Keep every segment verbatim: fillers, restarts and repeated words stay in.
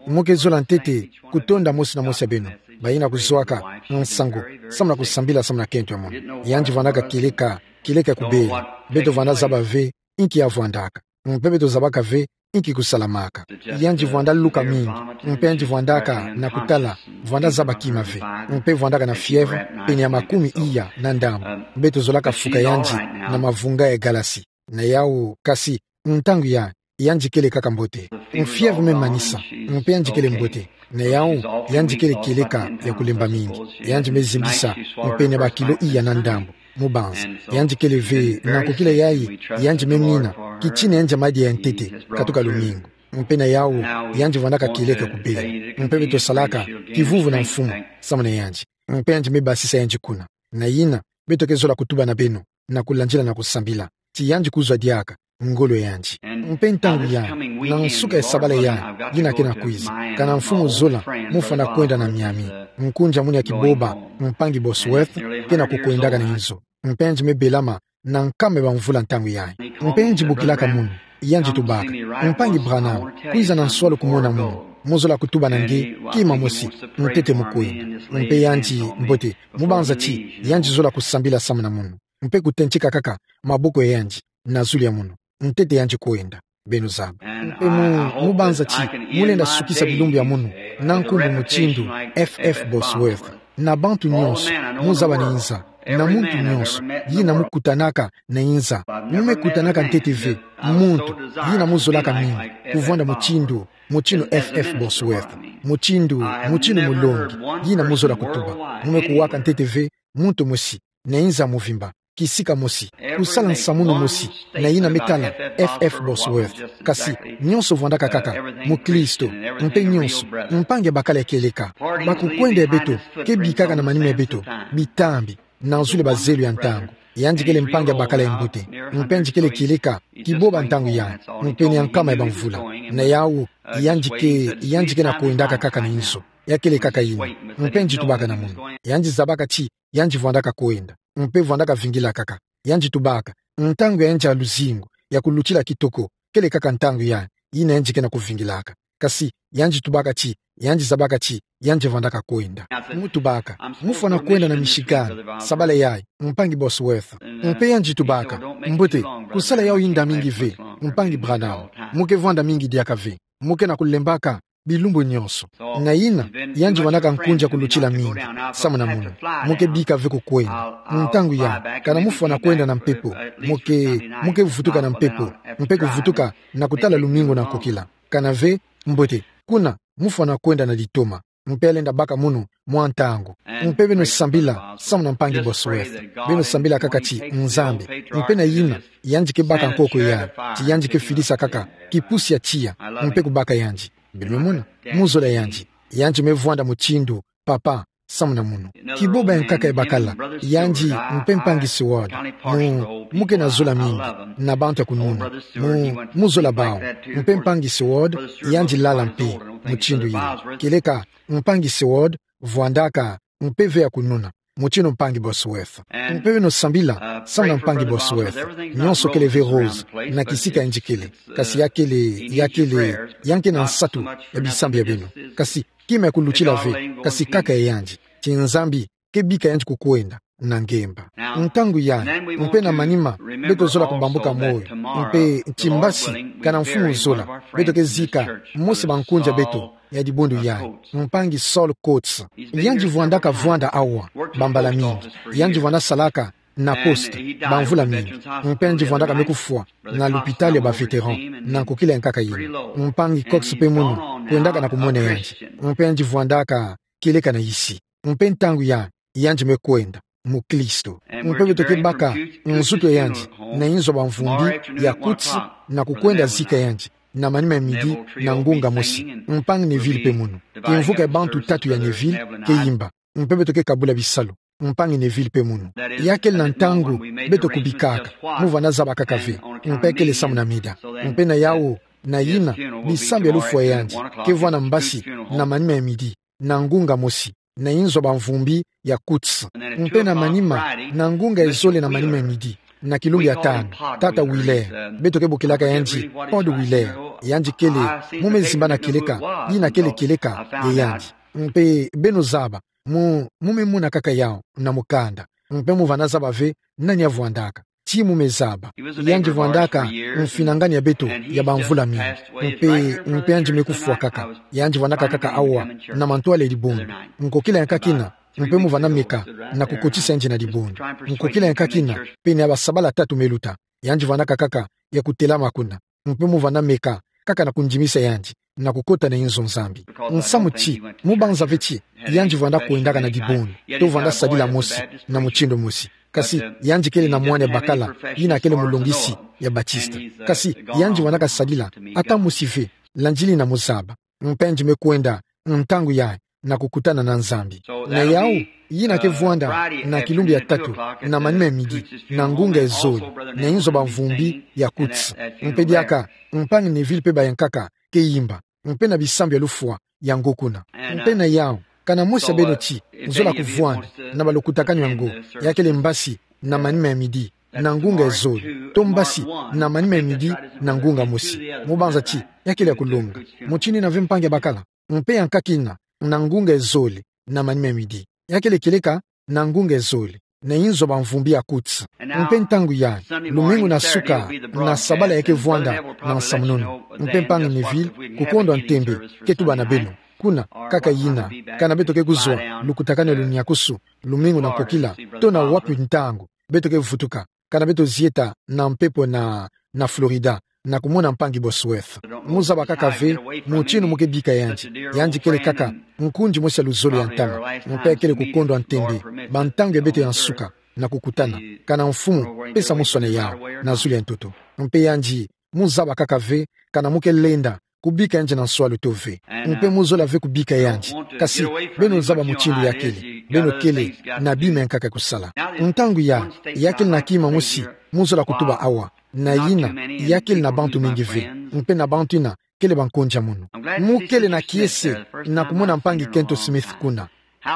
Mo ke zola ntete kutonda mosi na mosi ya beno, bayina kuzuaka nsangu, samu na kusambila samu na kento ya mono. Yandi vwandaka kieleka, kieleka kubela. Beto vwanda zaba ve inki ya vwandaka. Mpe beto zabaka ve inki kusalamaka. Yandi vwanda luka mingi, mpe yandi vwandaka na kutala, vwanda zaba kima ve. Mpe vwandaka na fièvre, pene ya makumi iya na ndambu. Beto zolaka fuka yandi na mavunga ya galasi. Na yawu, kasi, ntangu ya, yandi kele kaka mbote. Fièvre me manisa, mpe yandi kele mbote. Na yawu, yandi kele kieleka ya kulemba mingi. Yandi me zimbisa, mpe na bakilo iya na ndambu. Mubanza, yandi kele ve, na nkokila yayi, yandi me mina, kitina yandi ya madia ya ntete, katuka lumingu. Mpe na yawu, yandi vwandaka kieleka kubela. Mpe beto salaka kivuvu na mfumu, samu na yandi. Mpe yandi me basisa yandi kuna. Na yina, beto ke zola kutuba na beno, na kulandila na kusambila. Ti yandi kuzwa diaka, ngolo yandi. Mpe ntangu ya, na nsuka ya sabala ya, yina ke na kwiza. Kana mfumu zola, mufwana kwenda na Miami. Nkunja munu ya Kiboba, mpangi Bosworth, ke na kukwendaka na inzo. Mpe yandi me belama, na nkama ya bamvula ntangu yayi. Mpe yandi bokilaka munu, yandi tubaka: Mpangi Branham, kwiza na nswalu kumona munu. Mu zola kutuba na nge kima mosi, ntete mu kwenda. Mpe yandi, mbote, mubanza ti, yandi zola kusambila samu na munu. Mpe kutentika kaka maboko ya yandi na zulu ya munu, ntete yandi kwenda. Beno zaba. Mpe mu, mubanza ti, mu lenda sukisa bilumbu ya munu, na nkumbu mutindu F F Bosworth. Na bantu nyonso, mu zaba na inza, na muntu nyonso, yina mu kutanaka na inza, mu me kutanaka ntete ve, muntu, yina mu zolaka mingi, kuvwanda mutindu, mutindu F F Bosworth, mutindu, mutindu mulongi, yina mu zola kutuba, mu me kuwaka ntete ve, muntu mosi, na inza muvimba, kisika mosi, kusala nsamu mosi, na yina me tala F F Bosworth. Kasi, nyonso vwandaka kaka, mukristo, mpe nyonso, mpangi ya bakala ya kieleka. Bakukwenda ya beto ke bikaka na manima ya beto, bitambi, na zulu ya bazelu ya ntangu. Yandi kele mpangi ya bakala ya mbote, mpe yandi kele kieleka, Kiboba ntangu ya, mpe ni ya nkama ya bamvula. Na yawu, yandi ke, yandi ke na kwendaka kaka na inzo. Ya kele kaka yina. Mpe yandi tubaka na munu. Yandi zabaka ti, yandi vwandaka kwenda, mpe vwandaka vingila kaka. Yandi tubaka, ntangu ya yandi ya luzingu, ya kulutila kitoko, kele kaka ntangu ya, yina yandi ke na kuvingilaka. Kasi, yandi tubaka ti, yandi zabaka ti, yandi vwandaka kwenda. Mu tubaka, mu fwana kwenda na Michigan, sabala yayi, mpangi Bosworth. Mpe yandi tubaka, mbote, kusala yawu yinda mingi ve, mpangi Branham. Mu ke vwanda mingi diaka ve. Mu ke na kulembaka, bilumbu nyonso. Na yina, yandi vwandaka nkunja kulutila mingi, samu na munu. Mu ke bika ve ku kwenda. Ntangu ya, kana mu fwana kwenda na mpepo. Mu ke, mu ke vutuka na mpepo. Mpe kuvutuka, na kutala lumingu na nkokila. Kana ve, mbote, kuna, mu fwana kwenda na litoma. Mpe ya lenda baka munu, mwa ntangu. Mpe beno sambila, samu na mpangi Bosworth. Beno sambila kaka ti, Nzambi. Mpe na yina, yandi ke baka nkoko ya, ti yandi ke filisa kaka, kipusi ya tiya, mpe kubaka yandi. Beno mona, mu zola yandi. Yandi me vwanda mutindu, papa, samu na munu. Kiboba ya nkaka ya bakala, yandi, mpe mpangi Seward. Mu, mu ke na zola mingi, na bantu ya kununa. Mu, mu zola bawu, mpe mpangi Seward, yandi lala mpe, mutindu yina. Kieleka, mpangi Seward, vwandaka, mpe ve ya kununa, mutindu mpangi Bosworth. Mpe beno sambila, samu na mpangi Bosworth. Nyonso kele ve rose, na kisika yandi kele. Kasi ya kele, ya kele, ya nke na nsatu, ya bisambi ya beno. Kasi, kima ya kulutila ve, kasi kaka ya yandi. Ti Nzambi, ke bika yandi ku kwenda, na ngemba. Ntangu ya, mpe na manima, beto zola kubambuka moyo, mpe ti mbasi, kana mfumu zola, beto ke zika, mosi bankunja beto, ya dibundu ya, mpangi Saul Coates. Yandi vwandaka vwanda awa, bambala mingi. Yandi vwanda salaka, na poste, bamvula mingi. Mpe yandi vwandaka me kufwa, na lupitalu ya ba vétéran, na nkokila ya nkaka yina. Mpangi Cox mpe munu, kwendaka na kumona yandi. Mpe yandi vwandaka, kieleka na yisi. Mpe ntangu ya, yandi me kwenda, mukristo. Mpe beto ke baka, nzutu ya yandi, na inzo bamvumbi, ya Coates, na kukwenda zika yandi, na manima ya midi, na ngunga mosi. Mpangi Neville mpe munu. Kimvuka ya bantu tatu ya Neville, ke yimba. Mpe beto ke kabula bisalu. Mpangi Neville mpe munu. Ya kele na ntangu, beto kubikaka. Mu vwanda zaba kaka ve. Mpe kele samu na mida. Mpe na yawu, na yina, bisambi ya lufwa ya yandi. Ke vwanda mbasi, na manima ya midi. Na ngunga mosi. Na inzo bamvumbi, ya Coates. Mpe na manima, na ngunga ya zole na manima ya midi. na kilumbu ya tanu, tata Wheeler. Beto ke bokelaka yandi Pont de Wheeler. Yandi kele, mu me zimba na kieleka, yina kele kieleka ya yandi. Mpe beno zaba, mu, mu me mona kaka yawu na mukanda. Mpe mu vana zaba ve nani avwandaka. Ti mu me zaba. Yandi vwandaka mfinangani ya beto ya bamvula mingi. Mpe, mpe yandi me kufwa kaka. Yandi vwandaka kaka awa, na mantwala ya dibundu. Nkokila ya nkakina, mpe mu vana meka na kukotisa yandi na dibundu. Nkokila ya nkakina, pene ya basabala tatu me luta. Yandi vwandaka kaka ya kutelama kuna. Mpe mu vana meka kaka na kundimisa yandi na kukota na inzo Nzambi. Nsamu ti, mu banza ve ti yandi vwanda kwendaka na dibundu, to vwanda sadila mosi, na mutindu mosi. Kasi yandi kele na mwana ya bakala, yina kele mulongisi ya Batista. Kasi yandi vwandaka sadila ata mosi ve, landili na mu zaba. Mpe yandi me kwenda ntangu yayi na kukutana na Nzambi. Na yawu, yina ke vwanda na kilumbu ya tatu, na manima ya midi, na ngunga ya zole, na inzo bamvumbi ya Coutts. Mpe diaka, mpangi Neville mpe bayankaka ke yimba, mpe na bisambu ya lufwa yango kuna. Mpe na yawu, kana mosi ya beno ti zola kuvwanda na balukutakanu yango, ya kele mbasi na manima ya midi, na ngunga ya zole, to mbasi na manima ya midi, na ngunga mosi. Mu banza ti ya kele ya kulonga. Mutindu yina ve mpangi ya bakala. Mpe ya nkakina, na ngunga ya zole, na manima ya midi, ya kele kieleka, na ngunga ya zole, na inzo bamvumbi ya Coutts. Mpe ntangu yayi, lumingu na suka na sabala ya ke vwanda na nsamununu. Mpe mpangi Neville, kukondwa ntembe, ke tuba na beno. Kuna, kaka yina, kana beto ke kuzwa lukutakanu ya luniakusu, lumingu na nkokila, to na wapi ntangu beto ke vutuka, kana beto zieta na mpepo na, na Florida, na kumona mpangi Bosworth. Mu zaba kaka ve mutindu mu ke bika yandi. Yandi kele kaka nkundi mosi ya luzolo ya ntama. Mpe ya kele kukondwa ntembe, bantangu ya beto ya nsuka na kukutana. Kana Mfumu, pesa monsoni yawu na zulu ya ntoto. Mpe yandi, mu zaba kaka ve kana mu ke lenda kubika yandi na nswalu to ve. Mpe mu zola ve kubika yandi. Kasi, beno zaba mutindu ya kele. Beno kele na bima ya nkaka kusala. Ntangu yayi, ya kele na kima mosi mu zola kutuba awa. Na yina, ya kele na bantu mingi ve. Mpe na bantu yina kele bankondia munu. Mu kele na kiese na kumona mpangi Kenton Smith kuna.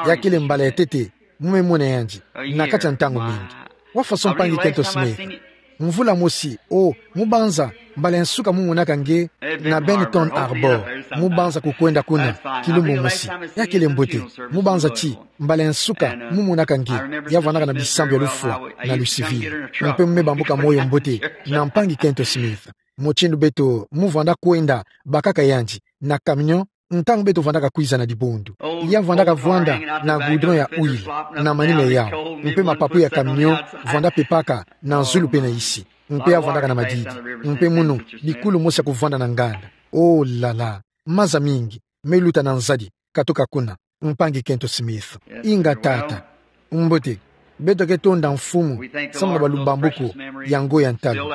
Ya kele mbala ya ntete mu me mona yandi na kati ya ntangu mingi. Wa faso mpangi Kenton Smith? Mvula mosi, o, mu banza, mbala ya nsuka mu monaka nge na Benton Harbor. Mu banza kukwenda kuna kilumbu mosi. Ya kele mbote. Mu banza ti mbala ya nsuka mu monaka nge, ya vwandaka na bisambu ya lufwa na lusivili. Mpe mu me bambuka moyo mbote na mpangi Kenton Smith. Mutindu beto mu vwanda kwenda bakaka yandi na camion, ntangu beto vwandaka kwiza na dibundu. Ya vwandaka vwanda na goudron ya huile na manima yawu. Mpe mapapu ya camion vwanda pepaka na zulu mpe na isi. Mpe ya vwandaka na madidi. Mpe munu, bikulu mosi ya kuvwanda na nganda. Oh là là. Maza mingi me luta na nzadi katuka kuna. Mpangi Kenton Smith. Inga tata. Mbote. Beto ke tonda Mfumu samu na balubambuku yango ya ntalu.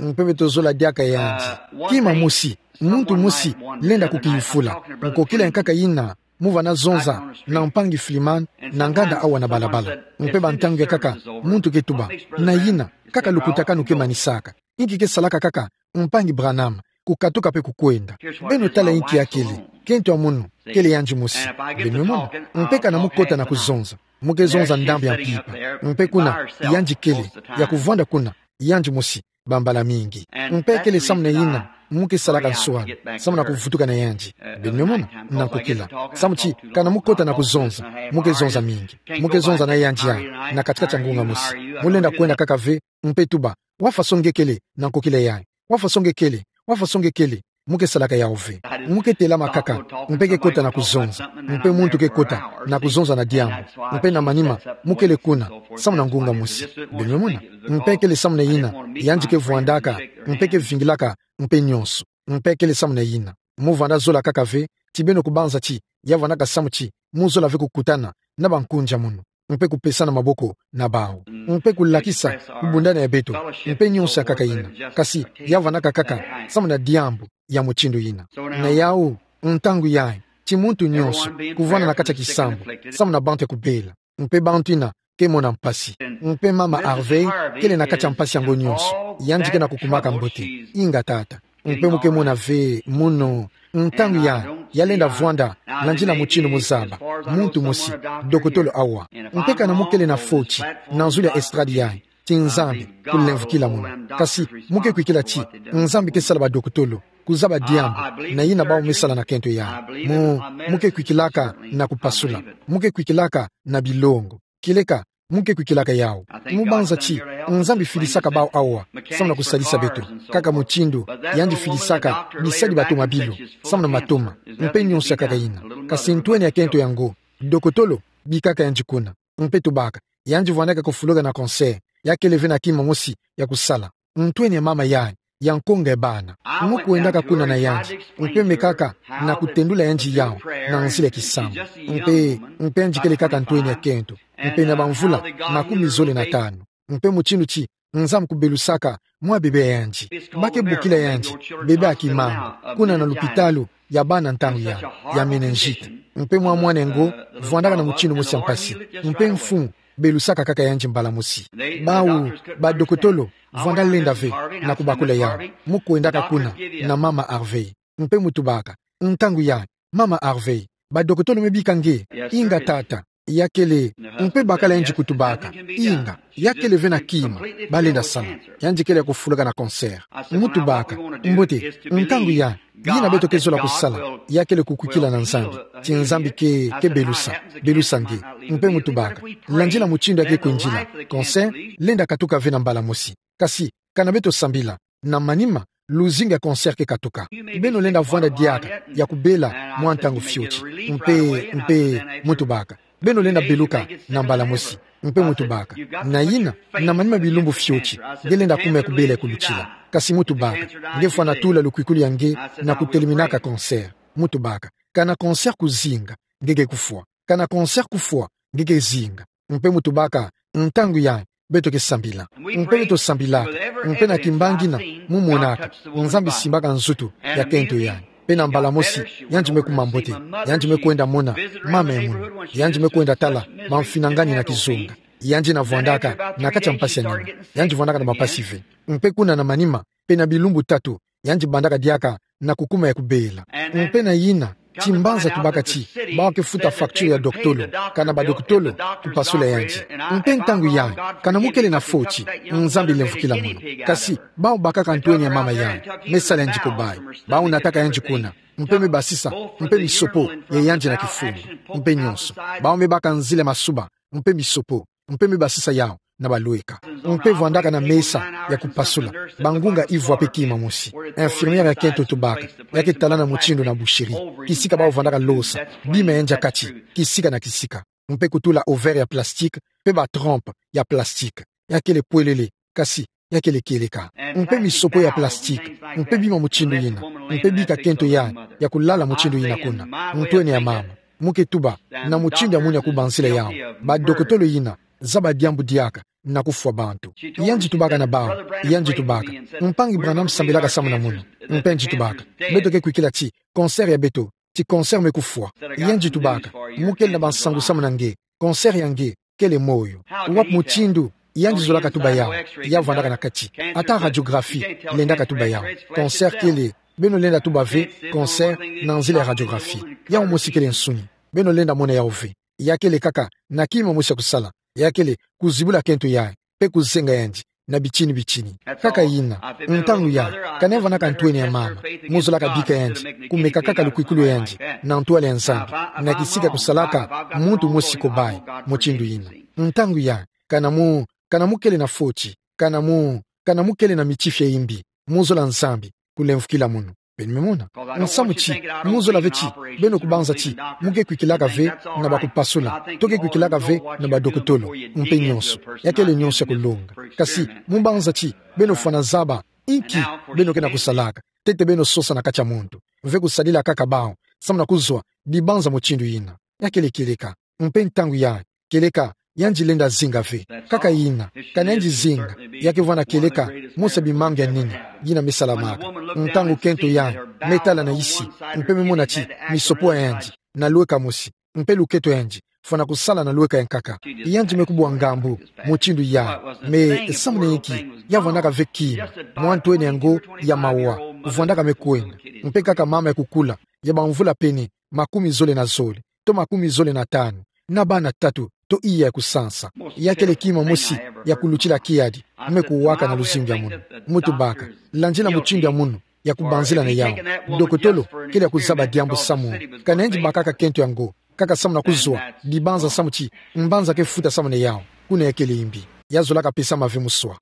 Mpe beto zola diaka yandi. Kima mosi, muntu mosi lenda kukiyufula. Nkokila ya nkaka yina mu vana zonza na mpangi Fleeman na nganda awa na balabala. Mpe bantangu ya nkaka, muntu ke tuba: Na yina, kaka lukutakanu ke manisaka. Inki ke salaka kaka mpangi Branham kukatuka mpe kukwenda? Beno tala inki ya kele. Kento ya munu kele yandi mosi. Beno mona. Mpe kana mu kota na kuzonza, mu ke zonza ndambu ya mpimpa. Mpe kuna yandi kele, ya kuvwanda kuna yandi mosi bambala mingi. Mpe kele samu na yina mu ke salaka nswalu, samu na kuvutuka na yandi. Beno mona, na nkokila. Samu ti kana mu kota na kuzonza, mu ke zonza mingi. Mu ke zonza na yandi ya, na kati-kati ya ngunga mosi. Mu lenda kwenda kaka ve, mpe tuba: Wa faso nge kele na nkokila yayi? Wa faso nge kele? Wa faso nge kele? Mu ke salaka yawu ve. Mu ke telama kaka, mpe ke kota na kuzonza. Mpe muntu ke kota na kuzonza na diambu. Mpe na manima, mu kele kuna samu na ngunga mosi. Beno mona. Mpe kele samu na yina yandi ke vwandaka, mpe ke vingilaka, mpe nionso. Mpe kele samu na yina. Mu vwanda zola kaka ve ti beno kubanza ti ya vwandaka samu ti mu zola ve kukutana na bankondia munu, mpe kupesana maboko na bawu, mpe kulakisa kubundana ya beto, mpe nionso ya nkaka yina. Kasi ya vwandaka kaka samu na diambu ya mutindu yina. Na yawu, ntangu yayi, ti muntu nionso kuvwanda na kati ya kisambu samu na bantu ya kubela. Mpe bantu yina ke mona mpasi. Mpe mama Harvey kele na kati ya mpasi yango nionso. Yandi ke na kukumaka mbote. Inga tata. Mpe mu ke mona ve munu, ntangu yayi, ya lenda vwanda, landila mutindu mu zaba. Muntu mosi, dokotolo awa. Mpe kana mu kele na foti na nzulu ya estrade yayi, ti Nzambi kulemvukila muna. Kasi, mu ke kwikila ti Nzambi ke sala badokotolo kuzaba diambu na yina bau me sala na kento yai. Mu, mu ke kwikilaka na kupasula. Mu ke kwikilaka na bilongo. Kieleka, mu ke kwikilaka yau. Mu banza ti Nzambi filisaka bau awa, samu na kusalisa beto. Kaka mutindu yandi filisaka bisadi batomabilu, samu na matoma, mpe nyonso ya kaka yina. Kasi ntwenia kento yango, dokotolo, bikaka yandi kuna. Mpe tubaka, yandi vwandaka kufuluka na cancer, ya kele ve na kima mosi ya kusala. Ntwenia mama yai, ya nkonga ya bana. Mu kwendaka kuna na yandi, mpe mekaka na kutendula yandi yau na nzila ya kisamu. Mpe, mpe yandi kele kaka ntwenia kento. Mpe na bamvula makumi zole na tanu. Mpe mutindu ti Nzambi kubelusaka mwa bebe ya yandi. Ba ke bokila yandi bebe ya kimanga, kuna na lupitalu ya bana ntangu ya, ya méningite. Mpe mwa mwana yango vwandaka na mutindu mosi ya mpasi. Mpe mfumu belusaka kaka yandi mbala mosi. Bau, badokotolo vwanda lenda ve na kubakula yau. Mu kwendaka kuna na mama Harvey. Mpe mu tubaka, ntangu yai, mama Harvey, badokotolo me bika nge? Inga tata, ya kele. Mpe bakala yandi kutubaka, inga, ya kele ve na kima ba lenda sala. Yandi kele ya kufuluka na cancer. Mu tubaka, mbote, ntangu yai, yina beto ke zola kusala, ya kele kukwikila na Nzambi, ti Nzambi ke, ke belusa, belusa nge. Mpe mu tubaka, landila mutindu ya ke kwendila, cancer lenda katuka ve na mbala mosi. Kasi, kana beto sambila, na manima, luzingu ya cancer ke katuka. Beno lenda vwanda diaka ya kubela mwa ntangu fioti. Mpe, mpe, mu tubaka, beno lenda beluka na mbala mosi. Mpe mu tubaka, na yina, na manima bilumbu fioti, nge lenda kuma ya kubela ya kulutila. Kasi mu tubaka, nge fwana tula lukwikulu ya nge na kuteleminaka cancer. Mu tubaka, kana cancer kuzinga, nge ke kufwa. Kana cancer kufwa, nge ke zinga. Mpe mu tubaka, ntangu yai, beto ke sambila. Mpe beto sambilaka, mpe na kimbangi yina mu monaka, Nzambi simbaka nzutu ya kento yai. Mpe na mbala mosi, yandi me kuma mbote, yandi me kwenda mona mama ya mwini, yandi me kwenda tala bamfinangani na kizonga. Yandi na vwandaka na kati ya mpasi ya nima, yandi vwandaka na bampasi ve. Mpe kuna na manima, mpe na bilumbu tatu, yandi bandaka diaka na kukuma ya kubela. Mpe na yina, ti mbanza tubaka ti, bau ke futa facture ya dokotolo, kana badokotolo kupasula yandi. Mpe ntangu yai, kana mu kele na foti, Nzambi lemvukila muna. Kasi, bau bakaka ntwenia mama yai, me sala yandi kobayi, bau nataka yandi kuna, mpe me basisa, mpe misopo ya yandi na kifungu, mpe nyonso. Bau me baka nzila ya masuba, mpe misopo, mpe me basisa yau na balweka. Mpe vwandaka na mesa ya kupasula, bangunga ivwa mpe kima mosi. Infirmière ya kento tubaka, ya ke talana mutindu na boucherie, kisika bau vwandaka losa bima ya yandi ya kati, kisika na kisika. Mpe kutula ovaire ya plastique, mpe ba trompe ya plastique. Ya kele pwelele, kasi ya kele kieleka. Mpe misopo ya plastique, mpe bima mutindu yina, mpe bika kento yai ya kulala mutindu yina kuna. Ntwenia mama, mu ke tuba na mutindu ya mwini ya kubanzila yau. Badokotolo yina, zaba diambu diaka na kufwa bantu. Yandi tubaka na bau, yandi tubaka, mpangi Branham sambilaka samu na mono. Mpe yandi tubaka, beto ke kwikila ti cancer ya beto, ti cancer me kufwa. Yandi tubaka, mu kele na bansangu samu na nge, cancer ya nge kele moyo. Wapi mutindu yandi zolaka tuba yau? Ya vwandaka na kati. Ata radiographie lendaka tuba yau. Cancer kele, beno lenda tuba ve cancer na nzila ya radiographie. Yau mosi kele nsuni. Beno lenda mona yau ve. Ya kele kaka na kima mosi ya kusala. Ya kele kuzibula kento yai, mpe kuzenga yandi na bitini bitini. Kaka yina, ntangu yai, kana ya vwandaka ntwenia mama, mu zolaka bika yandi, kumeka kaka lukwikulu ya yandi na ntwala ya Nzambi, na kisika kusalaka muntu mosi kobayi mutindu yina. Ntangu yai, kana mu, kana mu kele na foti, kana mu, kana mu kele na mitifi ya yimbi, mu zola Nzambi kulemvukila mono. Beno me mona. Nsamu ti, mu zola ve ti beno kubanza ti mu ke kwikilaka ve na bakupasula, to ke kwikilaka ve na badokotolo, mpe nyonso. Ya kele nyonso ya kulonga. Kasi mu banza ti beno fwana zaba inki beno ke na kusalaka. Ntete beno sosa na kati ya muntu ve kusadila kaka bau, samu na kuzwa dibanza mutindu yina. Ya kele kieleka. Mpe ntangu yai, kieleka yandi lenda zinga ve. Kaka yina, kana yandi zinga, ya ke vwanda kieleka mosi ya bimangu ya nini yina me salamaka. Ntangu kento yai me tala na isi, mpe me mona ti misopo ya yandi na lweka mosi, mpe luketo ya yandi fwana kusala na lweka ya nkaka. Yandi me kubwa ngambu mutindu yai, me samu na inki? Ya vwandaka ve kima, mwa ntwenia ngo ya mawa, kuvwandaka me kwenda. Mpe kaka mama ya kukula, ya bamvula pene makumi zole na zole, to makumi zole na tanu, na bana tatu, to iya ya kusansa. Ya kele kima mosi ya kulutila kiadi, me kuwaka na luzingu ya munu. Mutubaka, landila mutindu ya munu ya kubanzila na yawu. Dokotolo kele ya kuzaba diambu samu. Ka nayandi bakaka kento yango, kaka samu na kuzwa dibanza samu ti mbanza ke futa samu na yawu. Kuna ya kele imbi. Ya zolaka pesa mave muswa.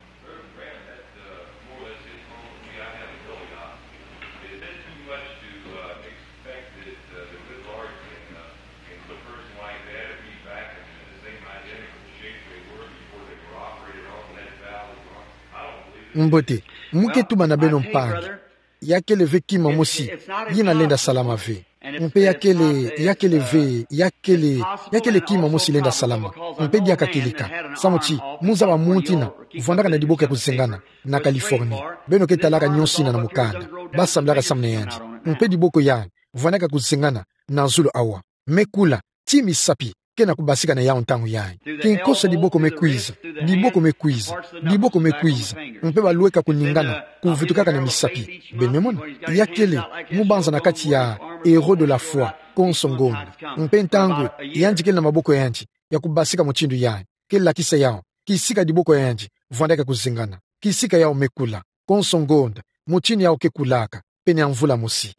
Mbote, mu ke tuba na beno mpangi. Ya kele ve kima mosi yina lenda salama ve. Mpe ya kele, ya kele ve, ya kele, ya kele kima mosi lenda salama. Mpe diaka kieleka. Samu ti, mu zaba muntu yina vwandaka na diboko ya kuzengana na Californie. Beno ke talaka nionso yina na mukanda. Basambilaka samu na yandi. Mpe diboko yandi vwandaka kuzengana na zulu awa. Me kula, ti misapi ke na kubasika na yawu ntangu yayi. Kinkosa diboko me kwiza, diboko me kwiza, diboko me kwiza. Mpe balweka kuningana, kuvutukaka na misapi. Beno me mona, ya kele mubanza na kati ya héros de la foi, konso ngonda. Mpe ntangu yandi kele na maboko ya yandi ya kubasika mutindu yayi, ke lakisa yawu kisika diboko ya yandi vwandaka kuzengana. Kisika yawu me kula, konso ngonda, mutindu yawu ke kulaka, pene ya mvula mosi.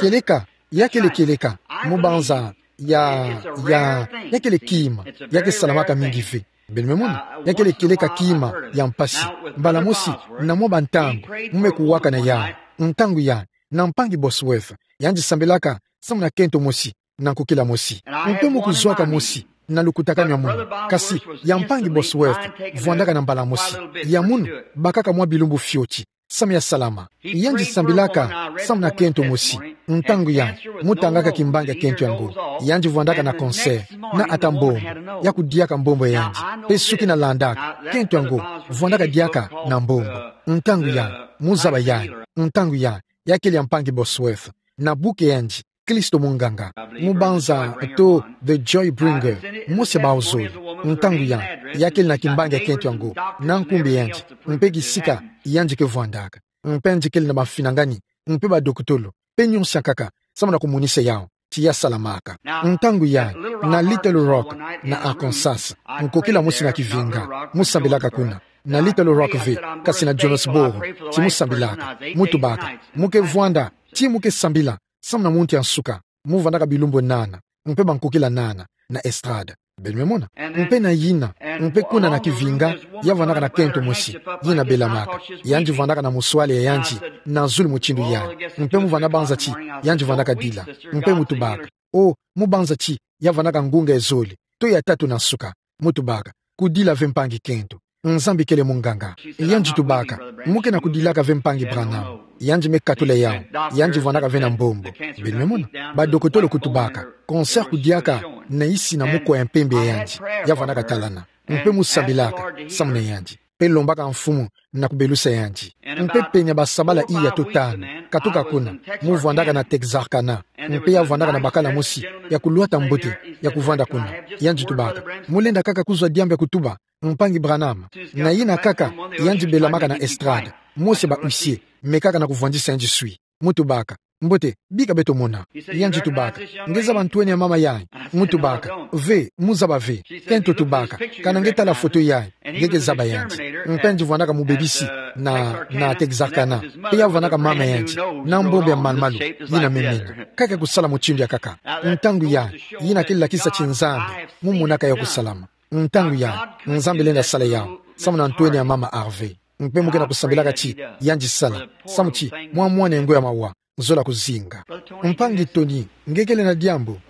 Kieleka, ya kele kieleka, mubanza ya, ya, ya kele kima ya ke salamaka mingi ve. Beno me mona, ya kele kieleka kima ya mpasi. Mbala mosi, na mwa bantangu, mu me kuwaka na yawu. Ntangu yayi, na mpangi Bosworth, yandi sambilaka samu na kento mosi, na nkokila mosi. Mpe mu kuzwaka mosi na lukutakanu ya munu. Kasi ya mpangi Bosworth vwandaka na mbala mosi. Ya munu, bakaka mwa bilumbu fioti, samu ya salama. Yandi sambilaka samu na kento mosi. Ntangu yandi, mu tangaka kimbangi ya kento yango, yandi vwandaka na cancer, na ata mbombo, ya kudiaka mbombo ya yandi. Mpe suki na landaka, kento yango vwandaka diaka na mbombo. Ntangu yandi, mu zaba yandi. Ntangu yandi, ya kele ya mpangi Bosworth, na buku ya yandi, Kristo Munganga, mubanza to The Joy Bringer, mosi bau zole. Ntangu yandi, ya kele na kimbangi ya kento yango, na nkumbu ya yandi, mpe kisika yandi ke vwandaka. Mpe yandi kele na bafinangani, mpe badokotolo, mpe nionso ya nkaka, samu na kumonisa yawu ti ya salamaka. Ntangu yayi, na Little Rock, na Arkansas, nkokila mosi na kivinga, mu sambilaka kuna. Na Little Rock ve, kasi na Jonesboro, ti mu sambilaka. Mutubaka, mu ke vwanda, ti mu ke sambila samu na muntu ya nsuka, mu vwandaka bilumbu nana, mpe bankokila nana, na estrade. Beno me mona. Mpe na yina, mpe kuna na kivinga, ya vwandaka na kento mosi, yina belamaka. Yandi vwandaka na muswale ya yandi na zulu mutindu yayi. Mpe mu vwanda banza ti yandi vwandaka dila. Mpe mutubaka, o, mubanza ti ya vwandaka ngunga ya zole, to ya tatu na nsuka. Mutubaka, kudila ve mpangi kento. Nzambi kele munganga. Yandi tubaka, mu ke na kudilaka ve mpangi Branham. Yandi me katula yawu. Yandi vwandaka ve na mbombo. Beno me mona, badokotolo kutubaka, cancer kudiaka na isi na mukwa ya mpembe ya yandi, ya vwandaka talana. Mpe mu sambilaka samu na yandi, mpe lombaka Mfumu na kubelusa yandi. Mpe pene ya basabala iya to tanu katuka kuna, mu vwandaka na Texarkana, mpe ya vwandaka na bakala mosi ya kulwata mbote ya kuvwanda kuna. Yandi tubaka, mu lenda kaka kuzwa diambu ya kutuba, mpangi Branham? Na yina kaka, yandi belamaka na estrade, mosi ba huissier, me kaka na kuvwandisa yandi swi. Mutubaka, mbote, bika beto mona. Yandi tubaka, nge zaba ntwenia mama yayi? Mutubaka, ve, mu zaba ve. Kento tubaka, kana nge tala foto yayi, nge ke zaba yandi. Mpe yandi vwandaka mubebisi na, na Texarkana, mpe ya vwandaka mama yandi na mbombo ya malu-malu, yina me mena. Kaka kusala mutindu ya kaka. Ntangu yayi, yina ke lakisa ti Nzambi mu monaka yawu kusalama. Ntangu yayi, Nzambi lenda sala yawu samu na ntwenia mama Harvey. Mpe mu ke na kusambilaka ti yandi sala, samu ti mwa mwana ya ngoi ya mawa zola kuzinga. Mpangi Tony, nge kele na diambu?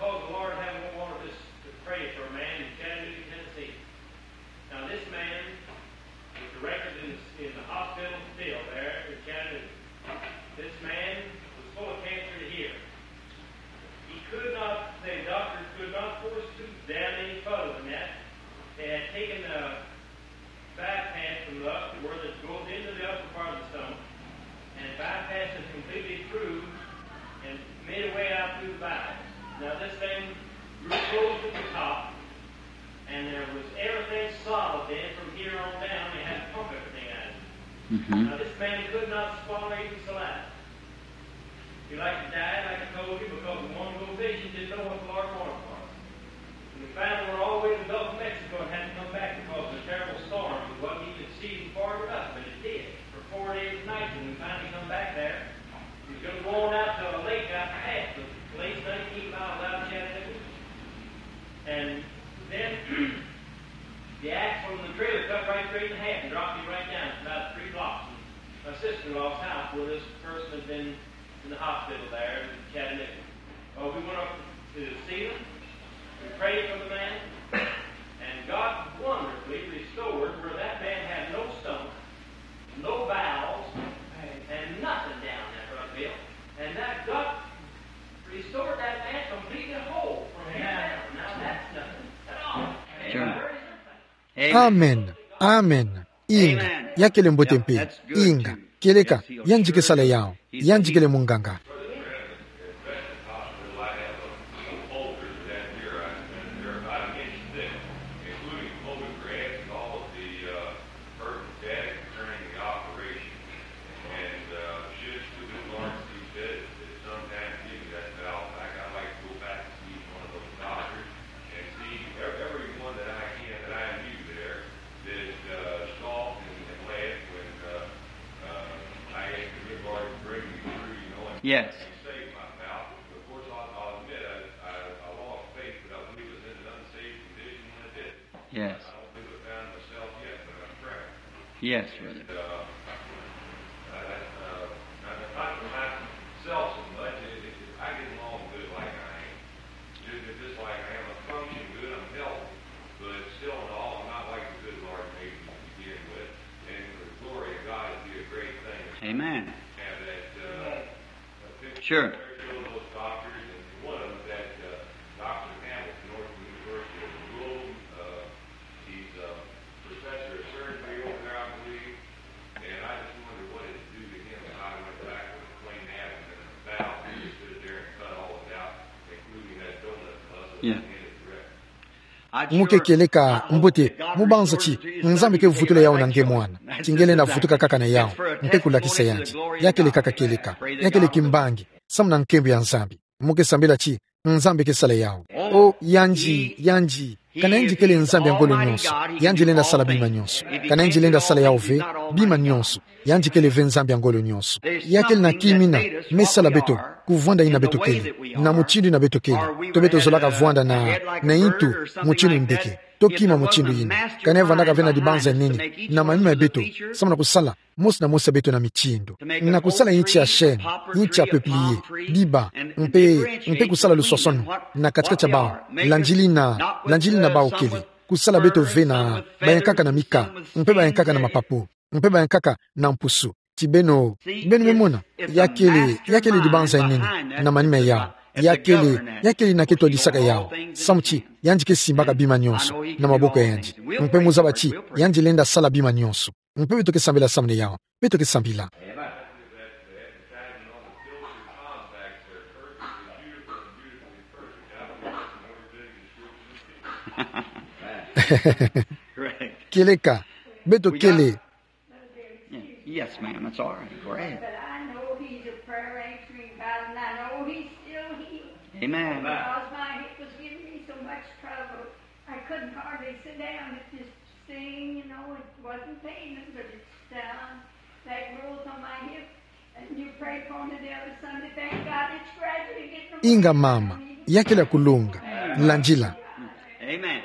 Because the Lord had wanted us to pray for a man in Chattanooga, Tennessee. Now, this man was directed in, in the hospital still there in Chattanooga. This man was full of cancer in here. He could not, the doctors could not force tubes down any further than that. They had taken the bypass from the upper, where it goes into the upper part of the stomach, and bypassed it completely through and made a way out through the bowels. Now this thing grew close to the top, and there was everything solid then from here on down. They had to pump everything out. Mm-hmm. Now this man could not swallow even saliva. He liked to die, like I told you, because he wanted to go fishing, didn't know what the Lord wanted for him. And we finally went all the way to the Gulf of Mexico and had to come back because of a terrible storm. It wasn't even seasoned for it enough, but it did. For four days and nights, and we finally come back there. He was gonna go on out to a lake out past the place, nineteen miles out of Chattanooga. And then the axle in the trailer cut right straight in half and dropped him right down. It's about three blocks from my sister-in-law's house where this person had been in the hospital there in Chattanooga. Well, we went up to see him. We prayed for the man. And God wonderfully restored where that man had no stomach, no bowels, and nothing down there, Brother Bill. And that God restored that man completely whole from hell. Now that's nothing at all. Sure. Amen. Amen. Inga. Ya kele mbote mpe. Inga. Kieleka, yandzi ke sala yao. Yandzi kele munganga. Yes. Yes. Yes, brother. Amen. Sure. Yeah. Mo ke kieleka mbote, mo banza ti Nzambi ke vutula yawu na nge mwana. Ti nge lenda vutuka kaka na yawu. Nge ke kulakisa yandi. Ya kele kaka kieleka. Ya kele kimbangi. Samu na nkembo ya Nzambi. Mo ke sambila ti Nzambi ke sala yawu. O, yandi, yandi. Kana yandi kele Nzambi ya ngolo nyonso, yandi lenda sala bima nyonso. Kana yandi lenda sala yawu ve, bima nyonso, yandi kele ve Nzambi ya ngolo nyonso. Ya kele na kimina me sala beto kuvwanda yina beto kele, na mutindu yina beto kele. To beto zolaka vwanda na, na ntu mutindu ndeke, to kima mutindu yina. Kana vandaka ve na dibanza nini na manima ya beto, samu na kusala mosi na mosi ya beto na mitindu. Na kusala yinti ya chaîne, yinti ya peuplier, biba, mpe, mpe kusala luswasono na kati-kati ya bawu, landiri na, landiri na bawu kele. Kusala beto ve na bayankaka na mika, mpe bayankaka na mapapu, mpe bayankaka na mpusu. Ti beno, beno me mona, ya kele, ya kele dibanza ya nene na manima ya yawu. Ya kele, ya kele yina ke twadisaka yawu. Samu ti, yandi ke simbaka bima nyonso na maboko ya yandi. Mpe mo zaba ti, yandi lenda sala bima nyonso. Mpe beto ke sambila samu na yawu. Beto ke sambila. Kieleka, beto kele. Yes, ma'am, that's all right. Go ahead. But I know he's a prayer answering God, and I know he's still healing. Amen. Because my hip was giving me so much trouble, I couldn't hardly sit down. It just sting, you know, it wasn't painless, but it stung. That growth on my hip, and you prayed for me the other Sunday. Thank God it's gradually getting away. Inga mama, ya kele ya kulonga, landila. Amen.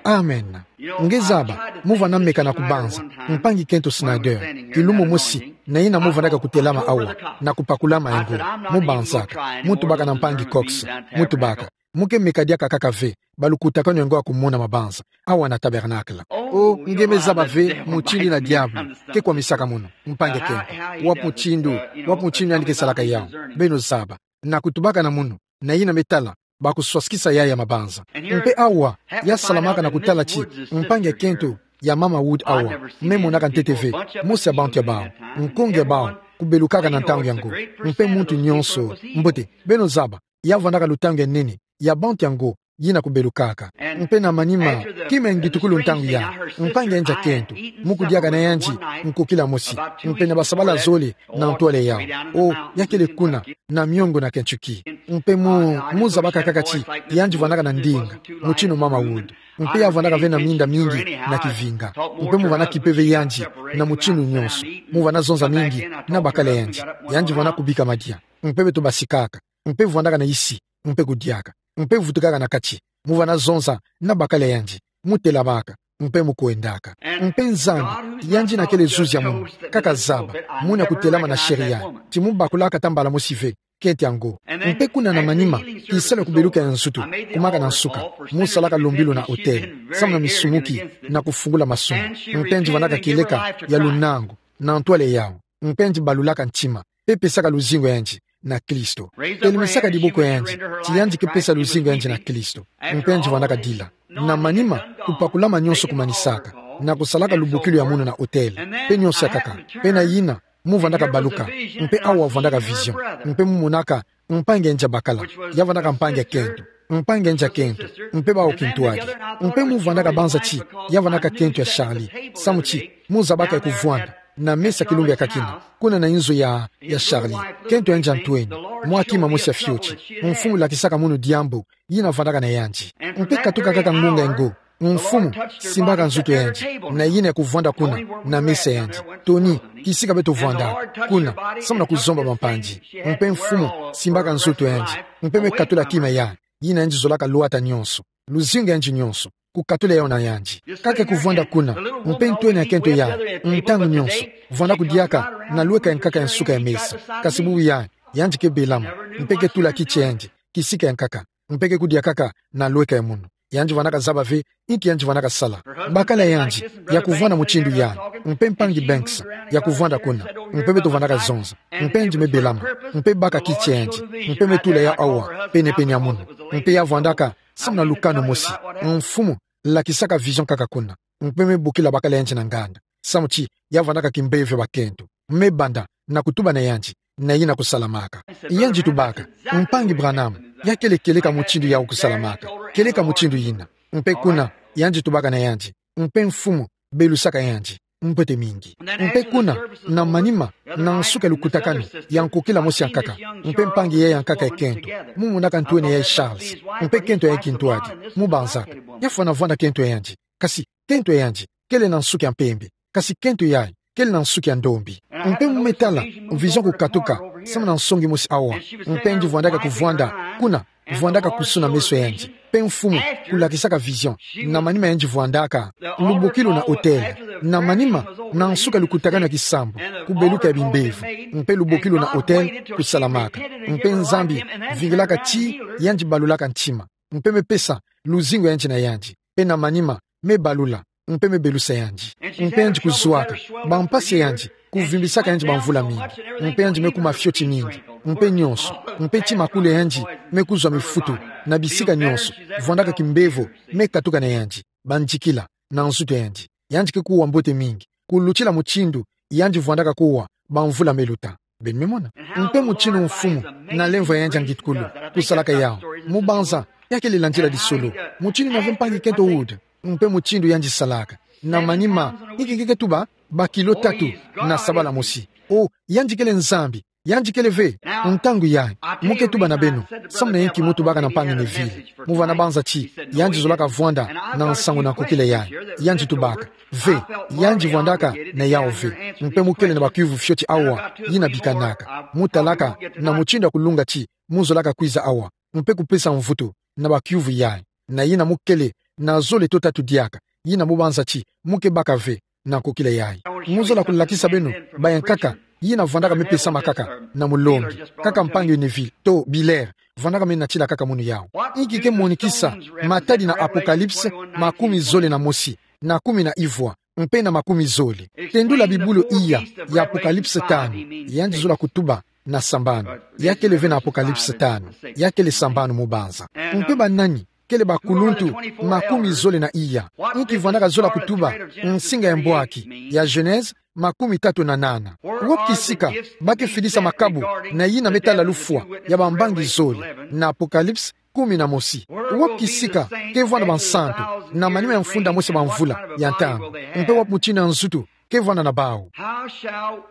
Amen. Nge zaba, mo vwanda meka na kubanza mpangi Kento Snyder, kilumbu mosi, na yina mo vandaka kutelama awa na kupakula mayengo. Mo banzaka, mo tubaka na mpangi Cox, mo tubaka. Mo ke meka diaka kaka ve balukutakanu ya ngo ya kumona mabanza awa na tabernacle. O, nge me zaba ve mutindu yina diabu ke kwamisaka mono, mpangi Kento. Wapi mutindu, wapi mutindu yandi ke salaka yawu? Beno zaba. Na kutubaka na mono, na yina me tala bakuswasikisa yayi ya mabanza. Mpe awa, ya salamaka na kutala ti mpangi ya Kento ya mama Wood awa, me monaka ntete ve mosi ya bantu ya bawu, nkonge ya bawu, kubelukaka na ntangu yango. Mpe muntu nyonso, mbote, beno zaba, ya vandaka lutangu ya nene ya bantu yango yina kubelukaka. Mpe na manima, kima ya ngitukulu ntangu ya, mpangi ya nza kento, mu kudiaka na yandi nkokila mosi, mpe na basabala zole na ntwala yau. O, ya kele kuna, na miongo na Kentucky. Mpe mu, mu zabaka kaka ti, yandi vandaka na ndinga, mutinu Mama Wood. Mpe ya vandaka ve na minda mingi na kivinga. Mpe mu vana kipe ve yandi, na mutinu nyonso. Mu vana zonza mingi, na bakala yandi. Yandi vana kubika madia. Mpe beto basikaka. Mpe vandaka na isi, mpe kudiaka. Mpe vutukaka na kati. Mu vana zonza, na bakala yandi. Mu telabaka. Mpe mu kwendaka. Mpe Nzambi, yandi na kele zuzi ya munu, kaka zaba, muna kutelama na sheria, ti mu bakulaka ata mbala mosi ve, kento yango. Mpe kuna na manima, kisalu ya kubeluka ya nzutu, kumaka na nsuka, mu salaka lumbilu na hotel, samu na misumuki, na kufungula masumu. Mpe yandi vandaka kieleka ya lunangu, na ntwala yau. Mpe yandi balulaka ntima, mpe pesaka luzingu ya yandi na Kristo. Telemesaka diboko ya yandi, ti yandi ke pesa luzingu ya yandi na Kristo. Mpe yandi vandaka dila. Na manima, kupakulama nyonso kumanisaka, na kusalaka lubokilu ya munu na hotel, mpe nyonso ya nkaka, mpe na yina, mu vandaka baluka, mpe awa vandaka vision, mpe mu monaka, mpangi ya nza bakala, ya vandaka mpangi ya kento, mpangi ya nza kento, mpe bawu kintwadi, mpe mu vandaka banza ti, ya vandaka kento ya Charlie, samu ti, mu zabaka ya kuvwanda, na mesa kilumbu ya nkakina, kuna na inzo ya, ya Charlie, kento ya nza ntweni, mwa kima mosi ya fioti, mfumu lakisaka munu diambu, yina vandaka na yandi. Mpe katuka kaka ngunga ngo, mfumu, simbaka nzutu ya yandi, na yina ya kuvwanda kuna, na mesa ya yandi. Tony, kisika beto vwanda, kuna, samu na kuzomba bampangi. Mpe mfumu, simbaka nzutu ya yandi, mpe me katula kima ya, yina yandi zolaka lwata nyonso. Luzingu ya yandi nyonso, kukatula yawu na yandi. Kaka kuvwanda kuna, mpe ntweni ya kento ya, ntangu nyonso, vwanda kudiaka, na lweka ya nkaka ya nsuka ya mesa. Kasi bubu ya, yandi ke belama, mpe ke tula kiti ya yandi, kisika ya nkaka, mpe ke kudia kaka, na lweka ya munu. Yandi vandaka zaba ve, inki yandi vandaka sala. Bakala yandi, ya kuvwanda mutindu ya, mpe mpangi Banks, ya kuvwanda kuna, mpe beto vandaka zonza, mpe yandi me belama, mpe baka kiti ya yandi, mpe me tula yawu awa, pene-pene ya munu, mpe ya vwandaka, samu na lukanu mosi, mfumu, lakisaka vision kaka kuna, mpe me bokila bakala yandi na nganda, samu ti, ya vandaka kimbevo ya bakento, me banda, na kutuba na yandi, na yina kusalamaka. Yandi tubaka, mpangi Branham, ya kele kieleka mutindu yawu kusalamaka, kieleka mutindu yina. Mpe kuna, yandi tubaka na yandi, mpe mfumu, belusaka yandi, mbote mingi. Mpe kuna, na manima, na nsuka ya lukutakanu, ya nkokila mosi ya nkaka, mpe mpangi yayi ya nkaka ya kento, mu monaka ntweni yayi Charles, mpe kento yayi kintwadi, mu banza, ya fwana vwanda kento ya yandi, kasi, kento ya yandi, kele na nsuki ya mpembe, kasi kento yayi, kele na nsuki ya ndombi. Mpe mu me tala, vision kukatuka, samu na nsongi mosi awa, mpe yandi vwandaka kuvwanda, kuna, vwandaka kusuna meso ya yandi. Mpe mfumu, kulakisaka vision, na manima yandi vwandaka, lubokilu na hotel, na manima, na nsuka ya lukutakanu ya kisambu, kubeluka ya bimbevo, mpe lubokilu na hotel, kusalamaka. Mpe Nzambi, vingilaka ti, yandi balulaka ntima. Mpe me pesa, luzingu ya yandi na yandi. Mpe na manima, me balula, mpe me belusa yandi. Mpe yandi kuzwaka, bampasi ya yandi, kuvimbisaka yandi bamvula mingi. Mpe yandi me kuma fioti mingi, mpe nyonso, mpe ti makulu ya yandi, me kuzwa mifutu, na bisika nyonso, vwandaka kimbevo, me katuka na yandi, bandikila, na nzutu ya yandi. Yandi ke kuwa mbote mingi, kulutila mutindu, yandi vwandaka kuwa, bamvula me luta. Beno me mona. Mpe mutindu mfumu, na lemvo ya yandi ya ngitukulu, kusalaka yawu. Mu banza, ya kele landila disolo. Mutindu na ve mpangi kento Wood. Mpe mutindu yandi salaka. Na manima, inki ke ke tuba, bakilo tatu, na sabala mosi. O, yandi kele Nzambi, yandi kele ve, ntangu yayi, mu ke tuba na beno, samu na inki mu tubaka na mpangi Neville. Mu vana banza ti, yandi zolaka vwanda, na nsangu na nkokila yayi. Yandi tubaka. Ve, yandi vwandaka na yawu ve. Mpe mu kele na bakiuvu fioti awa, yina bikanaka. Mu talaka, na mutindu ya kulunga ti, mu zolaka kwiza awa. Mpe kupesa mvutu, na bakiuvu yayi. Na yina mu kele, na zole to tatu diaka, yina mu banza ti, mu ke baka ve, na nkokila yayi. Mu zola kulakisa beno, bayankaka, yina vwandaka me pesama kaka, na mulongi, kaka mpangi Neville, to Biller, vwandaka me natila kaka munu yawu. Inki ke monikisa, matadi na Apocalypse, makumi zole na mosi, na kumi na ivwa, mpe na makumi zole. Tendula bibulu iya, ya Apocalypse tanu, yandi zola kutuba, na sambanu. Ya kele ve na Apocalypse tanu, ya kele sambanu mu banza. Mpe banani, kele bakuluntu, makumi zole na iya. Inki vwandaka zola kutuba, nsinga ya mbwaki, ya Genèse, makumi tatu na nana. Wapi kisika ba ke fidisa makabu na yina me tala lufwa ya bambangi zole, na Apocalypse kumi na mosi? Wapi kisika ke vwanda bansantu na manima ya mfunda mosi ya bamvula ya ntangu? Mpe wapi mutindu ya nzutu ke vwanda na bau?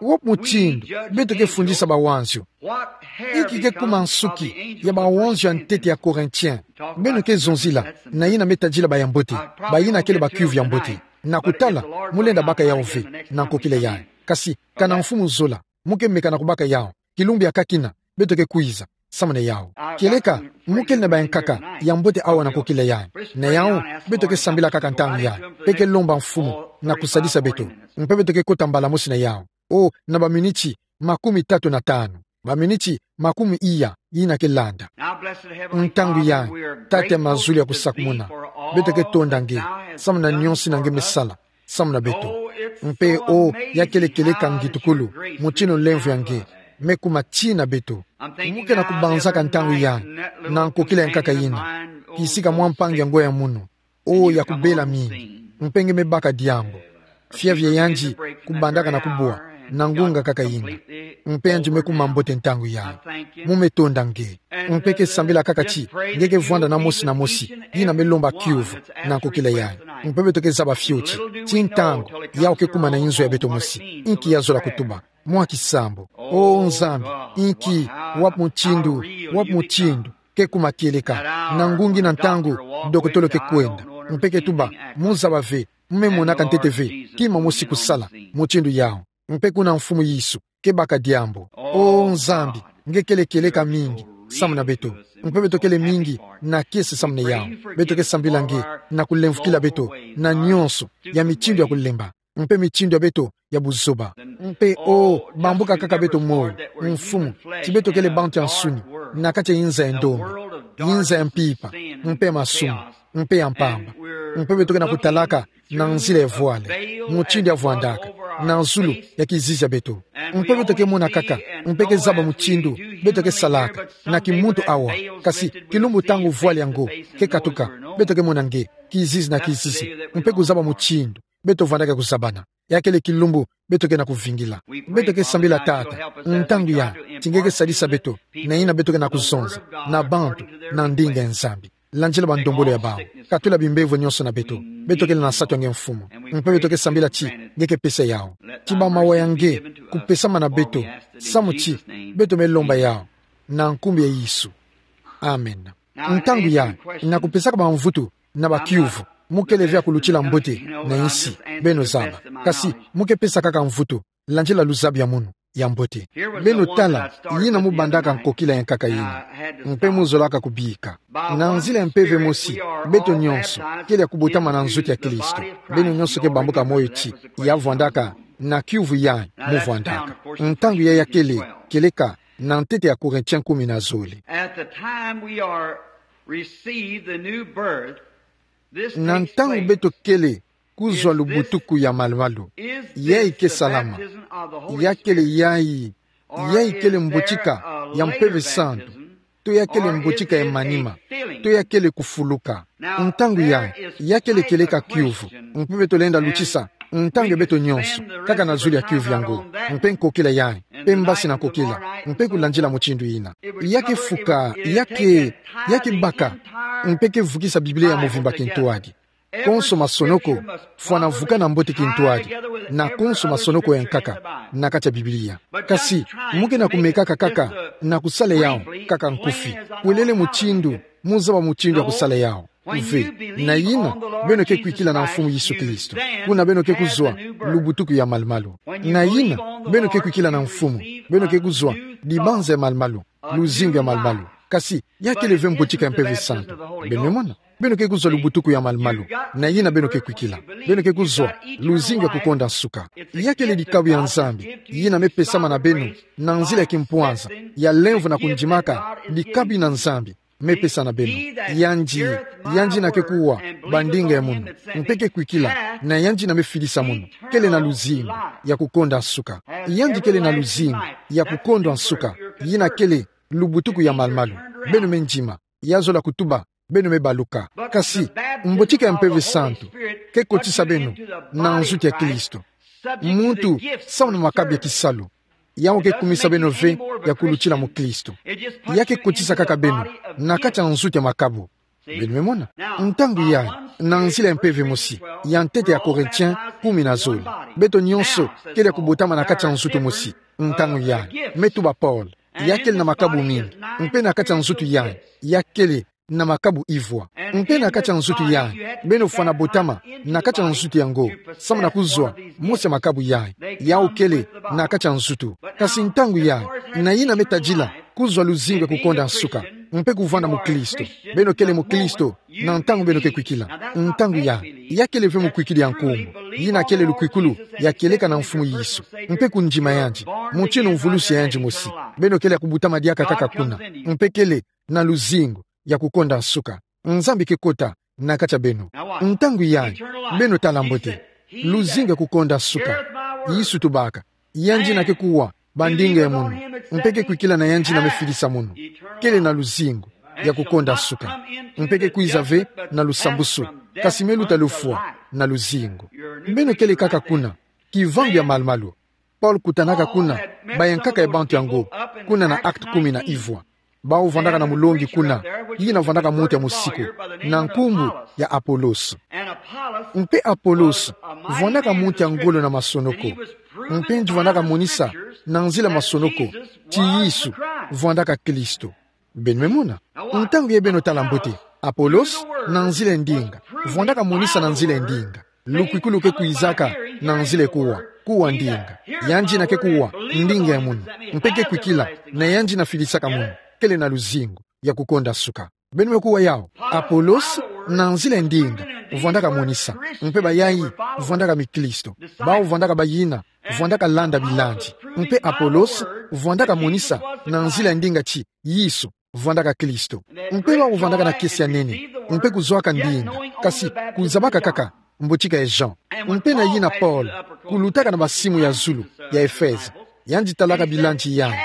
Wapi mutindu beto ke fundisa bawanzio? Inki ke kuma nsuki ya bawanzio ya ntete ya Corinthiens? Beno ke zonzila na yina me tadila ba ya mbote, bayina kele ba kiuvu ya mbote. Na kutala, mu lenda baka yao ve na nkokila yayi. Kasi, kana mfumu zola, mu ke meka na kubaka yao. Kilumbu ya kakina, beto ke kwiza samuna yao. Kieleka, mu kele na bayankaka ya mbote awa na nkokila yayi. Na yao, beto ke sambila kaka ntangu yayi. Mpe ke lomba mfumu na kusadisa beto. Mpe beto ke kota mbala mosi na yao. O, na baminiti makumi tatu na tanu, baminiti makumi iya yina ke landa. Ntangu yayi, Tata ya mazulu ya kusakumuna, beto ke tonda nge samuna nionso yina nge me sala samuna beto. Mpe o, ya kele kieleka ngitukulu, mutindu nlemvo ya nge me kuma tii na beto. Mu ke na kubanzaka ntangu yayi na nkokila ya nkaka yina, kisika mwa mpangi ya ngo ya munu, o, ya kubela mingi, mpe nge me baka diambu. Fiavia yandi kubandaka na kubwa na ngunga kaka yina. Mpe yandi me kuma mbote ntangu yayi. Mu me tonda nge. Mpe ke sambila kaka ti nge ke vwanda na mosi na mosi yina me lomba kiuvu na nkokila yayi. Mpe beto ke zaba fioti ti ntangu yao ke kuma na inzo ya beto mosi. Inki ya zola kutuba mwa kisambu? O Nzambi, inki, wapi mutindu, wapi mutindu ke kuma kieleka na ngungi na ntangu dokotolo ke kwenda? Mpe ke tuba, mu zaba ve, mu me monaka ntete ve kima mosi kusala mutindu yao. Mpe kuna Mfumu Yesu ke baka diambu. O Nzambi, nge kele kieleka mingi samuna beto. Mpe beto kele mingi na kiese samuna yao. Beto ke sambila nge na kulemvukila beto na nionso ya mitindu ya kulemba, mpe mitindu ya beto ya buzoba. Mpe o, bambuka kaka beto moyo, Mfumu, ti beto kele bantu ya nsuni na kati ya inza ya ndombe, inza ya mpimpa, mpe ya masumu, mpe ya mpamba. Mpe beto ke na kutalaka na nzila ya vwale, mutindu ya vwandaka na zulu ya kizizi ya beto. Mpe beto ke mona kaka, mpe ke zaba mutindu beto ke salaka na kimuntu awa. Kasi kilumbu ntangu vwale yango ke katuka, beto ke mona nge kizizi na kizizi, mpe kuzaba mutindu beto vwandaka kuzabana. Ya kele kilumbu beto ke na kuvingila. Beto ke sambila Tata, ntangu yayi, ti nge ke sadisa beto na yina beto ke na kuzonza na bantu, na ndinga ya Nzambi. Landila bandombolo ya bawu, katula bimbevo nionso na beto. Beto kele na nsatu ya nge Mfumu, mpe beto ke sambila ti nge ke pesa yao. Ti bamawa ya nge kupesamana beto, samu ti beto me lomba yao na nkumbu ya Yesu. Amen. Ntangu yayi, na kupesaka bamvutu na bakiuvu, mu kele ve ya kulutila mbote na insi, beno zaba. Kasi mu ke pesa kaka mvutu landila luzabi ya munu ya mbote. Beno tala yina mu bandaka nkokila ya nkaka yina, mpe mu zolaka kubika. Na nzila ya mpeve mosi, beto nionso kele ya kubotama na nzutu ya Kristo. Beno nionso ke bambuka moyo ti ya vwandaka na kiuvu yayi mu vwandaka. Ntangu yayi ya kele kieleka na ntete ya Corinthiens kumi na zole. At the time we are received the new birth, this Na takes ntangu place. Beto kele kuzwa lubutuku ya malu-malu, yayi ke salama. Ya kele yayi, yayi kele mbotika ya Mpeve Santu, to ya kele mbotika ya manima, to ya kele kufuluka. Ntangu yayi, ya kele kieleka kiuvu, mpe beto lenda lutisa ntangu ya beto nionso kaka na zulu ya kiuvu yango, mpe nkokila yayi, mpe mbasi na nkokila, mpe kulandila mutindu yina. Ya ke fuka, ya ke, ya ke baka, mpe ke vukisa Biblia ya muvimba kintwadi. Konso masonoko fwana vuka na mbote kintwadi na konso masonoko ya nkaka na kati ya Biblia. Kasi mu ke na kumekaka kaka na kusala yao kaka nkufi, kwelele mutindu mu zaba mutindu ya kusala yao. Ve, na yina beno ke kwikila na Mfumu Yesu Kristo, kuna beno ke kuzwa lubutuku ya malu-malu. Na yina beno ke kwikila na Mfumu, beno ke kuzwa dibanza ya malu-malu, luzingu ya malu-malu. Kasi ya kele ve mbotika ya Mpeve Santu. Beno me mona? Beno ke kuzwa lubutuku ya malu-malu na yina beno ke kwikila. Beno ke kuzwa luzingu ya kukonda nsuka. Ya kele dikabu ya Nzambi yina me pesama na beno na nzila ya kimpwanza, ya lemvo na kundimaka dikabu yina Nzambi me pesa na beno. Yandi, yandi yina ke kuwa bandinga ya munu, mpe ke kwikila na yandi yina me fidisa munu, kele na luzingu ya kukonda nsuka. Yandi kele na luzingu ya kukondwa nsuka, yina kele lubutuku ya malu-malu. Beno me ndima, ya zola kutuba beno me baluka. Kasi mbotika ya Mpeve Santu ke kotisa beno na nzutu ya Kristo. Muntu samu na makabu ya kisalu. Yau ke kumisa beno ve ya kulutila mukristo. Ya ke kotisa kaka beno na kati ya nzutu ya makabu. Beno me mona. Ntangu yayi, na nzila ya mpeve mosi, ya ntete ya Corinthiens kumi na zole, beto nyonso kele ya kubotama na kati ya nzutu mosi. Ntangu yayi, me tuba Paul, ya kele na makabu mingi, mpe na kati ya nzutu yayi, ya kele na makabu ivwa. Mpe na kati ya nzutu yayi, beno fwana botama na kati ya nzutu yango, samu na kuzwa mosi ya makabu yayi, yau kele na kati ya nzutu. Kasi ntangu yayi, na yina me tadila kuzwa luzingu ya kukonda nsuka, mpe kuvwanda mukristo. Beno kele mukristo na ntangu beno ke kwikila. Ntangu yayi, ya kele ve mukwikili ya nkumbu, yina kele lukwikulu ya kieleka na Mfumu Yesu, mpe kundima yandi, mutindu mvulusi ya yandi mosi. Beno kele ya kubotama diaka kaka kuna, mpe kele na luzingu ya kukonda nsuka. Nzambi ke kota na kati ya beno. Ntangu yayi, beno tala mbote. Luzingu ya kukonda nsuka. Yesu tubaka, yandi yina ke kuwa bandinga ya munu, mpe ke kwikila na yandi yina me filisa munu, kele na luzingu ya kukonda nsuka, mpe ke kwiza ve na lusambusu, kasi me luta lufwa na luzingu. Beno kele kaka kuna, kivangu ya malu-malu. Paul kutanaka kuna bayankaka ya bantu yango, kuna na Actes kumi na ivwa. Bawu vwandaka na mulongi kuna, yina vwandaka muntu ya musiku, na nkumbu ya Apollos. Mpe Apollos vwandaka muntu ya ngolo na masonoko, mpe yandi vwandaka monisa na nzila masonoko ti Yesu vwandaka Kristo. Beno me mona. Ntangu yayi, beno tala mbote. Apollos, na nzila ya ndinga, vwandaka monisa na nzila ya ndinga lukwikulu ke kwizaka na nzila ya kuwa, kuwa ndinga. Yandi yina ke kuwa ndinga ya munu, mpe ke kwikila na yandi yina filisaka munu, kele na luzingu ya kukonda nsuka. Beno me kuwa yawu. Apollos, na nzila ya ndinga, vwandaka monisa, mpe bayayi vwandaka mikristo. Bawu vwandaka bayina vwandaka landa bilandi. Mpe Apollos vwandaka monisa na nzila ya ndinga ti Yesu vwandaka Kristo. Mpe bawu vwandaka na kiese ya nene, mpe kuzwaka ndinga, kasi kuzabaka kaka mbotshika ya Jean. Mpe na yina Paul kulutaka na basimu ya zulu ya Efeze, yandi talaka bilandi yayi,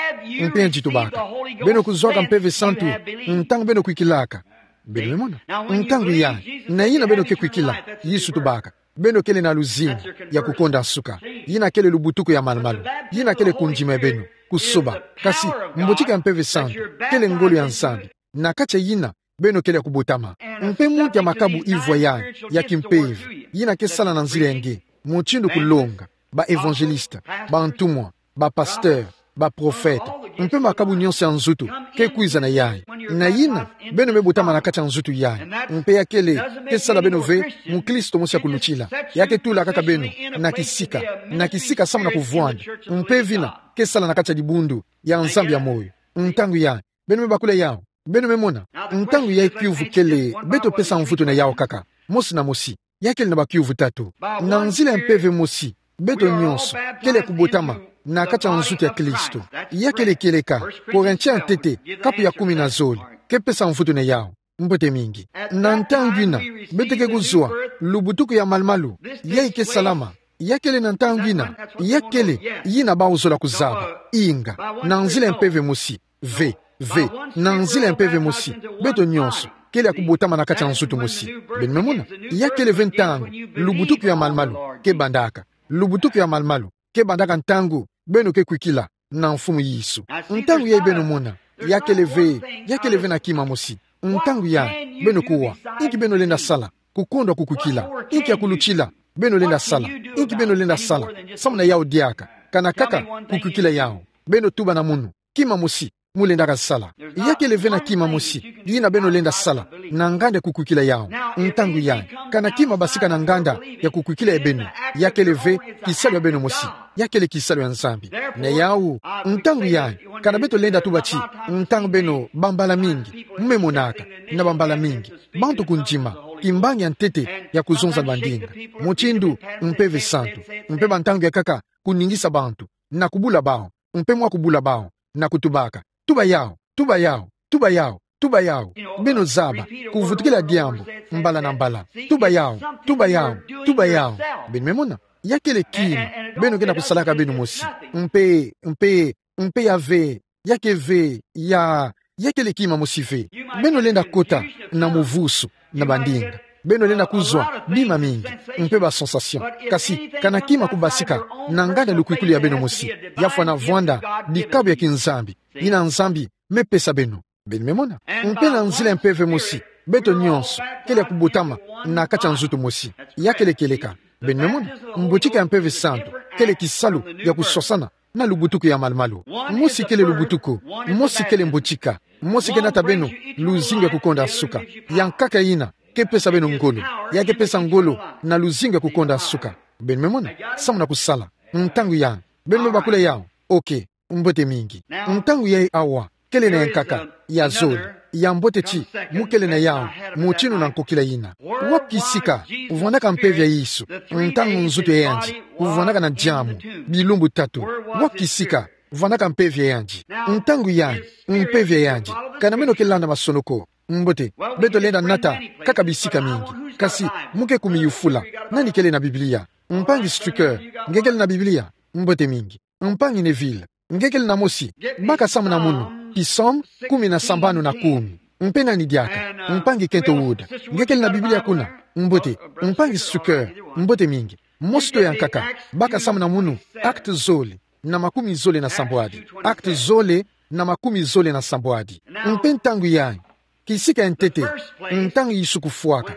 mpe yandi tubaka: Beno kuzwaka Mpeve Santu ntangu beno kwikilaka. Beno me mona. Ntangu yayi, na yina beno ke kwikila, Yesu tubaka, beno kele na luzingu ya kukonda nsuka. Yina kele lubutuku ya malu-malu. Yina kele kundima ya beno, kusoba. Kasi mbotshika ya Mpeve Santu kele ngolo ya Nzambi na kati ya yina beno kele ya kubotama. Mpe muntu ya makabu ivwa yayi ya kimpeve, yina ke sala na nzila ya nge, mutindu kulonga, ba évangélistes, bantumwa, ba pasteurs, ba prophètes, mpe makabu nyonso ya nzutu ke kwiza na yayi. Na yina beno me botama na kati ya nzutu yayi, mpe ya kele ke sala beno ve mukristo mosi ya kulutila. Ya ke tula kaka beno na kisika, na kisika samu na kuvwanda, mpe vina ke sala na kati ya dibundu ya Nzambi ya moyo. Ntangu yayi, beno me bakula yawu. Beno me mona. Ntangu yayi, kiuvu kele: beto pesa mvutu na yawu kaka, mosi na mosi? Ya kele na bakiuvu tatu. Na nzila ya mpeve mosi, beto nyonso kele ya kubotama na kati ya nzutu ya Kristo. Ya kele kieleka. Corinthiens ya ntete, kapu ya kumi na zole, ke pesa mvutu na yawu. Mbote mingi. Na ntangu yina beto ke kuzwa lubutuku ya malu-malu, yayi ke salama. Ya kele na ntangu yina, ya kele yina bawu zola kuzaba. Inga, na nzila ya mpeve mosi, ve, ve, na nzila ya mpeve mosi, beto nyonso kele ya kubotama na kati ya nzutu mosi. Beno me mona. Ya kele ve ntangu lubutuku ya malu-malu ke bandaka. Lubutuku ya malu-malu ke bandaka ntangu beno ke kwikila na Mfumu Yesu. Ntangu yayi, beno mona, ya kele ve, ya kele ve na kima mosi. Ntangu yayi, beno kuwa: Inki beno lenda sala kukondwa kukwikila? Inki ya kulutila beno lenda sala? Inki beno lenda sala samu na yawu diaka, kana kaka kukwikila yawu? Beno tuba na munu kima mosi mu lendaka sala. Ya kele ve na kima mosi yina beno lenda sala na nganda ya kukwikila yawu. Ntangu yayi, kana kima basika na nganda ya kukwikila ya beno, ya kele ve kisalu ya beno mosi. Ya kele kisalu ya Nzambi. Na yawu, ntangu yayi, kana beto lenda tuba ti, ntangu beno, bambala mingi, mu me monaka, na bambala mingi, bantu kundima kimbangi ya ntete ya kuzonza bandinga, mutindu Mpeve Santu, mpe bantangu ya nkaka kuningisa bantu, na kubula bawu, mpe mwa kubula bawu, na kutubaka: Tuba yawu, tuba yawu, tuba yawu, tuba yawu. Beno zaba, kuvutukila diambu mbala na mbala: Tuba yawu, tuba yawu, tuba yawu. Beno me mona. Ya kele kima beno ke na kusalaka beno mosi. Mpe, mpe, mpe ya ve, ya ke ve, ya, ya kele kima mosi ve. Beno lenda kota na muvusu na bandinga. Beno lenda kuzwa bima mingi, mpe ba sensation. Kasi, kana kima kubasika, na nganda lukwikuli ya beno mosi, ya fwana vwanda dikabu ya kinzambi, yina Nzambi mepesa beno. Beno me mona? Mpe na nzila ya mpeve mosi, beto nyonso kele ya kubotama na kati ya nzutu mosi. Ya kele kieleka. Beno me mona? Mbotika ya Mpeve Santu kele kisalu ya kuswasana na lubutuku ya malumalu. Mosi kele lubutuku, mosi kele mbotika, mosi ke nata beno luzingu ya kukonda suka. Ya nkaka yina ke pesa beno ngolo, ya ke pesa ngolo na luzingu ya kukonda suka. Beno me mona? Samu na kusala. Ntangu yai, beno me bakula yawu. Ok. Mbote mingi. Ntangu yai awa, kele na ya nkaka, ya zole, ya mbote ti mu kele na yawu, mutindu na nkokila yina. Wapi kisika vwandaka mpeve ya Yesu? Ntangu nzutu ya yandi kuvwandaka na diamu bilumbu tatu. Wapi kisika vwandaka mpeve ya yandi? Ntangu yai, mpeve ya yandi, kana meno ke landa masonoko. Mbote, beto lenda nata kaka bisika mingi. Kasi, mu ke kumiyufula: Nani kele na Biblia? Mpangi Stricker, nge kele na Biblia? Mbote mingi. Mpangi Neville, nge kele na mosi? Baka samu na munu, Psaume kumi na sambanu na kumi. Mpe nani diaka? Mpangi Kent Wood, nge kele na Biblia kuna? Mbote. Mpangi Stricker, mbote mingi. Mosi to ya nkaka, baka samu na munu, Actes zole na makumi zole na sambwadi. Actes zole na makumi zole na sambwadi. Mpe ntangu yai, kisika ya ntete, ntangu Yesu kufwaka,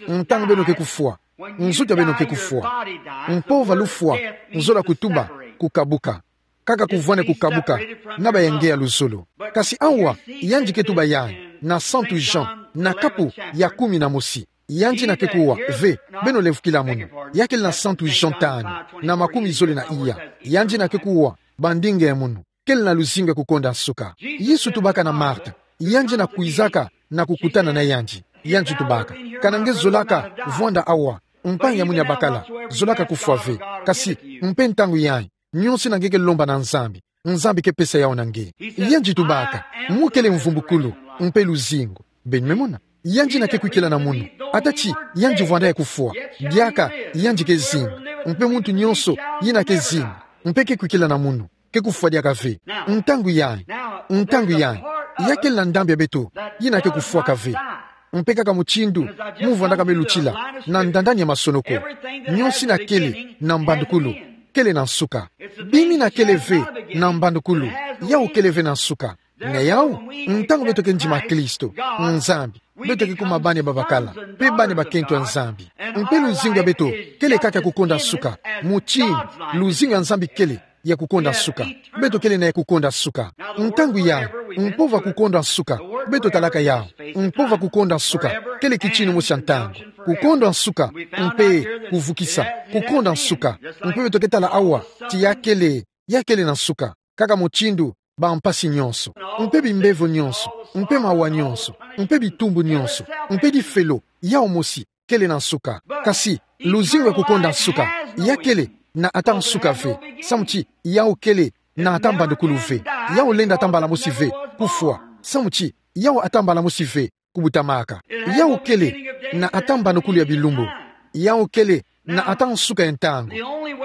ntangu beno ke kufwa, nzutu ya beno ke kufwa. Mpova lufwa, nzola kutuba, kukabuka. Kaka kuvwani kukabuka na bayange ya luzolo. Kasi awa, yandi ke tuba yai na Santu Jean, na kapu ya kumi na mosi. Yandi na ke kuwa: Ve, beno lemvukila munu. Ya kele na Santu Jean tanu, na makumi zole na iya. Yandi na ke kuwa: Bandinga ya munu kele na luzingu ya kukonda suka. Yesu tubaka na Marta, yandi na kwizaka na kukutana na yandi. Yandi tubaka: Kana nge zolaka vwanda awa, mpangi ya munu ya bakala, zolaka kufwa ve. Kasi, mpe ntangu yai, nyonso yina nge ke lomba na Nzambi, Nzambi ke pesa yawu na nge. Yandi tubaka: Mu kele mvumbukulu, mpe luzingu. Beno me mona? Yandi na ke kwikila na munu, ata ti yandi vwanda ya kufwa. Diaka yandi ke zinga. Mpe muntu nyonso yina ke zinga, mpe ke kwikila na munu, ke kufwa diaka ve. Ntangu yai, ntangu yai, ya kele na ndambu ya beto yina ke kufwaka ve. Mpe kaka mutindu mu vwandaka me lutila na ndandani ya masonoko, nyonso yina kele na mbandukulu kele na nsuka. Bima yina kele ve na mbandukulu, yawu kele ve na nsuka. Na yawu, ntangu beto ke ndima Kristo, Nzambi, beto ke kuma bana babakala, mpe bana bakento ya Nzambi. Mpe luzingu ya beto kele kaka ya kukonda suka, mutindu luzingu ya Nzambi kele ya kukonda suka. Beto kele na ya kukonda suka. Ntangu yai, mpova kukonda suka, beto talaka yawu. Mpova kukonda suka kele kitini mosi ya ntangu. Kukonda suka, mpe kuvukisa. Kukonda suka, mpe beto ke tala awa ti ya kele, ya kele na nsuka, kaka mutindu bampasi nyonso, mpe bimbevo nyonso, mpe mawa nyonso, mpe bitumbu nyonso, mpe difelo, yawu mosi kele na nsuka. Kasi luzingu ya kukonda nsuka, ya kele na ata nsuka ve. Samu ti yawu kele na ata mbandukulu ve. Yawu lenda ata mbala mosi ve kufwa. Samu ti yawu ata mbala mosi ve kubutamaka. Yawu kele na ata mbandukulu ya bilumbu. Yawu kele na ata nsuka ya ntangu.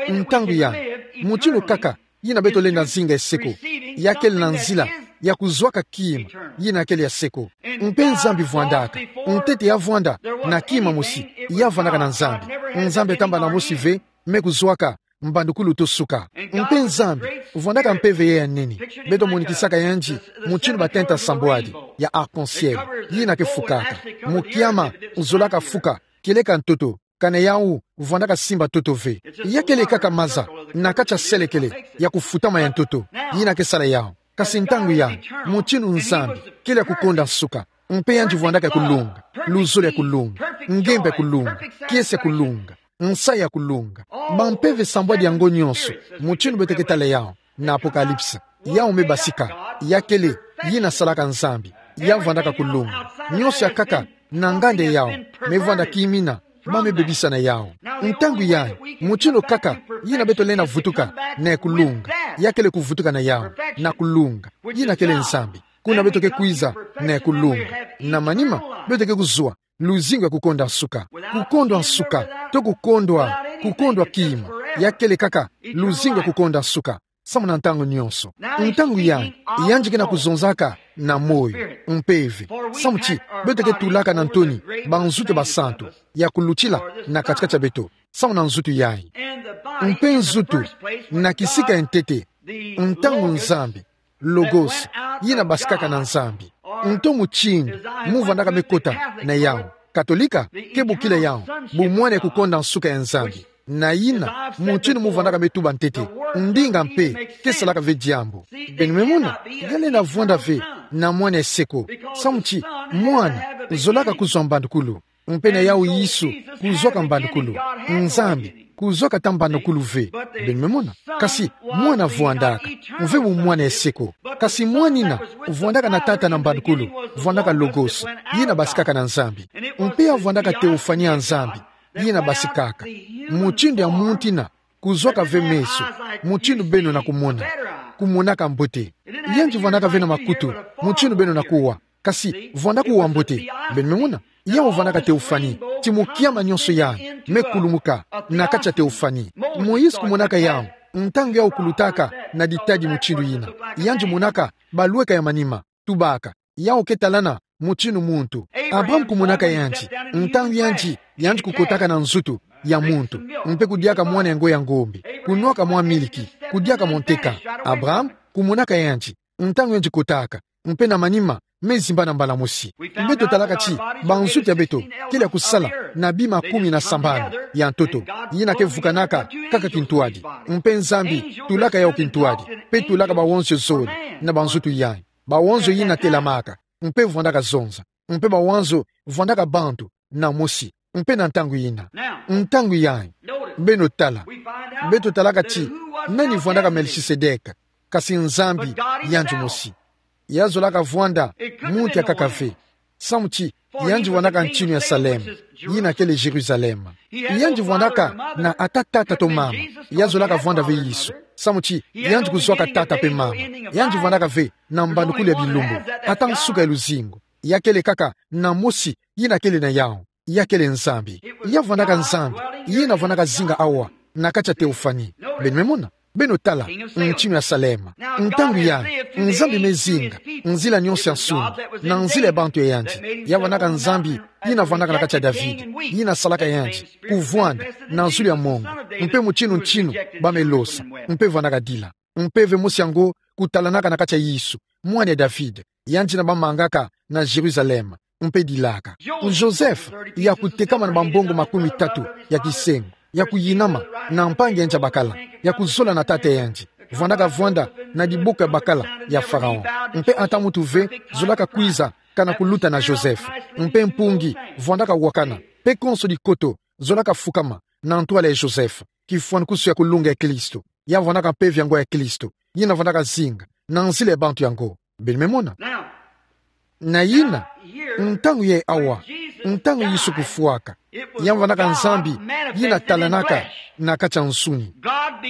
Ntangu yai, mutindu kaka yina beto lenda zinga eseko, ya kele na nzila ya kuzwaka kima yina kele ya seko. Mpe Nzambi vwandaka, ntete ya vwanda na kima mosi, ya vwandaka na Nzambi. Nzambi ata mbala mosi ve me kuzwaka mbandukulu to suka. Mpe Nzambi vwandaka mpeve yai ya nene. Beto monikisaka yandi mutindu batenta sambwadi ya arc-en-ciel, yina ke fukaka. Mukiama uzolaka fuka kieleka ntoto, kana yawu vwandaka simba ntoto ve. Ya kele kaka maza na kati ya selekele ya kufutama ya ntoto yina ke sala yawu. Kasi ntangu yai, mutindu Nzambi kele ya kukonda nsuka, mpe yandi vwandaka ya kulunga, luzolo ya kulunga, ngemba ya kulunga, kiese ya kulunga, nsayi ya kulunga. Bampeve sambwadi yango nyonso, mutindu beto ke tala yawu na Apocalypse, yawu me basika, ya kele yina salaka Nzambi, ya vwandaka kulunga. Nyonso ya nkaka na nganda yawu me vwanda kimina, ba me bebisa na yawu. Ntangu yai, mutindu kaka yina beto lenda vutuka na ya kulunga, ya kele kuvutuka na yawu, na kulunga, yina kele Nzambi. Kuna beto ke kwiza na ya kulunga. Na manima, beto ke kuzwa luzingu ya kukonda nsuka. Kukondwa nsuka, to kukondwa, kukondwa kima, ya kele kaka luzingu ya kukonda nsuka. samu na ntangu nyonso. Ntangu yayi, yandi ke na kuzonzaka na moyo, mpeve. Samu ti, beto ke tulaka na ntoni banzutu basantu ya kulutila na kati-kati ya beto, samu na nzutu yayi. Mpe nzutu, na kisika ya ntete, ntangu Nzambi, Logos, yina basikaka na Nzambi. Nto mutindu mu vandaka me kota na yawu. Katolika ke bokila yawu bu mwana ya kukonda nsuka ya Nzambi. Na yina mutindu mu vandaka me tuba ntete, ndinga mpe ke salaka ve diambu. Beno me mona, ya lenda vwanda ve na mwana ya se ko. Samu ti, mwana zolaka kuzwa mbandukulu. Mpe na yawu Yesu kuzwaka mbandukulu. Nzambi kuzwaka ata mbandukulu ve. Beno me mona. Kasi mwana vwandaka, mve bu mwana ya se ko. Kasi mwanina vwandaka na tata na mbandukulu, vwandaka Logos, yina basikaka na Nzambi. Mpe ya vwandaka teofani ya Nzambi, yina basikaka. Mutindu ya muntu yina kuzwaka ve meso, mutindu beno na kumona. Kumonaka mbote. Yandi vwandaka ve na makutu, mutindu beno na kuwa. Kasi vwandaka uwa mbote. Beno me mona. Yawu vwandaka teofani, ti mu kiama nyonso yayi me kulumuka na kati ya teofani. Moïse kumonaka yawu, ntangu yawu kulutaka na ditadi mutindu yina. Yandi monaka balweka ya manima, tubaka. Yawu ke talana mutindu muntu. Abraham kumonaka yandi, ntangu yandi, yandi kukotaka na nzutu ya muntu, mpe kudiaka mwana yango ya ngombe, kunwaka mwa miliki, kudiaka mwa nteka. Abraham kumonaka yandi, ntangu yandi kotaka, mpe na manima me zimbana mbala mosi. Beto talaka ti banzutu ya beto kele ya kusala na bima kumi na sambanu ya ntoto, yina ke vukanaka kaka kintwadi. Mpe Nzambi tulaka yawu kintwadi, mpe tulaka bawonso zole na banzutu yayi. Bawonso yina telamaka, mpe vwandaka zonza, mpe bawonso vwandaka bantu na mosi, mpe na ntangu yina. Ntangu yayi, beno tala. Beto talaka ti, nani vwandaka Melchisedek, kasi Nzambi yandi mosi. Ya zolaka vwanda muntu ya nkaka ve. Samu ti, yandi vwandaka ntinu ya Salem, yina kele Jerusalem. Yandi vwandaka na ata tata to mama, ya zolaka vwanda ve Yesu. Samu ti, yandi kuzwaka tata mpe mama. Yandi vwandaka ve na mbandukulu ya bilumbu, ata nsuka ya luzingu. Ya kele kaka na mosi, yina kele na yawu. Ya kele Nzambi. Ya vwandaka Nzambi, yina vwandaka zinga awa na kati ya teofani. Beno me mona. Beno tala ntinu ya Salem. Ntangu yayi, Nzambi me zinga nzila nyonso ya nsuni, na nzila ya bantu ya yandi. Ya vwandaka Nzambi, yina vwandaka na kati ya David, yina salaka yandi, kuvwanda na zulu ya mongo, mpe mutindu ntinu ba me losa, mpe vwandaka dila. Mpeve mosi yango kutalanaka na kati ya Yesu, mwana ya David, yandi yina ba mangaka na Jerusalem, mpe dilaka. Joseph, ya kutekama na bambongo makumi tatu ya kisengo, ya kuyinama na mpangi ya yandi ya bakala, ya kuzola na tata ya yandi, vwandaka vwanda na diboko ya bakala ya Pharaon. Mpe ata muntu ve zolaka kwiza kana kuluta na Joseph. Mpe mpungi vwandaka wakana, mpe konso dikoto zolaka fukama na ntwala ya Joseph, kifwanukusu ya kulunga ya Kristo. Ya vwandaka mpeve yango ya Kristo, yina vwandaka zinga na nzila ya bantu yango. Beno me mona. Na yina, ntangu yayi awa, ntangu Yesu kufwaka, ya vwandaka Nzambi yina talanaka na kati ya nsuni.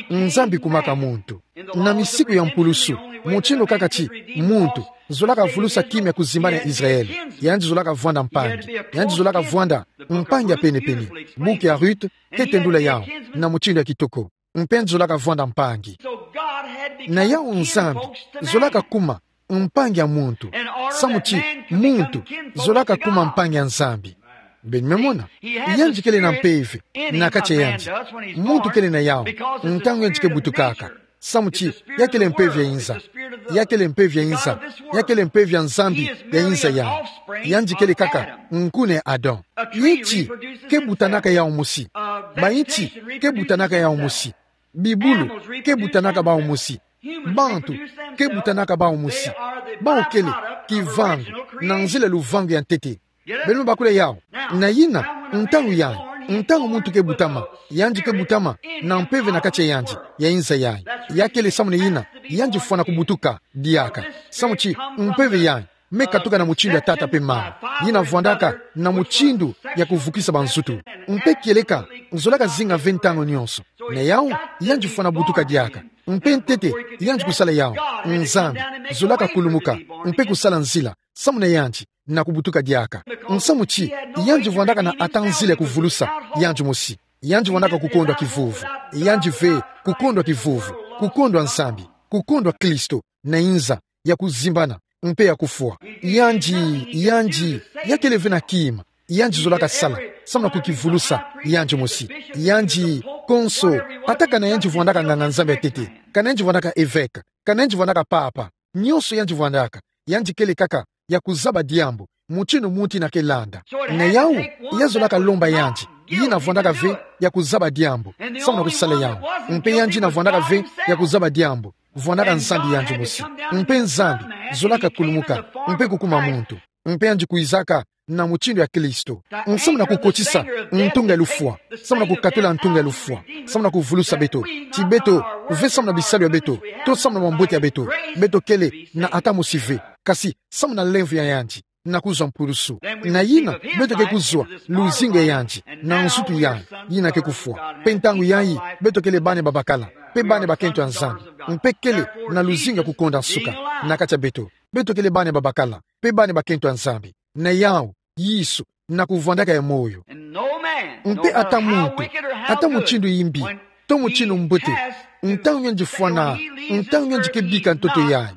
Nzambi kumaka muntu. Na misiku ya mpulusu, mutindu kaka ti muntu zolaka vulusa kima ya kuzimbana ya Israel, yandi zolaka vwanda mpangi. Yandi zolaka vwanda mpangi ya pene-pene. Buku ya Ruth ke tendula yawu na mutindu ya kitoko. Mpe yandi zolaka vwanda mpangi. Na yawu Nzambi zolaka kuma mpangi ya muntu. Samu ti muntu zolaka kuma mpangi ya Nzambi. Beno me mona. Yandi kele na mpeve na kati ya yandi. Muntu kele na yawu ntangu yandi ke butukaka. Samu ti ya kele mpeve ya inza. Ya kele mpeve ya inza. Ya kele mpeve ya Nzambi ya inza yayi. Yandi kele kaka nkuna ya Adam. Nti ke butanaka yawu mosi. Banti ke butanaka yawu mosi. Bibulu ke butanaka bawu mosi. Bantu ke butanaka bawu mosi. Bawu kele kivangu na nzila luvangu ya ntete. Beno me bakula yawu. Na yina, ntangu yayi, ntangu muntu ke butama, yandi ke butama na mpeve na kati ya yandi ya inza yayi. Ya kele samu na yina yandi fwana kubutuka diaka. Samu ti mpeve yayi me katuka na mutindu ya tata mpe mama, yina vwandaka na mutindu ya kuvukisa banzutu. Mpe kieleka zolaka zinga ve ntangu nyonso. Na yawu, yandi fwana butuka diaka. Mpe ntete yandi kusala yawu, Nzambi zolaka kulumuka mpe kusala nzila samu na yandi na kubutuka diaka. Samu ti yandi vwandaka na ata nzila ya kuvulusa yandi mosi. Yandi vandaka kukondwa kivuvu. Yandi ve kukondwa kivuvu, kukondwa Nzambi, kukondwa Kristo, na inza ya kuzimbana, mpe ya kufwa. Yandi, yandi, ya kele ve na kima yandi zolaka sala, samu na kukivulusa yandi mosi. Yandi, konso, ata kana yandi vandaka nganga-Nzambi ya ntete, kana yandi vandaka evêque, kana yandi vandaka papa, nyonso yandi vandaka, yandi kele kaka ya kuzaba diambu, mutindu muntu ina ke landa. Na yau, ya zolaka lomba yandi, yina vandaka ve ya kuzaba diambu, samu na kusala yau. Mpe yandi ina vandaka ve ya kuzaba diambu, vandaka Nzambi yandi mosi. Mpe Nzambi zolaka kulumuka, mpe kukuma muntu. Mpe yandi kwizaka na mutindu ya Kristo, samu na kukotisa ntunga ya lufwa, samu na kukatula ntunga ya lufwa, samu na kuvulusa beto. Ti beto ve samu na bisalu ya beto, to samu na bambote ya beto. Beto kele na ata mosi ve, kasi samu na lemvo ya yandi, na kuzwa mpulusu. Na yina, beto ke kuzwa luzingu ya yandi, na nzutu ya yandi, yina ke kufwa. Mpe ntangu yayi, beto kele bana babakala, mpe bana bakento ya Nzambi. Mpe kele na luzingu ya kukonda nsuka na kati ya beto. Beto kele bana babakala, mpe bana bakento ya Nzambi. Na yau, Yesu, na kuvwandaka ya moyo. Mpe ata muntu, ata mutindu yimbi, to mutindu mbote, ntangu yandi fwana, ntangu yandi ke bika ntoto yayi,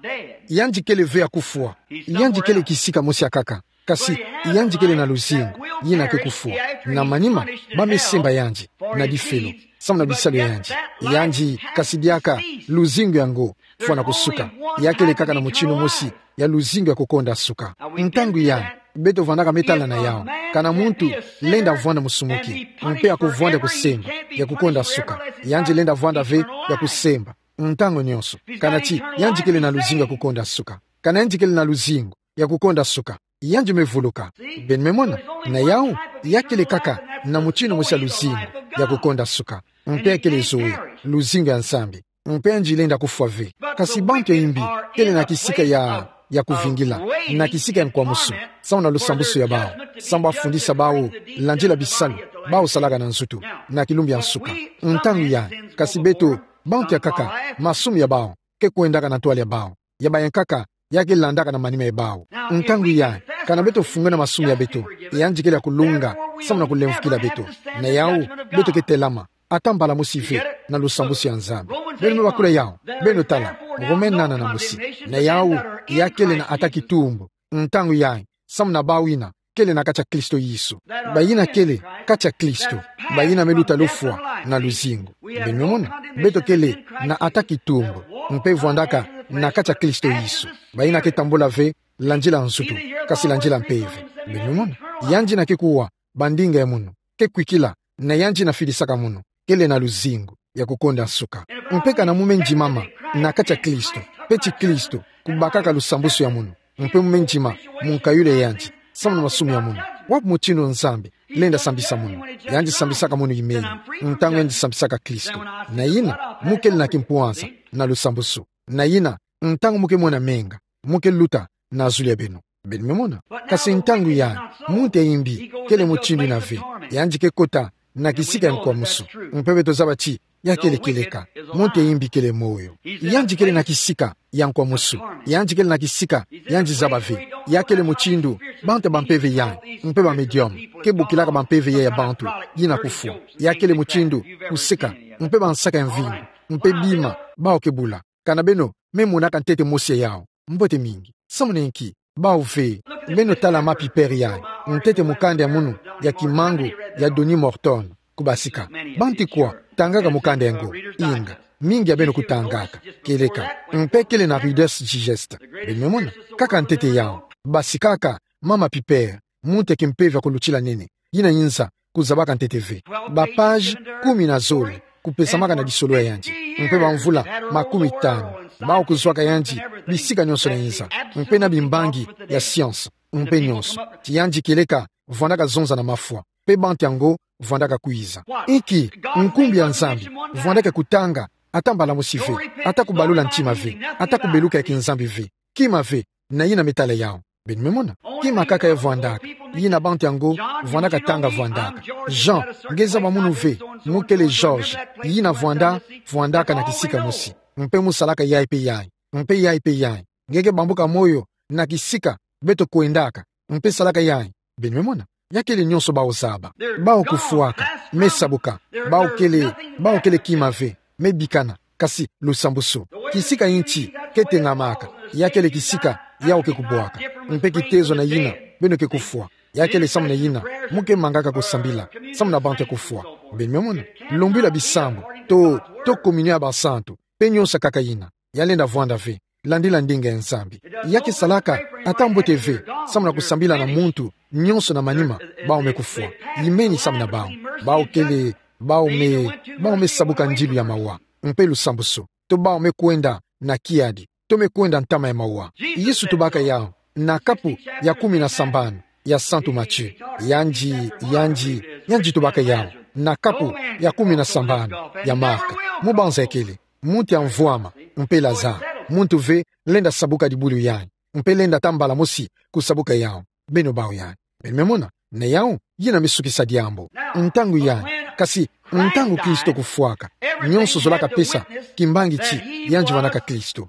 yandi kele ve ya kufwa. Yandi kele kisika mosi ya nkaka, kasi yandi kele na luzingu, yina ke kufwa. Na manima, ba me semba yandi na difelo, samu na bisalu ya yandi. Yandi, kasi diaka luzingu yango fwana kusuka. Ya kele kaka na mutindu mosi ya luzingu ya kukonda nsuka. Ntangu yayi, beto vandaka me tala na yau. Kana muntu lenda vwanda musumuki, mpe akuvwanda kusemba ya kukonda nsuka, yandi lenda vwanda ve ya kusemba ntangu nyonso. Kana ti yandi kele na luzingu ya kukonda nsuka, kana yandi kele na luzingu ya kukonda nsuka, yandi me vuluka. Beno me mona? Na yau, ya kele kaka na mutindu mosi ya luzingu ya kukonda nsuka. Mpe ya kele zoe, luzingu ya Nzambi. Mpe yandi lenda kufwa ve. Kasi bantu ya yimbi kele na kisika ya, ya kuvingila, na kisika ya nkwamusu, samu na lusambusu ya bau, samu bafundisa bau landila bisalu bau salaka na nzutu, na kilumbu ya nsuka. Ntangu yayi, kasi beto, bantu ya nkaka, masumu ya bau ke kwendaka na ntwala ya bau, ya baya nkaka, ya ke landaka na manima ya bau. Ntangu yayi, kana beto fungwena masumu ya beto, yandi kele ya kulunga samu na kulemvukila beto. Na yau, beto ke telama ata mbala mosi ve na lusambusu ya Nzambi. Beno me bakula yau, beno tala, Rome nana na mosi. Na yau, ya kele na ata kitumbu ntangu yayi, samu na bau yina kele na kati ya Kristo Yesu. Bayina kele kati ya Kristo, bayina me luta lufwa na luzingu. Beno me mona? Beto kele na ata kitumbu, mpe vwandaka na kati ya Kristo Yesu. Bayina ke tambula ve landila nzutu, kasi landila mpeve. Beno me mona? Yandi yina ke kuwa bandinga ya munu, ke kwikila, na yandi yina fidisaka munu, kele na luzingu ya kukonda nsuka. Mpe kana mu me ndimama na kati ya Kristo, mpe ti Kristo kubakaka lusambusu ya munu, mpe mu me ndima mu nkayulu ya yandi samu na masumu ya munu, wapi mutindu Nzambi lenda sambisa munu? Yandi sambisaka munu imeyi ntangu yandi sambisaka Kristo. Na yina, mu kele na kimpwanza na lusambusu. Na yina, ntangu mu ke mona menga, mu ke luta na zulu ya beno. Beno me mona? Kasi ntangu yayi, muntu ya yimbi kele mutindu yina ve. Yandi ke kota na kisika ya nkwamusu. Mpe beto zaba ti ya kele kieleka. Muntu ya yimbi kele moyo. Yandi kele na kisika ya nkwamusu. Yandi kele na kisika yandi zaba ve. Ya kele mutindu bantu ya bampeve yayi, mpe ba médium, ke bokilaka bampeve yayi ya bantu yina kufwa. Ya kele mutindu kuseka, mpe bansaka ya mvinyo, mpe bima bau ke bula. Kana beno me monaka ntete mosi ya yau? Mbote mingi. Samu na inki? Bau ve. Beno tala mama Piper yayi, ntete mukanda ya munu ya Kimangu ya Donnie Morton, kubasika. Bantu kwa tangaka mukanda yango? Inga, mingi ya beno kutangaka. Kieleka. Mpe kele na Reader's Digest. Beno me mona? Kaka ntete yau. Basikaka mama Piper, muntu ya kimpeve ya kulutila nene, yina yinza kuzabaka ntete ve. Ba page kumi na zole kupesamaka na lisolo ya yandi, mpe bamvula makumi tanu. Bau kuzwaka yandi bisika nyonso na inza, mpe na bimbangi ya science, mpe nyonso. Ti yandi kieleka vwandaka zonza na mafwa, mpe bantu yango vwandaka kwiza. Inki? Nkumbu ya Nzambi vwandaka kutanga ata mbala mosi ve, ata kubalula ntima ve, ata kubeluka ya kinzambi ve. Kima ve, na yina me tala yau. Beno me mona? Kima kaka ya vwandaka, yina bantu yango vwandaka tanga vwandaka. Jean, nge zaba munu ve, mu kele George, yina vwanda, vwandaka na kisika mosi, mpe mu salaka yayi mpe yayi, mpe yayi mpe yayi. Nge ke bambuka moyo na kisika beto kwendaka, mpe salaka yayi. Beno me mona? Ya kele nyonso bawu zaba. Bawu kufwaka, me sabuka. Bawu kele, bawu kele kima ve, me bikana. Kasi lusambusu, kisika inti ke tengamaka, ya kele kisika yawu ke kubwaka. Mpe kitezo na yina beno ke kufwa, ya kele samu na yina mu ke mangaka kusambila samu na bantu ya kufwa. Beno me mona, lumbila bisambu, to, to communion ya basantu, mpe nyonso kaka yina, ya lenda vwanda ve, landila ndinga ya Nzambi. Ya ke salaka ata mbote ve samu na kusambila na muntu nyonso na manima, bawu me kufwa. Yimeni samu na bawu. Bawu kele, bawu me, bawu me sabuka ndilu ya mawa, mpe lusambusu. To bawu me kwenda na kiadi, to me kwenda ntama ya mawa. Yesu tubaka yawu na kapu ya kumi na sambanu ya Santu Mathieu. Yandi, yandi, yandi tubaka yawu na kapu ya kumi na sambanu ya Marc. Mu banza ya kele, muntu ya mvwama, mpe Lazare. Muntu ve lenda sabuka dibulu ya yandi, mpe lenda tambala mosi kusabuka yawu. Beno bawu yandi. Beno me mona, na yawu, yina me sukisa diambu. Ntangu yandi, kasi ntangu Kristo kufwaka, nyonso zolaka pesa kimbangi ti yandi vwandaka Kristo.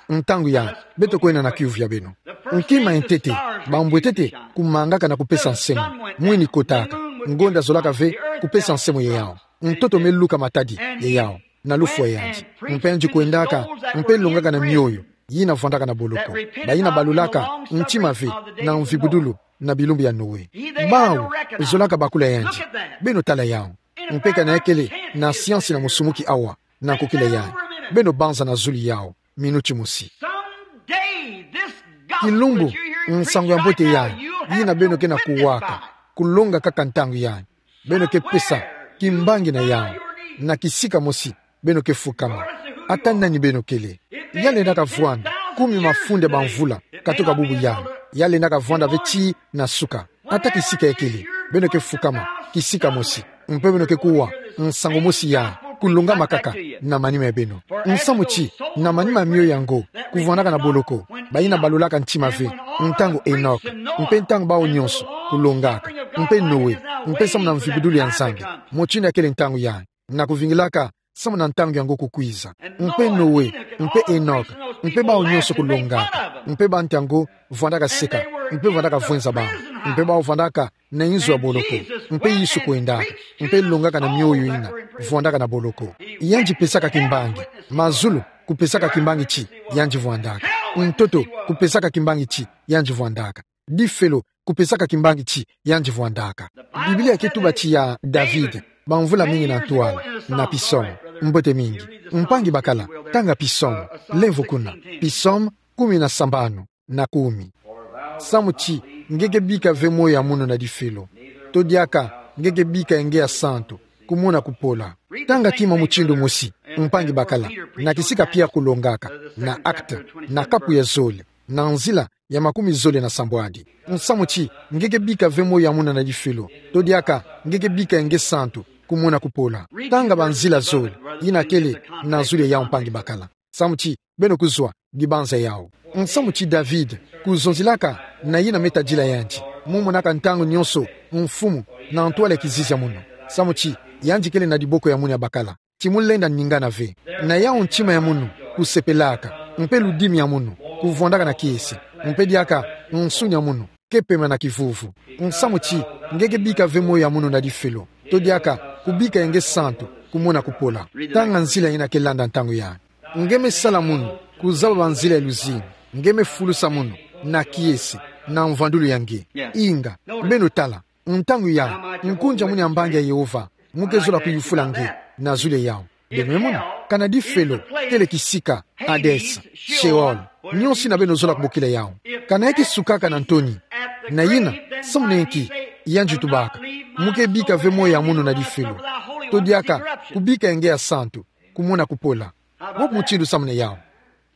Ntangu yandi, beto kwenda na kiuvu ya beno. Nkima ya ntete, bambwetete kumangaka na kupesa nsemo, mwini kotaka, ngonda zolaka ve kupesa nsemo ya yawu. Ntoto me luka matadi ya yawu na lufwa ya yandi. Mpe yandi kwendaka, mpe longaka na mioyo yina vwandaka na boloko, bayina balulaka ntima ve na mvibudulu na bilumbu ya Noe. Bawu zolaka bakula yandi. Beno tala yawu. Mpe kana ya kele na siansi na musumuki awa na kukila yandi, beno banza na zulu yawu minuti mosi. Kilumbu, nsangu ya mbote yandi, yina beno ke na kuwaka, kulonga kaka ntangu yandi, beno ke pesa kimbangi na yawu, na kisika mosi beno ke fukama. Ata nani beno kele, ya lendaka vwanda kumi mafunda bamvula katoka bubu yandi, ya lendaka vwanda ve tii na suka. Ata kisika ya kele, beno ke fukama kisika mosi, mpe beno ke kuwa nsangu mosi yandi kulongama kaka na manima ya beno. Nsamu ti, na manima ya mioyo yango, kuvwandaka na boloko bayina balulaka ntima ve, ntangu Enoch, mpe ntangu bawu nyonso kulongaka, mpe Noe, mpe samu na mvibudulu ya Nzambi, mutindu ya kele ntangu yandi, na kuvingilaka samu na ntangu yango kukwiza. Mpe Noe, mpe Enoch, mpe bawu nyonso kulongaka, mpe bantu yango vwandaka seka, mpe vwandaka vwenza bawu, mpe bawu vwandaka na inzo ya boloko, mpe Yesu kwendaka, mpe longaka na mioyo yina vwandaka na boloko. Yandi pesaka kimbangi, mazulu kupesaka kimbangi ti yandi vwandaka, ntoto kupesaka kimbangi ti yandi vwandaka, difelo kupesaka kimbangi ti yandi vwandaka. Biblia ke tuba ti ya David, bamvula mingi na ntwala, na Psaume. Mbote mingi. Mpangi bakala, tanga Psaume, lemvo kuna. Psaume kumi na sambanu na kumi. Samu ti, nge ke bika ve moyo ya munu na difelo. To diaka nge ke bika ya nge ya santu kumona kupola. Tanga kima mutindu mosi, mpangi bakala, na kisika Pierre kulongaka, na Actes, na kapu ya zole, na nzila ya makumi zole na sambwadi. Nsamu ti, nge ke bika ve moyo ya munu na difelo. To diaka nge ke bika ya nge santu kumona kupola. Tanga banzila zole yina kele na zulu ya yawu, mpangi bakala. Samu ti, beno kuzwa dibanza yawu. Nsamu ti David, kuzonzelaka na yina me tadila yandi, mu monaka ntangu nyonso mfumu na ntwala ya kizizi ya munu. Samu ti, yandi kele na diboko ya munu ya bakala ti mu lenda ningana ve. Na yawu ntima ya munu kusepelaka, mpe ludimi ya munu kuvwandaka na kiese, mpe diaka nsuni ya munu ke pema na kivuvu. Nsamu ti, nge ke bika ve moyo ya munu na difelo. To diaka kubika ya nge santu kumona kupola. Tanga nzila yina ke landa ntangu yandi. Nge me sala munu kuzaba banzila ya luzingu. Nge me fulusa munu na kiese, na mvwandulu ya nge. Inga, beno tala, ntangu yandi, nkunzi ya munu ya mbangi ya Yehova mu ke zola kuyufula nge na zulu ya yawu. Beno me mona, kana difelo kele kisika, Hades, Sheol, nyonso yina beno zola kubokila yawu. Kana ya ke sukaka na ntoni, na yina, samu na nki yandi tubaka, mu ke bika ve moyo ya munu na difelo. To diaka kubika ya nge ya santu kumona kupola. Wapi mutindu samu na yawu?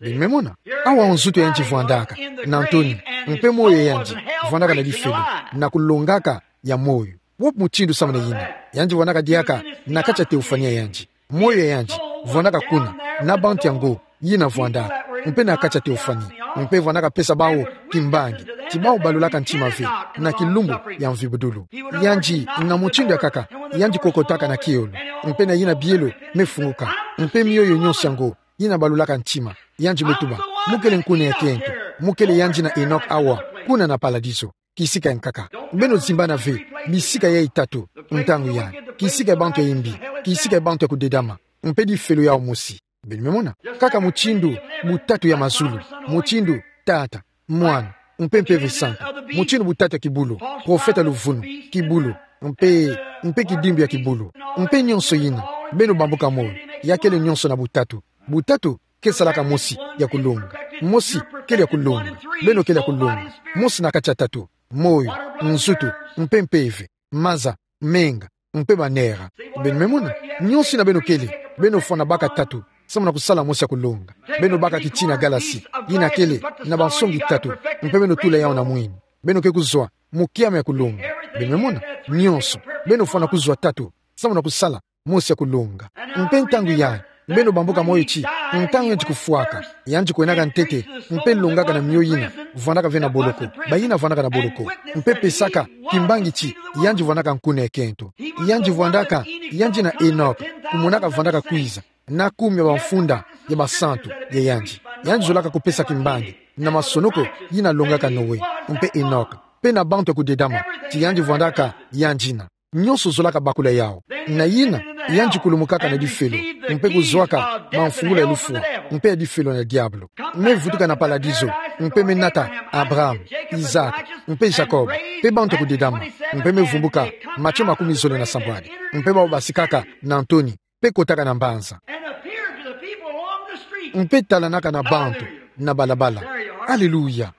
Beno me mona, awa nzutu ya yandi vwandaka na ntoni, mpe moyo ya yandi vwandaka na difelo, na kulongaka ya moyo. Wapi mutindu samu na yina? Yandi vwandaka diaka na kati ya teofani ya yandi. Moyo ya yandi vwandaka kuna, na bantu yango yina vwandaka, mpe na kati ya teofani, mpe vwandaka pesa bawu kimbangi ti bawu balulaka ntima ve na kilumbu ya mvibudulu. Yandi, na mutindu ya nkaka, yandi kokotaka na kielo, mpe na yina bielo me funguka, mpe mioyo nyonso yango yina balulaka ntima, yandi me tuba: Mu kele nkuna ya kento, mu kele yandi na Enoch awa, kuna na paladizo. kisika ya nkaka. Beno zimbana ve bisika yai tatu ntangu yai: kisika ya bantu ya imbi, kisika ya bantu ya kudedama, mpe difelo yao mosi. Beno me mona? Kaka mutindu butatu ya mazulu, mutindu Tata, Mwana, mpe Mpeve Santu, mutindu butatu ya kibulu: profeta luvunu, kibulu, mpe, mpe kidimbu ya kibulu, mpe nyonso yina. Beno bambuka moyo, ya kele nyonso na butatu. Butatu ke salaka mosi ya kulonga. Mosi kele ya kulonga. Beno kele ya kulonga. Mosi na kati ya tatu: moyo, nzutu, mpe mpeve, maza, menga, mpe banera. Beno me mona? Nyonso yina beno kele, beno fwana baka tatu samu na kusala mosi ya kulonga. Beno baka kitina galasi yina kele na bansongi tatu, mpe beno tula yao na mwini. Beno ke kuzwa mu kiame ya kulonga. Beno me mona? Nyonso beno fwana kuzwa tatu samu na kusala mosi ya kulonga. Mpe ntangu yai, beno bambuka moyo ti, ntangu yandi kufwaka, yandi kwenaka ntete, mpe longaka na mio yina vwandaka ve na boloko, bayina vwandaka na boloko, mpe pesaka kimbangi ti yandi vwandaka nkuna ekento. Yandi vwandaka, yandi na Enoka, kumonaka vwandaka kwiza na kumi ya bamfunda ya basantu ya yandi. Yandi zolaka kupesa kimbangi na masonoko yina longaka Noe, mpe Enoka, mpe na bantu ya kudedama, ti yandi vwandaka yandi na. Nyonso zolaka bakula yao. Na yina, yandi kulumukaka na difelo, mpe kuzwaka bamfungula ya lufwa, mpe ya difelo na diabolo. Me vutuka na paladizo, mpe me nata Abraham, Isaac, mpe Jacob, mpe bantu ya kudedama, mpe me vumbuka Matio makumi zole na sambwadi, mpe bau basikaka na ntoni, mpe kotaka na mbanza, mpe talanaka na bantu na balabala. Aleluya.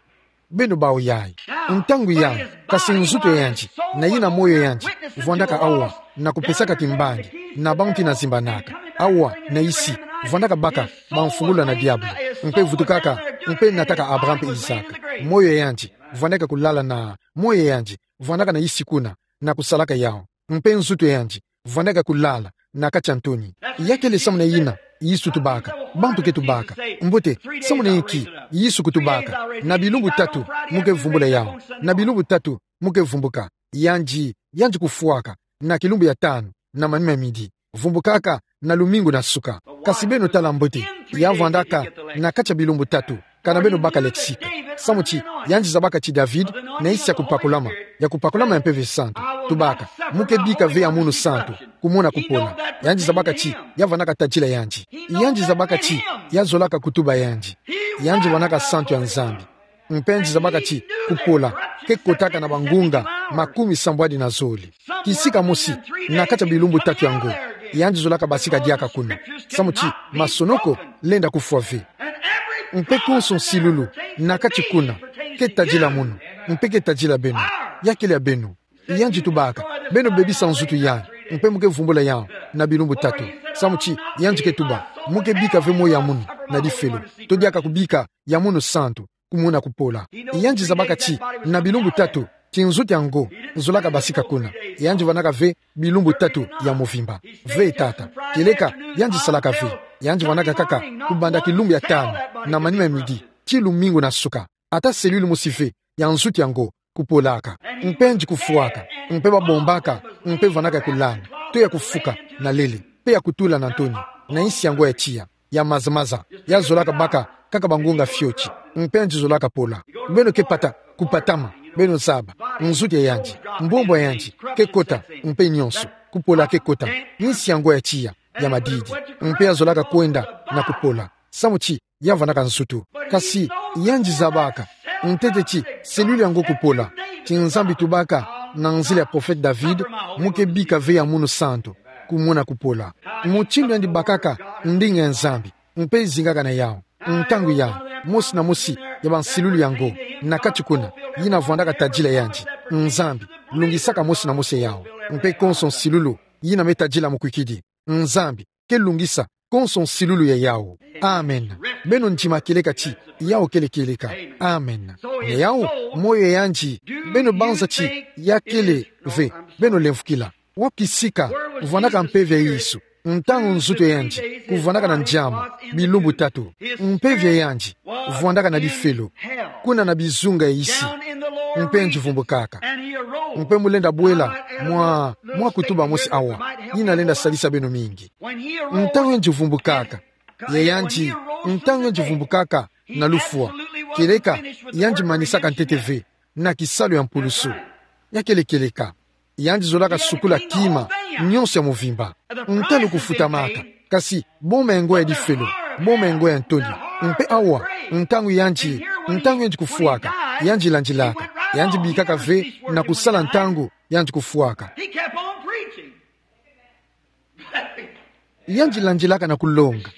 Beno bau yai. Ntangu yai, kasi nzutu ya yandi, na yina moyo ya yandi, vwandaka awa, na kupesaka kimbangi na bantu yina zimbanaka. Awa na isi, vwandaka baka bamfungula na diabolo, mpe vutukaka, mpe nataka Abraham mpe Isaac. Moyo ya yandi vwandaka kulala na, moyo ya yandi vwandaka na isi kuna, na kusalaka yao. Mpe nzutu ya yandi vwandaka kulala na kati ya ntoni. Ya kele samu na yina Yesu tubaka, bantu ke tubaka: Mbote, samu na inki Yesu kutubaka: Na bilumbu tatu mu ke vumbula yao, na bilumbu tatu mu ke vumbuka? Yandi, yandi kufwaka na kilumbu ya tanu na manima ya midi, vumbukaka na lumingu na suka. Kasi beno tala mbote, ya vwandaka na kati ya bilumbu tatu, kana beno baka lexique. Samu ti yandi zabaka ti David, na isi ya kupakulama, ya kupakulama ya Mpeve Santu, tubaka: Mu ke bika ve ya munu santu kumona kupola. Yandi zabaka ti ya vwandaka tadila yandi. Yandi zabaka ti ya zolaka kutuba yandi. Yandi vwandaka santu ya Nzambi. Mpe yandi zabaka ti kupola ke kotaka na bangunga makumi sambwadi na zole. Kisika mosi na kati ya bilumbu tatu yango, yandi zolaka basika diaka kuna, samu ti masonoko lenda kufwa ve. Mpe konso nsilulu na kati kuna ke tadila munu, mpe ke tadila beno. Ya kele ya beno. Yandi tubaka: Beno bebisa nzutu yai, mpe mu ke vumbula yao na bilumbu tatu. Samu ti yandi ke tuba: Mu ke bika ve moyo ya munu na difelo. To diaka kubika ya munu santu kumona kupola. Yandi zabaka ti na bilumbu tatu, ti nzutu yango zolaka basika kuna. Yandi vwandaka ve bilumbu tatu ya movimba. Ve tata, kieleka yandi salaka ve. Yandi vwandaka kaka kubanda kilumbu ya tanu na manima ya midi tii lumingu na suka, ata cellule mosi ve ya nzutu yango kupolaka. Mpe yandi kufwaka, mpe babombaka, mpe vwandaka ya kulala, to ya kufuka na lele, mpe ya kutula na ntoni, na insi yango ya tiya, ya maza-maza, ya zolaka baka kaka bangunga fioti, mpe yandi zolaka pola. Beno ke pata, kupatama, beno zaba, nzutu ya yandi, mbumbwa ya yandi ke kota, mpe nyonso, kupola ke kota, insi yango ya tiya, ya madidi, mpe ya zolaka kwenda na kupola, samu ti ya vwandaka nzutu. Kasi yandi zabaka ntete ti cellule yango kupola, ti Nzambi tubaka na nzila ya prophète David: Mu ke bika ve ya munu santu kumona kupola. Mutindu yandi bakaka ndinga ya Nzambi, mpe zingaka na yao. Ntangu yai, mosi na mosi ya bansilulu yango na kati kuna, yina vwandaka tadila yandi: Nzambi, lungisaka mosi na mosi ya yao, mpe konso nsilulu yina me tadila mukwikidi, Nzambi ke lungisa konso nsilulu ya yao. Amen. Beno ndima kieleka ti yao kele kieleka. Amen. Na yao, moyo ya yandi, beno banza ti ya kele ve, beno lemfokila. Wapi sika vwandaka mpeve ya Yesu ntangu nzutu ya yandi kuvwandaka na ndiama bilumbu tatu? Mpeve ya yandi vwandaka na difelo, kuna na bizunga ya isi. Mpe yandi vumbukaka. Mpe mu lenda bwela mwa, mwa kutuba mosi awa, yina lenda salisa beno mingi. Ntangu yandi vumbukaka, ya yandi, ntangu yandi vumbukaka na lufwa, kieleka yandi manisaka ntete ve na kisalu ya mpulusu. Ya kele kieleka. Yandi zolaka sukula kima nyonso ya mvimba. Ntalu kufutamaka. Kasi, boma ya ngo ya difelo, boma ya ngo ya ntoni. Mpe awa, ntangu yandi, ntangu yandi kufwaka, yandi landilaka. Yandi bikaka ve na kusala ntangu yandi kufwaka. He kept on preaching. Yandi landilaka na kulonga.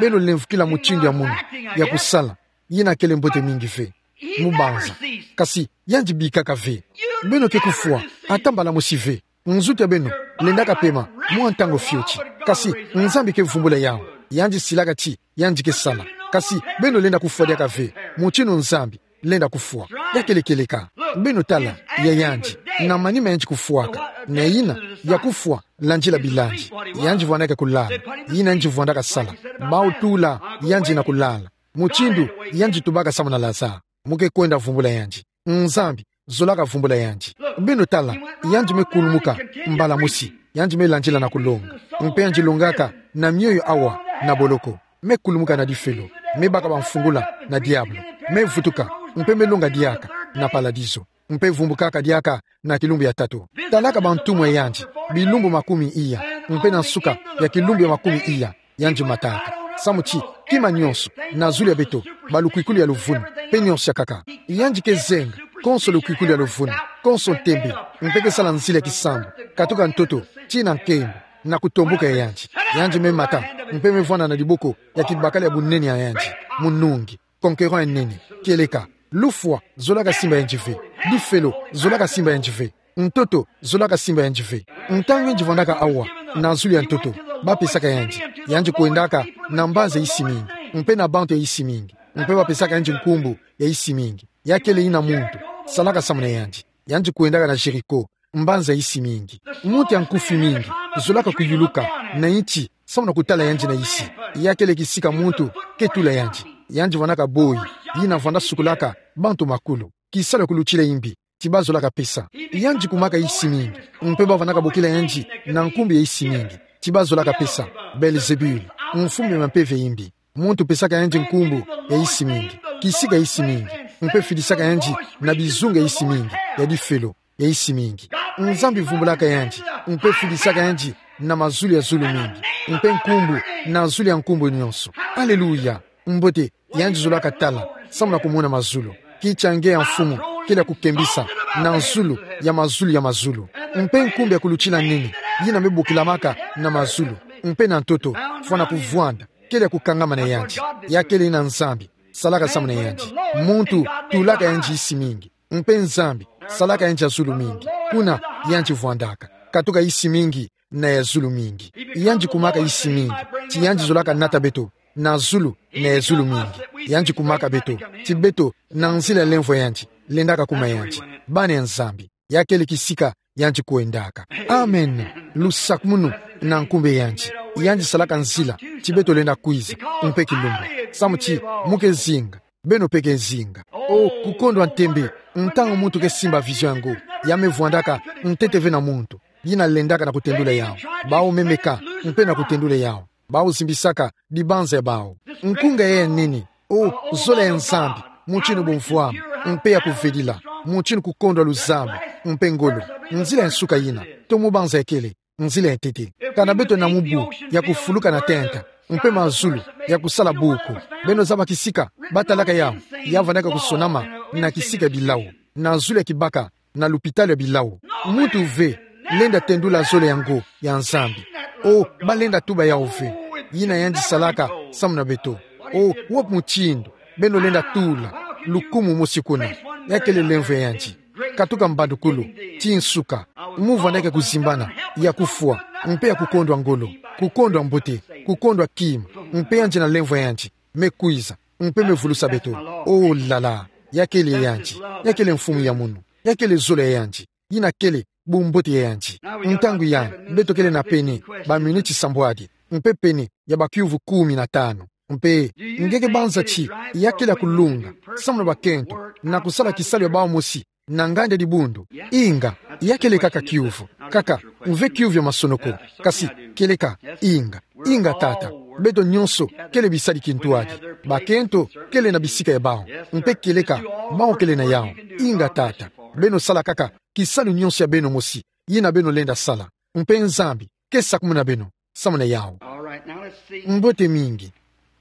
Beno lemvokila mutindu ya munu ya kusala. Yina kele mbote mingi ve. Mubanza. Kasi, yandi bikaka ve. Beno ke kufwa ata mbala mosi ve. Nzutu ya beno lendaka pema mwa ntangu fioti. Kasi, Nzambi ke vumbula yawu. Yandi silaka ti yandi ke sala. Kasi, beno lenda kufwa diaka ve mutindu Nzambi lenda kufwa. Ya kele kieleka. Beno tala, ya yandi, na manima yandi kufwaka, na yina ya kufwa, landila bilandi. Yandi vwandaka kulala. Yina yandi vwandaka sala. Bawu tula yandi na kulala. Mutindu yandi tubaka samu na Lazare. Mu ke kwenda vumbula yandi. Nzambi zolaka vumbula yandi. Beno tala, yandi me kulumuka mbala mosi. Yandi me landila na kulonga. Mpe yandi longaka na mioyo awa na boloko. Me kulumuka na difelo. Me baka bamfungula na diabolo. Me vutuka. Mpe me longa diaka na paladizo. Mpe vumbukaka diaka na kilumbu ya tatu. Talaka bantumwa ya yandi, bilumbu makumi iya. Mpe na nsuka ya kilumbu ya makumi iya, yandi mataka. Samu ti kima nyonso na zulu ya beto, balukwikulu ya luvunu, mpe nyonso ya nkaka. Yandi ke zenga konso lukwikulu ya luvunu, konso ntembe, mpe ke sala nzila ya kisambu, katuka ntoto tii na nkembo, na kutomboka ya yandi. Yandi me mata, mpe me vwanda na diboko ya kibakala ya bunene ya yandi, munungi, conquérant ya nene. Kieleka. Lufwa zolaka simba yandi ve. Difelo zolaka simba yandi ve. Ntoto zolaka simba yandi ve. Ntangu yandi vwandaka awa na zulu ya ntoto, bapesaka yandi. Yandi kwendaka na mbanza ya isi mingi, mpe na bantu ya isi mingi, mpe bapesaka yandi nkumbu ya isi mingi. Ya kele yina muntu salaka samu na yandi. Yandi kwendaka na Jéricho, mbanza ya isi mingi. Muntu ya nkufi mingi zolaka kuyuluka na nti samu na kutala yandi na isi. Ya kele kisika muntu ke tula yandi. Yandi vwandaka boyi yina vwanda sukulaka bantu makulu. Kisalu ya kulutila imbi ti bazolaka pesa. Yandi kumaka isi mingi, mpe bavwandaka bokila yandi na nkumbu ya isi mingi ti bazolaka pesa. Belzebul, mfumu ya mampeve ya imbi. Muntu pesaka yandi nkumbu ya isi mingi, kisika ya isi mingi, mpe fidisaka yandi na bizunga ya isi mingi, ya difelo ya isi mingi. Nzambi vumbulaka yandi, mpe fidisaka yandi na mazulu ya zulu mingi, mpe nkumbu na zulu ya nkumbu nyonso. Aleluya! Mbote, yandi zolaka tala samu na kumona mazulu. Kiti ya nge ya mfumu kele ya kukembisa na zulu ya mazulu ya mazulu. Mpe nkumbu ya kulutila nene yina me bokilamaka na mazulu, mpe na ntoto, fwana kuvwanda, kele ya kukangama na yandi. Ya kele yina Nzambi salaka samu na yandi. Muntu tulaka yandi isi mingi, mpe Nzambi salaka yandi ya zulu mingi. Kuna yandi vwandaka, katuka isi mingi na ya zulu mingi. Yandi kumaka isi mingi ti yandi zolaka nata beto na zulu na ya zulu mingi. Yandi kumaka beto ti beto, na nzila ya lemvo ya yandi, lendaka kuma yandi, bana ya Nzambi. Ya kele kisika yandi kwendaka. Amen. Lusakumunu na nkumbu ya yandi. Yandi salaka nzila ti beto lenda kwiza, mpe kilumbu. Samu ti mu ke zinga, beno mpe ke zinga. O, kukondwa ntembe, ntangu muntu ke simba vision ya ngo, ya me vwandaka ntete ve na muntu, yina lendaka na kutendula yawu. Bawu me meka mpe na kutendula yawu. Bawu zimbisaka dibanza ya bawu. Nkunga ya nene, o, zola ya Nzambi, mutindu bumvwama, mpe ya kuvedila, mutindu kukondwa luzabu, mpe ngolo. Nzila ya nsuka yina, tomo banza ya kele nzila ya ntete. Kana beto na mubu ya kufuluka na tenta, mpe mazulu ya kusala buku, beno zaba kisika batalaka yawu? Ya vandaka kusonama na kisika ya bilau, na zulu ya kibaka, na lupitalu ya bilau. Muntu ve lenda tendula zola ya ngo ya Nzambi. O, balenda tuba yawu ve. Yina yandi salaka samu na beto. O, wapi mutindu beno lenda tula lukumu mosi kuna? Ya kele lemvo ya yandi. Katuka mbandukulu tii nsuka, mu vandaka kuzimbana, ya kufwa, mpe ya kukondwa ngolo, kukondwa mbote, kukondwa kima, mpe yandi na lemvo ya yandi me kwiza, mpe me vulusa beto. O lala, ya kele yandi, ya kele mfumu ya munu, ya kele zola ya yandi, yina kele bumbote ya yandi. Ntangu yai, beto kele na pene baminiti sambwadi, mpe pene ya bakiuvu kumi na tanu. Mpe nge ke banza ti ya kele ya kulunga samu na bakento, na kusala kisalu ya bawu mosi na nganda dibundu? Inga, ya kele kaka kiuvu. Kaka, mve kiuvu ya masonoko. Kasi, kieleka, inga. Inga, tata. Beto nyonso kele bisadi kintwadi. Bakento kele na bisika ya bawu. Mpe kieleka, bawu kele na yawu. Inga, Tata. Beno sala kaka kisalu nyonso ya beno mosi, yina beno lenda sala. Mpe Nzambi ke sakumuna beno, samu na yawu. All right, now let's see. Mbote mingi.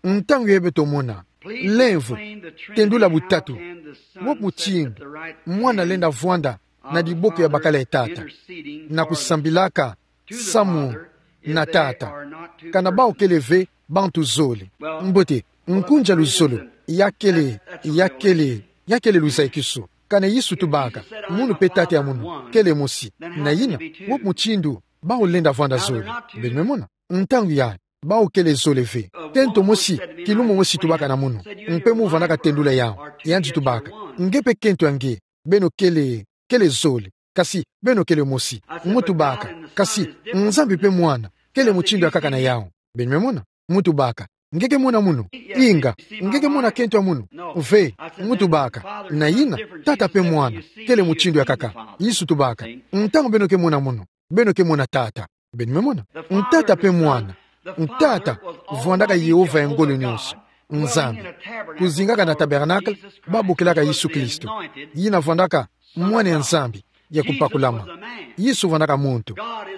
Ntangu yayi beto mona. Lemvo, tendula butatu. Wo mutindu mwana lenda vwanda na diboko ya bakala ya Tata, na kusambilaka samu na Tata, kana bawu kele ve bantu zole. Mbote, nkunja luzolo, ya kele, ya kele, ya kele luzayikisu. Kana Yesu tubaka, munu mpe tata ya munu kele mosi. Na yina, wo mutindu bawu lenda vwanda zole. Beno me mona? Ntangu yayi, bawu kele zole ve. Kento mosi, kilumbu mosi tubaka na munu. Mpe mu vwandaka tendula yawu. Yandi tubaka, nge mpe kento ya nge, beno kele, kele zole. Kasi beno kele mosi. Mu tubaka, kasi Nzambi mpe Mwana kele mutindu ya kaka na yawu. Beno me mona? Mu tubaka, nge ke mona munu? Inga, nge ke mona kento ya munu? Ve. Mu tubaka, na yina, Tata mpe Mwana kele mutindu ya kaka. Yesu tubaka, ntangu beno ke mona munu, beno ke mona Tata. Beno me mona? Tata mpe Mwana. Tata vwandaka Yehova ya ngolo nyonso, Nzambi. Kuzingaka na tabernacle, ba bokilaka Yesu Kristo. Yina vwandaka Mwana ya Nzambi ya kupakulama. Yesu vwandaka muntu.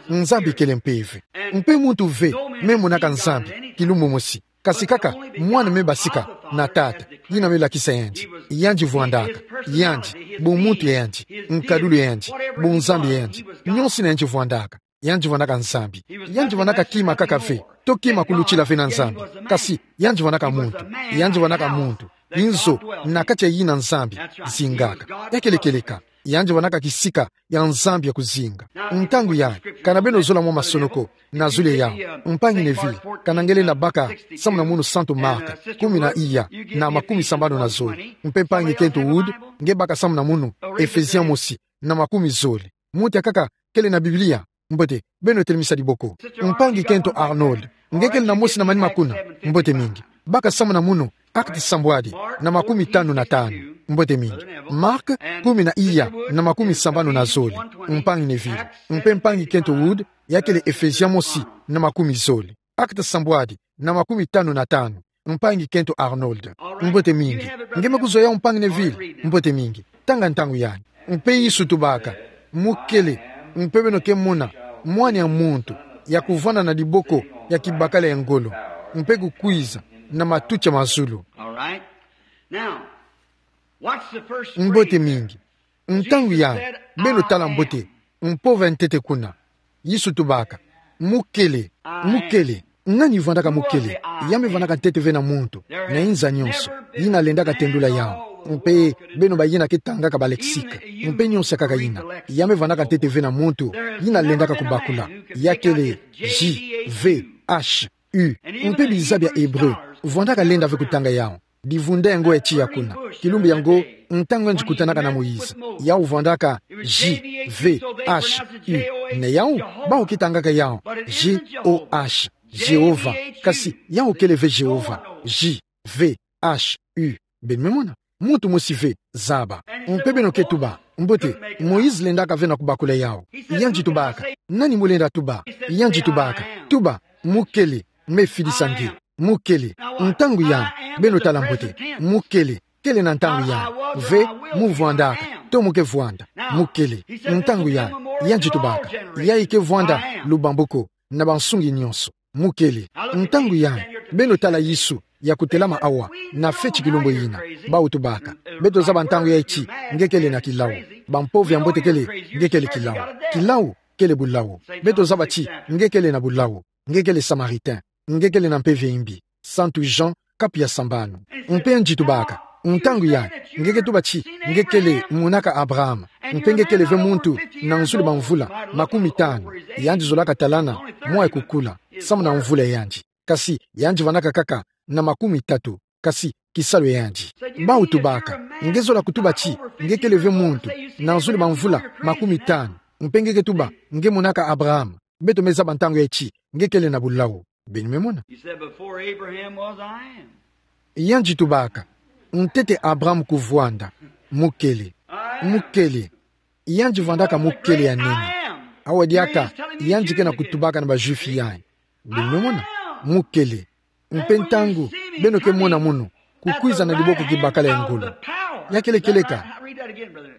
Nzambi kele mpeve. Mpe muntu ve me monaka Nzambi kilumbu mosi. Kasi kaka Mwana me basika na Tata, yina me lakisa yandi. Yandi vwandaka. Yandi, bumuntu ya yandi, nkadulu ya yandi, bunzambi ya yandi, nyonso yina yandi vwandaka. Yandi vwandaka Nzambi. Yandi vwandaka kima kaka ve. To kima kulutila ve na Nzambi. Kasi yandi vwandaka muntu. Yandi vwandaka muntu. Inzo na kati ya yina Nzambi zingaka. Ya kele kieleka. Yandi vwandaka kisika ya Nzambi ya kuzinga. Ntangu yayi, kana beno zola mwa masonoko, nazule yawu. Mpangi Neville, kana nge lenda baka samu na munu Santu Marc, kumi na iya, na makumi sambanu na zole. Mpe mpangi kento Wood, nge baka samu na munu Ephésiens mosi, na makumi zole. Muntu ya kaka kele na Biblia? Mbote, beno telemisa diboko. Mpangi kento Arnold, nge kele na mosi na manima kuna? Mbote mingi. Baka samu na munu Actes sambwadi, na makumi tanu na tanu. Mbote mingi. Marc, kumi na iya, na makumi sambanu na zole. Mpangi Neville. Mpe mpangi kento Wood, ya kele Ephésiens mosi, na makumi zole. Actes sambwadi, na makumi tanu na tanu. Mpangi kento Arnold. Mbote mingi. Nge me kuzwa yawu, mpangi Neville? Mbote mingi. Tanga ntangu yayi. Mpe Yesu tubaka, mu kele, mpe beno ke mona Mwana ya muntu ya kuvwanda na diboko ya kibakala ya ngolo, mpe kukwiza na matuti ya mazulu. All right. Now, what's the first phrase? Mbote mingi. Ntangu yayi, beno tala mbote mpova ya ntete kuna. Yesu tubaka, mu kele, mu kele. Nani vwandaka mu kele? Ya me vwandaka ntete ve na muntu na inza nyonso. Yina lendaka tendula yawu. Mpe beno bayina ke tangaka ba lexique, mpe nyonso ya kaka yina, ya me vwandaka ntete ve na muntu, yina lendaka kubakula. Ya kele J V H U. Mpe biza bia Hébreu vwandaka lenda ve kutanga yawu. Divunda yango ya tiya kuna. Kilumbu yango, ntangu yandi kutanaka na Moïse, yawu vwandaka J V H U. Na yawu, bawu ke tangaka yawu J O H, Jéhovah. Kasi yawu kele ve Jéhovah. J V H U. Beno me mona? Muntu mosi ve, zaba. Mpe beno ke tuba, mbote, Moïse lendaka ve na kubakula yawu. Yandi tubaka, nani mu lenda tuba? Yandi tubaka, tuba, mu kele, me fidisa nge. Mu kele. Ntangu yayi, beno tala mbote, mu kele. Kele na ntangu yayi ve mu vwandaka, to mu ke vwanda. Mu kele. Ntangu yayi, yandi tubaka, yayi ke vwanda lubambu ko, na bansungi nyonso. Mu kele. Ntangu yayi, beno tala Yesu ya kutelama awa na feti kilumbu yina. Bawu tubaka, beto zaba ntangu yayi ti nge kele na kilawu. Bampova ya mbote kele, nge kele kilawu. Kilawu kele bulawu. Beto zaba ti nge kele na bulawu. Nge kele Samaritain. Nge kele na mpeve ya imbi. Santu Jean, kapu ya sambanu. Mpe yandi tubaka, ntangu yayi, nge ke tuba ti nge kele monaka Abraham, mpe nge kele ve muntu na nzuli bamvula makumi tanu. Yandi zolaka talana mwa ya kukula, samu na mvula ya yandi. Kasi yandi vwandaka kaka na makumi tatu. Kasi kisalu ya yandi. Bawu tubaka, nge zola kutuba ti nge kele ve muntu na nzuli bamvula makumi tanu, mpe nge ke tuba nge monaka Abraham. Beto me zaba ntangu yayi ti nge kele na bulawu. Beno me mona? He said, "Before Abraham was, I am." Yandi tubaka, ntete Abraham kuvwanda, mu kele. Mu kele. Yandi vwandaka mu kele ya nene. Awa diaka yandi ke na kutubaka na ba Juifs yayi. Beno me mona? Mu kele. Mpe ntangu beno ke mona munu kukwiza na diboko kibakala ya ngolo, ya kele kieleka. That again, brother.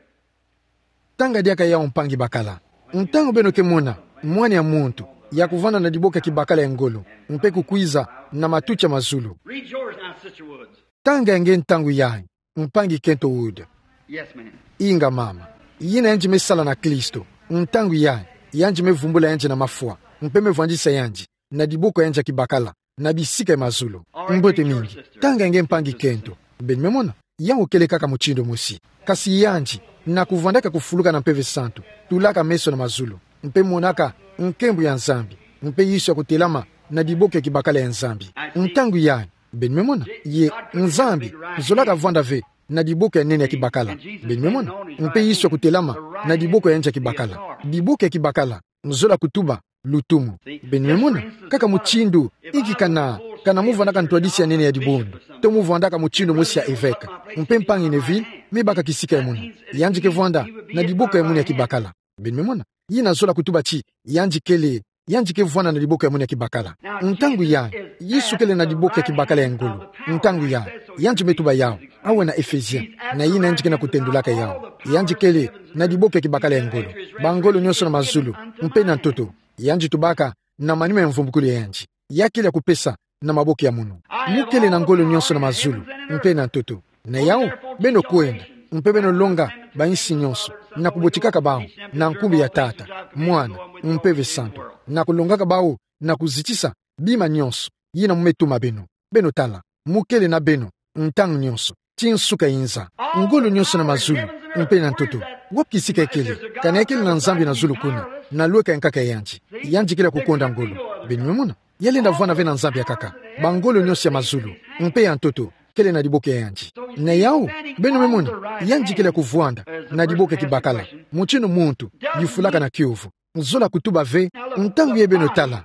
Tanga diaka yawu, mpangi bakala. Ntangu beno ke mona mwana ya muntu ya kuvanda na diboko ya kibakala ya ngolo, mpe kukwiza na matuti ya mazulu. Read yours now, Sister Woods. Tanga ya nge ntangu yayi, mpangi kento Wood. Yes, ma'am. Inga mama. Yina yandi me sala na Kristo. Ntangu yayi, yandi me vumbula yandi na mafwa, mpe me vwandisa yandi na diboko ya yandi ya kibakala na bisika ya mazulu. Mbote mingi. Tanga ya nge, mpangi kento. Beno me mona, yawu kele kaka mutindu mosi. Kasi yandi, na kuvandaka kufuluka na Mpeve Santu, tulaka meso na mazulu, mpe monaka nkembo ya Nzambi, mpe Yesu ya kutelama na diboko ya kibakala ya Nzambi. Ntangu yayi, beno me mona, ye Nzambi zolaka vanda ve na diboko ya nene ya kibakala. Beno me mona, mpe Yesu ya kutelama na diboko ya yandi ya kibakala. Diboko ya kibakala nzola kutuba lutumu. Beno me mona, kaka mutindu, inki kana, kana mu vandaka ntwadisi ya nene ya dibundu, to mu vandaka mutindu mosi ya evêque, mpe mpangi Neville me baka kisika ya munu, yandi ke vanda na diboko ya munu ya kibakala. Beno me mona, yina zola kutuba ti yandi kele, yandi ke vanda na diboko ya munu ya kibakala. Ntangu yayi, Yesu kele na diboko ya kibakala ya ngolo. Ntangu yayi, yandi me tuba yawu, awe na Ephésiens, na yina yandi ke na kutendulaka yawu. Yandi kele na diboko ya kibakala ya ngolo. Bangolo nyonso na mazulu, mpe na ntoto, yandi tubaka na manima ya mvumbukulu ya yandi, ya kele ya kupesa na maboko ya munu. Mu kele na ngolo nyonso na mazulu, mpe na ntoto. Na yawu, beno kwenda, mpe beno longa bansi nyonso, na kubotikaka bawu na nkumbu ya Tata, Mwana, Mpeve Santu, na kulongaka bawu na kuzitisa bima nyonso yina mu me tuma beno. Beno tala, mu kele na beno ntangu nyonso, ti nsuka inza. Ngolo nyonso na mazulu, mpe na ntoto. Wapi kisika ya kele? Kana ya kele na Nzambi na zulu kuna, na lweka ya nkaka ya yandi. Yandi kele ya kukonda ngolo. Beno me mona, ya lenda vwanda ve na Nzambi ya nkaka. Bangolo nyonso ya mazulu, mpe ya ntoto, kele na diboko ya yandi. Na yawu, beno me mona, yandi kele ya kuvwanda na diboko ya kibakala, mutindu muntu yufulaka na kiovo. Nzola kutuba ve, ntangu yayi beno tala.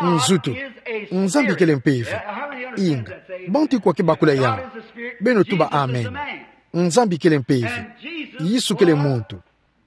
Nzutu. Nzambi kele mpeve. Inga. Bantu kwa ke bakula yawu? Beno tuba amen. Nzambi kele mpeve. Yesu kele muntu.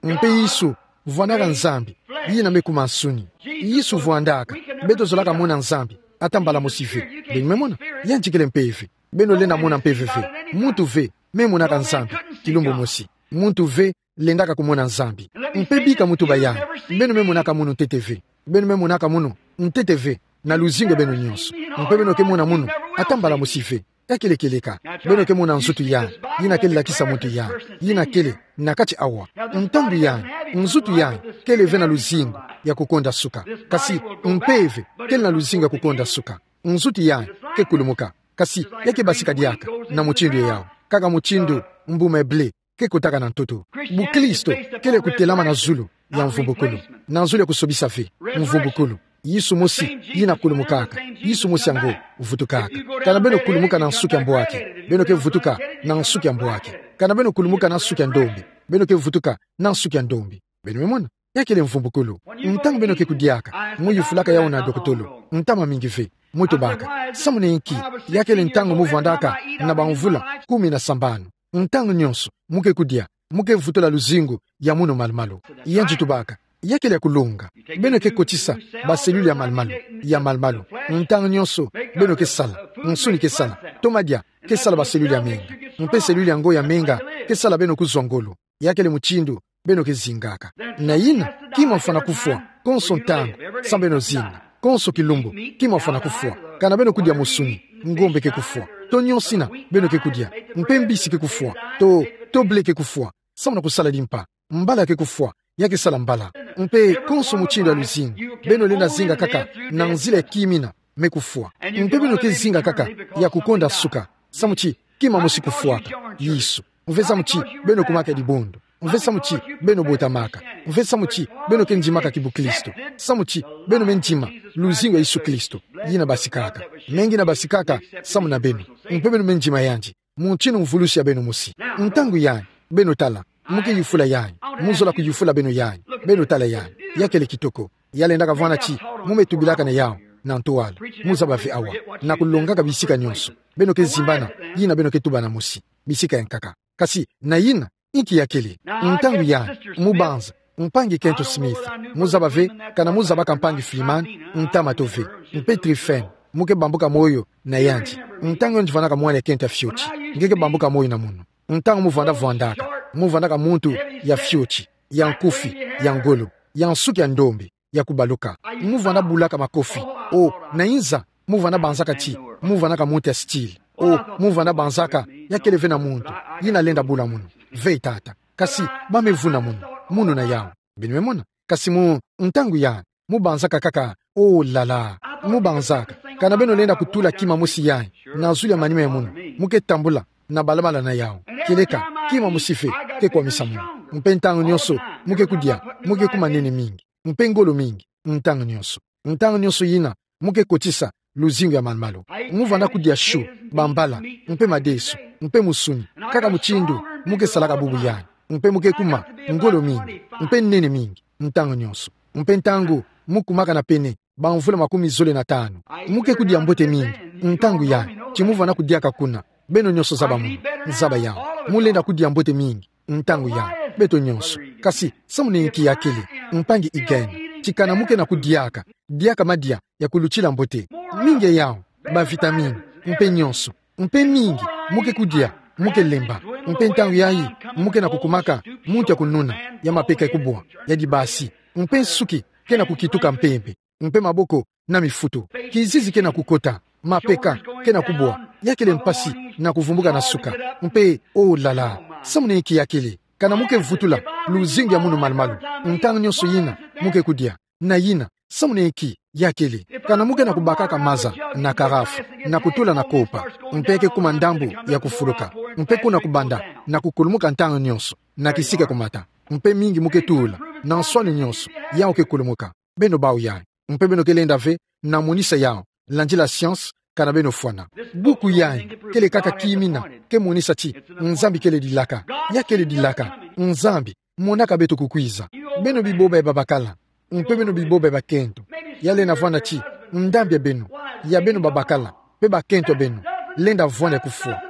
Mpe Yesu, vwandaka Nzambi, yina me kuma nsuni. Yesu vwandaka, beto zolaka mona Nzambi, ata mbala mosi ve. Beno me mona, yandi kele mpeve. Beno lenda mona mpeve ve. Muntu ve me monaka Nzambi kilumbu mosi. Muntu ve lendaka kumona Nzambi. Mpe bika mu tuba yayi, beno me monaka munu ntete ve. Beno me monaka munu ntete ve na luzingu ya beno nyonso. Mpe beno ke mona munu ata mbala mosi ve. Ya kele kieleka. Beno ke mona nzutu yayi, yina kele lakisa muntu yayi, yina kele na kati awa. Ntangu yayi, nzutu yayi kele ve na luzingu ya kukonda suka. Kasi mpeve kele na luzingu ya kukonda suka. Nzutu yayi ke kulumuka. Kasi ya ke basika diaka na mutindu yawu, kaka mutindu mbuma ya blé ke kotaka na ntoto. Bukristo kele kutelama na zulu ya mvumbukulu. Na zulu ya kusobisa ve. Mvumbukulu. Yesu mosi yina kulumukaka, Yesu mosi yango vutukaka. Kana beno kulumuka na nsuki ya mbwaki, beno ke vutuka na nsuki ya mbwaki. Kana beno kulumuka na nsuki ya ndombi, beno ke vutuka na nsuki ya ndombi. Beno me mona? Ya kele mvumbukulu. Ntangu beno ke kudiaka, mu yufulaka yawu na dokotolo, ntama mingi ve, mu tubaka: Samu na inki, ya kele ntangu mu vwandaka na bamvula kumi na sambanu, ntangu nyonso mu ke kudia, mu ke vutula luzingu ya munu malumalu? Yandi tubaka: Ya kele ya kulonga. Beno ke kotisa ba cellule ya malumalu, ya malumalu. Ntangu nyonso beno ke sala, nsuni ke sala, to madia ke sala ba cellule ya menga. Mpe cellule yango ya menga ke sala beno kuzwa ngolo. Ya kele mutindu beno ke zingaka. Na yina, kima mfwana kufwa konso ntangu, samu beno zinga. Konso kilumbu, kima mfwana kufwa. Kana beno kudia musuni, ngombe ke kufwa. To nyonso yina beno ke kudia. Mpe mbisi ke kufwa. To, to blé ke kufwa, samu na kusala limpa. Mbala ke kufwa, ya ke sala mbala. Mpe konso mutindu ya luzingu, beno lenda zinga kaka na nzila ya kima yina me kufwa. Mpe beno ke zinga kaka ya kukonda suka, samu ti kima mosi kufwaka, Yesu. Mve samu ti beno kumaka dibundu. Mve samu ti beno botamaka. Mve samu ti beno ke ndimaka kibukristo. Samu ti beno me ndima luzingu ya Yesu Kristo, yina basikaka. Mengi yina basikaka samu na beno. Mpe beno me ndima yandi mutindu mvulusi ya beno mosi. Ntangu yayi, beno tala, mu ke yufula yayi, mu zola kuyufula beno yayi, beno tala yayi. Ya kele kitoko. Ya lendaka vwanda ti mu me tubilaka na yawu na ntwala. Mu zaba ve awa, na kulongaka bisika nyonso, beno ke zimbana yina beno ke tubana mosi, bisika ya nkaka. Kasi na yina, inki ya kele? Ntangu yayi, mu banza, mpangi kento Smith, mu zaba ve kana mu zabaka mpangi Freeman, ntama to ve. Mpe Tryphène, mu ke bambuka moyo na yandi. Ntangu yandi vwandaka mwana ya kento ya fioti, nge ke bambuka moyo na munu. Ntangu mu vwanda vwandaka, Mu vwandaka muntu ya fioti, ya nkufi, ya ngolo, ya nsuki ya ndombe, ya kubaluka. Mu vwanda bulaka makofi. O, na inza, mu vwanda banzaka ti mu vwandaka muntu ya style. O, mu vwanda banzaka, ya kele ve na muntu yina lenda bula munu. Ve, tata. Kasi ba me vuna munu, munu na yau. Beno me mona. Kasi mu ntangu ya, mu banzaka kaka, oh la la. Mu banzaka, kana beno lenda kutula kima mosi yayi na zulu ya manima ya munu, mu ke tambula na balabala na yau. Kieleka, kima mosi ve ke kwamisa munu. Mpe ntangu nyonso mu ke kudia, mu ke kuma nene mingi, mpe ngolo mingi. Ntangu nyonso, ntangu nyonso yina, mu ke kotisa luzingu ya malu-malu. Mu vwanda kudia chou, bambala, mpe madesu, mpe musuni, kaka mutindu mu ke salaka bubu yayi. Mpe mu ke kuma ngolo mingi, mpe nene mingi, ntangu nyonso. Mpe ntangu mu kumaka na pene bamvula makumi zole na tanu, mu ke kudia mbote mingi. Ntangu yayi, ti mu vwanda kudiaka kuna, beno nyonso zaba munu, zaba yau. Mu lenda kudia mbote mingi ntangu yayi, beto nyonso. Kasi samu na inki ya kele? Mpangi Egan, ti kana mu ke na kudiaka, diaka madia ya kulutila mbote, mingi ya yau, ba vitamine, mpe nyonso. Mpe mingi mu ke kudia, mu ke lemba. Mpe ntangu yayi, mu ke na kukumaka muntu ya kununa, ya mapeka ya kubwa, ya dibasi. Mpe nsuki ke na kukituka mpembe, mpe maboko na mifutu. Kizizi ke na kukota, mapeka ke na kubwa, ya kele mpasi na kuvumbuka na suka. Mpe, oh la la, samu na inki ya kele? Kana mu ke vutula luzingu ya munu malu-malu ntangu nyonso yina mu ke kudia, na yina, samu na inki ya kele? Kana mu ke na kubakaka maza na karafu, na kutula na kopa, mpe ke kuma ndambu ya kufuluka, mpe kuna kubanda na kukulumuka ntangu nyonso, na kisika kumata, mpe mingi mu ke tula, na nswani nyonso, yau ke kulumuka. Beno bau yayi, mpe beno ke lenda ve na monisa yau, landila science, kana beno fwana. Buku yayi kele kaka kimina ke monisa ti Nzambi kele dilaka. Ya kele dilaka. Nzambi monaka beto kukwiza. Beno biboba ya babakala, mpe beno biboba ya bakento. Ya lenda vwanda ti ndambu ya beno, ya beno babakala, mpe bakento ya beno, lenda vwanda ya kufwa.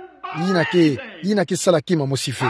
Yina ke, yina ke sala kima mosi ve.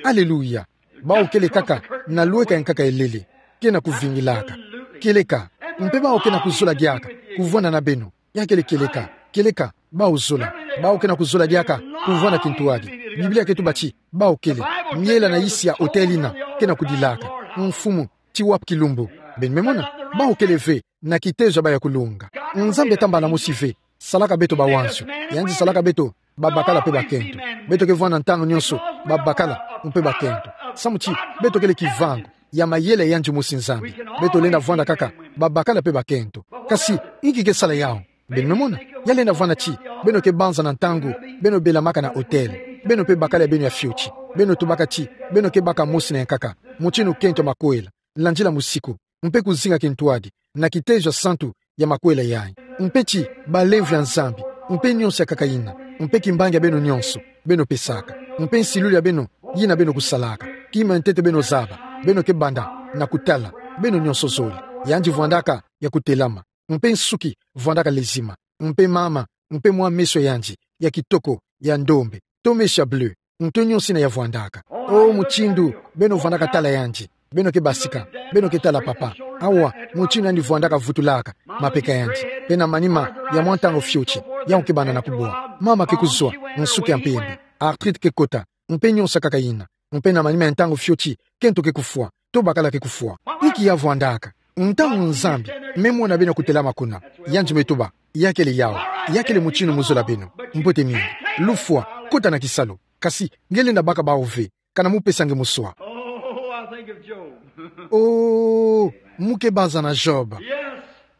Aleluya. Bau kele kaka na lweka ya nkaka elele, ke na kuvingilaka. Kieleka, mpe bau ke na kuzola diaka kuvwanda na beno. Ya kele kieleka, kieleka, bau zola. Bau ke na kuzola diaka kuvwanda kintwadi. Biblia ke tuba ti bau kele. Miela na isi ya hôtel yina ke na kudilaka: Mfumu, ti wapi kilumbu? Beno me mona, bau kele ve na kitezo ya bau ya kulunga. Nzambi atambala mosi ve, salaka beto bawanzio. Yandi salaka beto babakala mpe bakento. Beto ke vwanda ntangu nyonso babakala mpe bakento, samu ti beto kele kivangu ya mayele ya yandi mosi Nzambi. Beto lenda vwanda kaka babakala mpe bakento. Kasi inki ke sala yau? Beno me mona, ya lenda vwanda ti beno ke banza na ntangu beno belamaka na hôtel, beno mpe bakala ya beno ya fioti, beno tubaka ti beno ke baka mosi na ya nkaka, mutindu kento ya makwela, landila musiku, mpe kuzinga kintwadi na kitezo ya santu ya makwela yayi. Mpe ti balemvo ya Nzambi, mpe nyonso ya nkaka yina, mpe kimbangi ya beno nyonso beno pesaka, mpe nsilulu ya beno yina beno kusalaka, kima ya ntete beno zaba, beno ke banda na kutala, beno nyonso zole. Yandi vwandaka ya kutelama, mpe nsuki vwandaka lezima, mpe mama, mpe mwa meso ya yandi ya kitoko, ya ndombe, to meso ya bleu, nto nyonso yina ya vwandaka. O mutindu beno vwandaka tala yandi, beno ke basika, beno ke tala papa. Awa, mutindu yandi vwandaka vutulaka mapeka ya yandi. Mpe na manima ya mwa ntangu fioti, yau ke banda na kubwa. Mama ke kuzwa nsuki ya mpembe, arthrite ke kota, mpe nyonso ya nkaka yina. Mpe na manima ya ntangu fioti, kento ke kufwa, to bakala ke kufwa. Inki ya vwandaka? Ntangu Nzambi me mona beno kutelama kuna, yandi me tuba: Ya kele yau, ya kele mutindu mu zola beno. Mbote mingi. Lufwa, kota na kisalu. Kasi nge lenda baka bau ve, kana mu pesa nge muswa. Oh, I think of Job. Oh, mu ke banza na Job. Yes.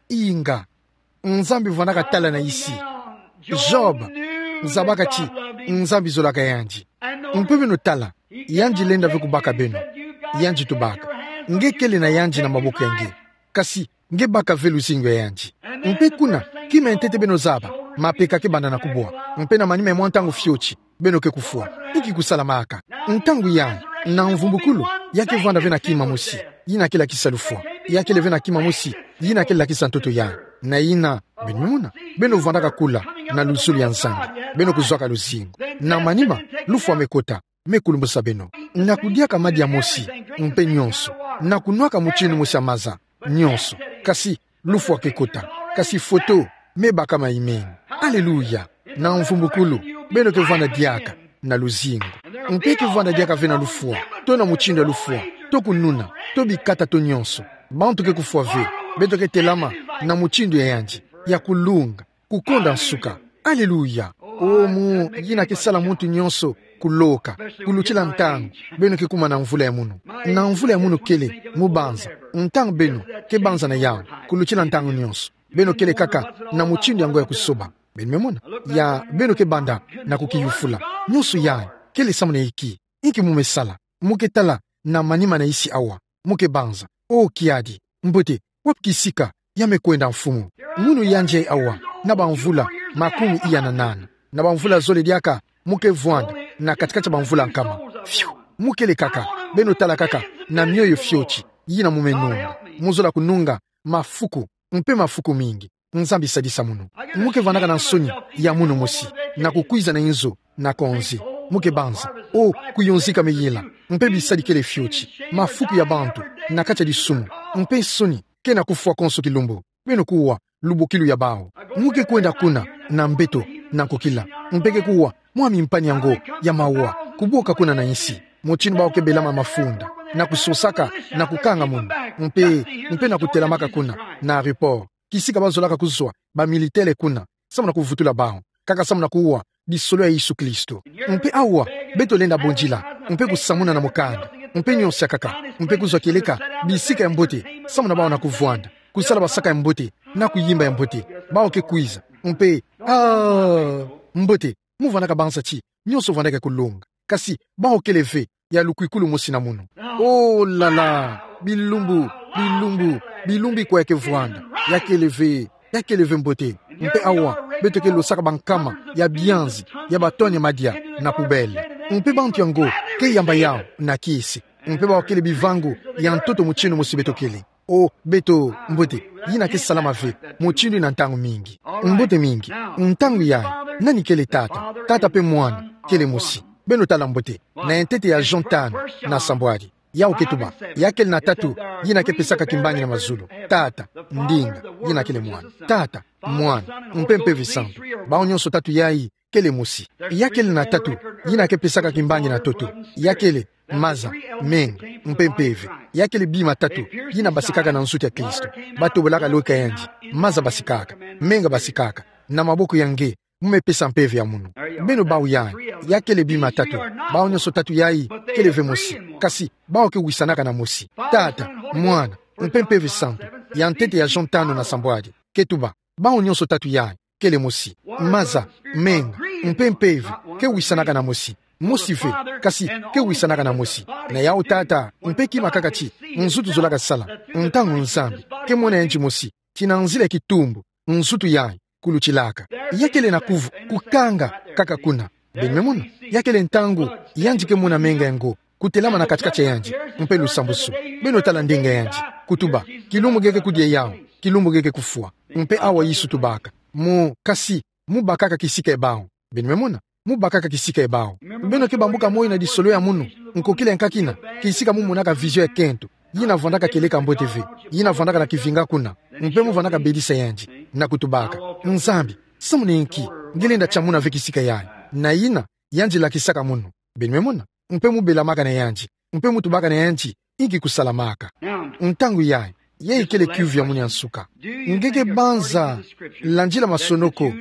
Inga. Nzambi vwandaka tala na isi. Job zabaka ti Nzambi zolaka yandi. Mpe beno tala, yandi lenda ve kubaka beno. Yandi tubaka: Nge kele na yandi na maboko ya nge, kasi nge baka ve luzingu ya yandi. Mpe kuna, kima ya ntete beno zaba, mapeka ke banda na kubwa. Mpe na manima ya mwa ntangu fioti, beno ke kufwa. Inki kusalamaka? Ntangu yayi, na mvumbukulu, ya ke vwanda ve na kima mosi yina ke lakisa lufwa. Ya kele ve na kima mosi yina ke lakisa ntoto yayi. Na yina, beno me mona, beno vwandaka kula na luzolo ya Nzambi, beno kuzwaka luzingu. Na manima, lufwa me kota, me kulumbusa beno. Na kudiaka madia mosi, mpe nyonso. Na kunwaka mutindu mosi ya maza, nyonso. Kasi lufwa ke kota. Kasi foto me baka ma imeni. Aleluya. Na mvumbukulu, beno ke vwanda diaka na luzingu. Mpe ke vwanda diaka ve na lufwa, to na mutindu ya lufwa, to kununa, to bikata to nyonso. Bantu ke kufwa ve, beto ke telama na mutindu ya yandi, ya kulunga, kukonda nsuka. Aleluya! O mu, yina ke sala muntu nyonso kuloka, kulutila ntangu beno ke kuma na mvula ya munu. Na mvula ya munu kele, mu banza, ntangu beno ke banza na yawu, kulutila ntangu nyonso. Beno kele kaka na mutindu yango ya kusoba. Beno me mona? Ya beno ke banda na kukiyufula. Nyonso yayi, kele samu na inki? Inki mu me sala? Mu ke tala na manima na insi awa. Mu ke banza: O kiadi, mbote, wapi kisika ya me kwenda, Mfumu? Munu yandi ayi awa, na bamvula makumi iya na nana. Na bamvula zole diaka, mu ke vwanda na kati-kati ya bamvula nkama. Fiu! Mu kele kaka, beno tala kaka, na mioyo fioti, yina mu me nunga. Mu zola kununga mafuku, mpe mafuku mingi. Nzambi sadisa munu. Mu ke vwandaka na nsoni ya munu mosi, na kukwiza na inzo na konzi. Mu ke banza: O, kuyonzika me yela, mpe bisadi kele fioti, mafuku ya bantu na kati ya disumu, mpe nsoni ke na kufwa konso kilumbu. Beno kuwa lubokilu ya bawu. Mu ke kwenda kuna na mbeto na nkokila, mpe ke kuwa mwa mimpani yango ya mawa, kuboka kuna na insi. Mutindu bawu ke belama mafunda, na kusosaka, na kukanga munu, mpe, mpe na kutelamaka kuna na aéroport, kisika bazolaka kuzwa bamilitaire kuna, samu na kuvutula bawu, kaka samu na kuwa lisolo ya Yesu Kristo. Mpe awa, beto lenda bondila, mpe kusamuna na mukanda, mpe nyonso ya nkaka, mpe kuzwa kieleka bisika ya mbote, samu na bawu na kuvwanda, kusala basaka ya mbote, na kuyimba ya mbote. Bawu ke kwiza, mpe, ah, mbote, mu vwandaka banza ti nyonso vwandaka kulonga. Kasi bawu kele ve ya lukwikulu mosi na munu. Oh là là! Bilumbu, bilumbu, bilumbu ikwa ya ke vwanda. Ya kele ve, ya kele ve mbote. Mpe awa, beto ke losaka bankama ya bianzi, ya batoni ya madia na poubelle. Mpe bantu yango ke yamba yawu na kiese. Mpe bawu kele bivangu ya ntoto mutindu mosi beto kele. Oh, beto, mbote, yina ke salama ve mutindu ina ntangu mingi. Mbote mingi. Ntangu yayi, nani kele tata? Tata mpe mwana kele mosi. Beno tala mbote, na yantete ya Jean tanu na sambwadi. Yawu ke tuba, ya kele na tatu, yina ke pesaka kimbangi na mazulu. Tata, ndinga, yina kele mwana. Tata, mwana, mpe Mpeve Santu. Bawu nyonso tatu yayi kele mosi. Ya kele na tatu, yina ke pesaka kimbangi na ntoto. Ya kele maza, menga, mpe mpeve. Ya kele bima tatu, yina basikaka na nzutu ya Kristo. Batobolaka loka yandi. Maza basikaka, menga basikaka. Na maboko ya nge mu me pesa mpeve ya munu. Beno bawu yayi, ya kele bima tatu. Bawu nyonso tatu yayi kele ve mosi. Kasi bawu ke wisanaka na mosi. Tata, mwana, mpe Mpeve Santu. Yantete ya Jean tanu na sambwadi ke tuba, bawu nyonso tatu yayi kele mosi. Maza, menga, mpe mpeve ke wisanaka na mosi. Mosi ve, kasi ke wisanaka na mosi. Na yawu tata, mpe kima kaka ti nzutu zolaka sala. Ntangu Nzambi ke mona yandi mosi, ti na nzila ya kitumbu, nzutu yayi kulutilaka. Ya kele na kuvu, kukanga kaka kuna. Beno me mona? Ya kele ntangu yandi ke mona menga yango kutelama na kati-kati ya yandi, mpe lusambusu. Beno tala ndinga yandi, kutuba, kilumbu nge ke kudia yawu, kilumbu nge ke kufwa. Mpe awa Yesu tubaka, mu, kasi, mu bakaka kisika ya bawu. Beno me mona? Mu bakaka kisika ya bawu. Beno ke bambuka moyo na lisolo ya munu, nkokila ya nkakina, kisika mu monaka vision ya kento, yina vwandaka kieleka mbote ve, yina vwandaka na kivinga kuna, mpe mu vwandaka bedisa yandi, na kutubaka: Nzambi, samu na inki nge lenda tia muna ve kisika yayi? Na yina yandi lakisaka munu. Beno me mona? Mpe mu belamaka na yandi, mpe mu tubaka na yandi inki kusalamaka. Ntangu yayi, yayi kele kiuvu ya munu ya nsuka. Nge ke banza, landila masonoko,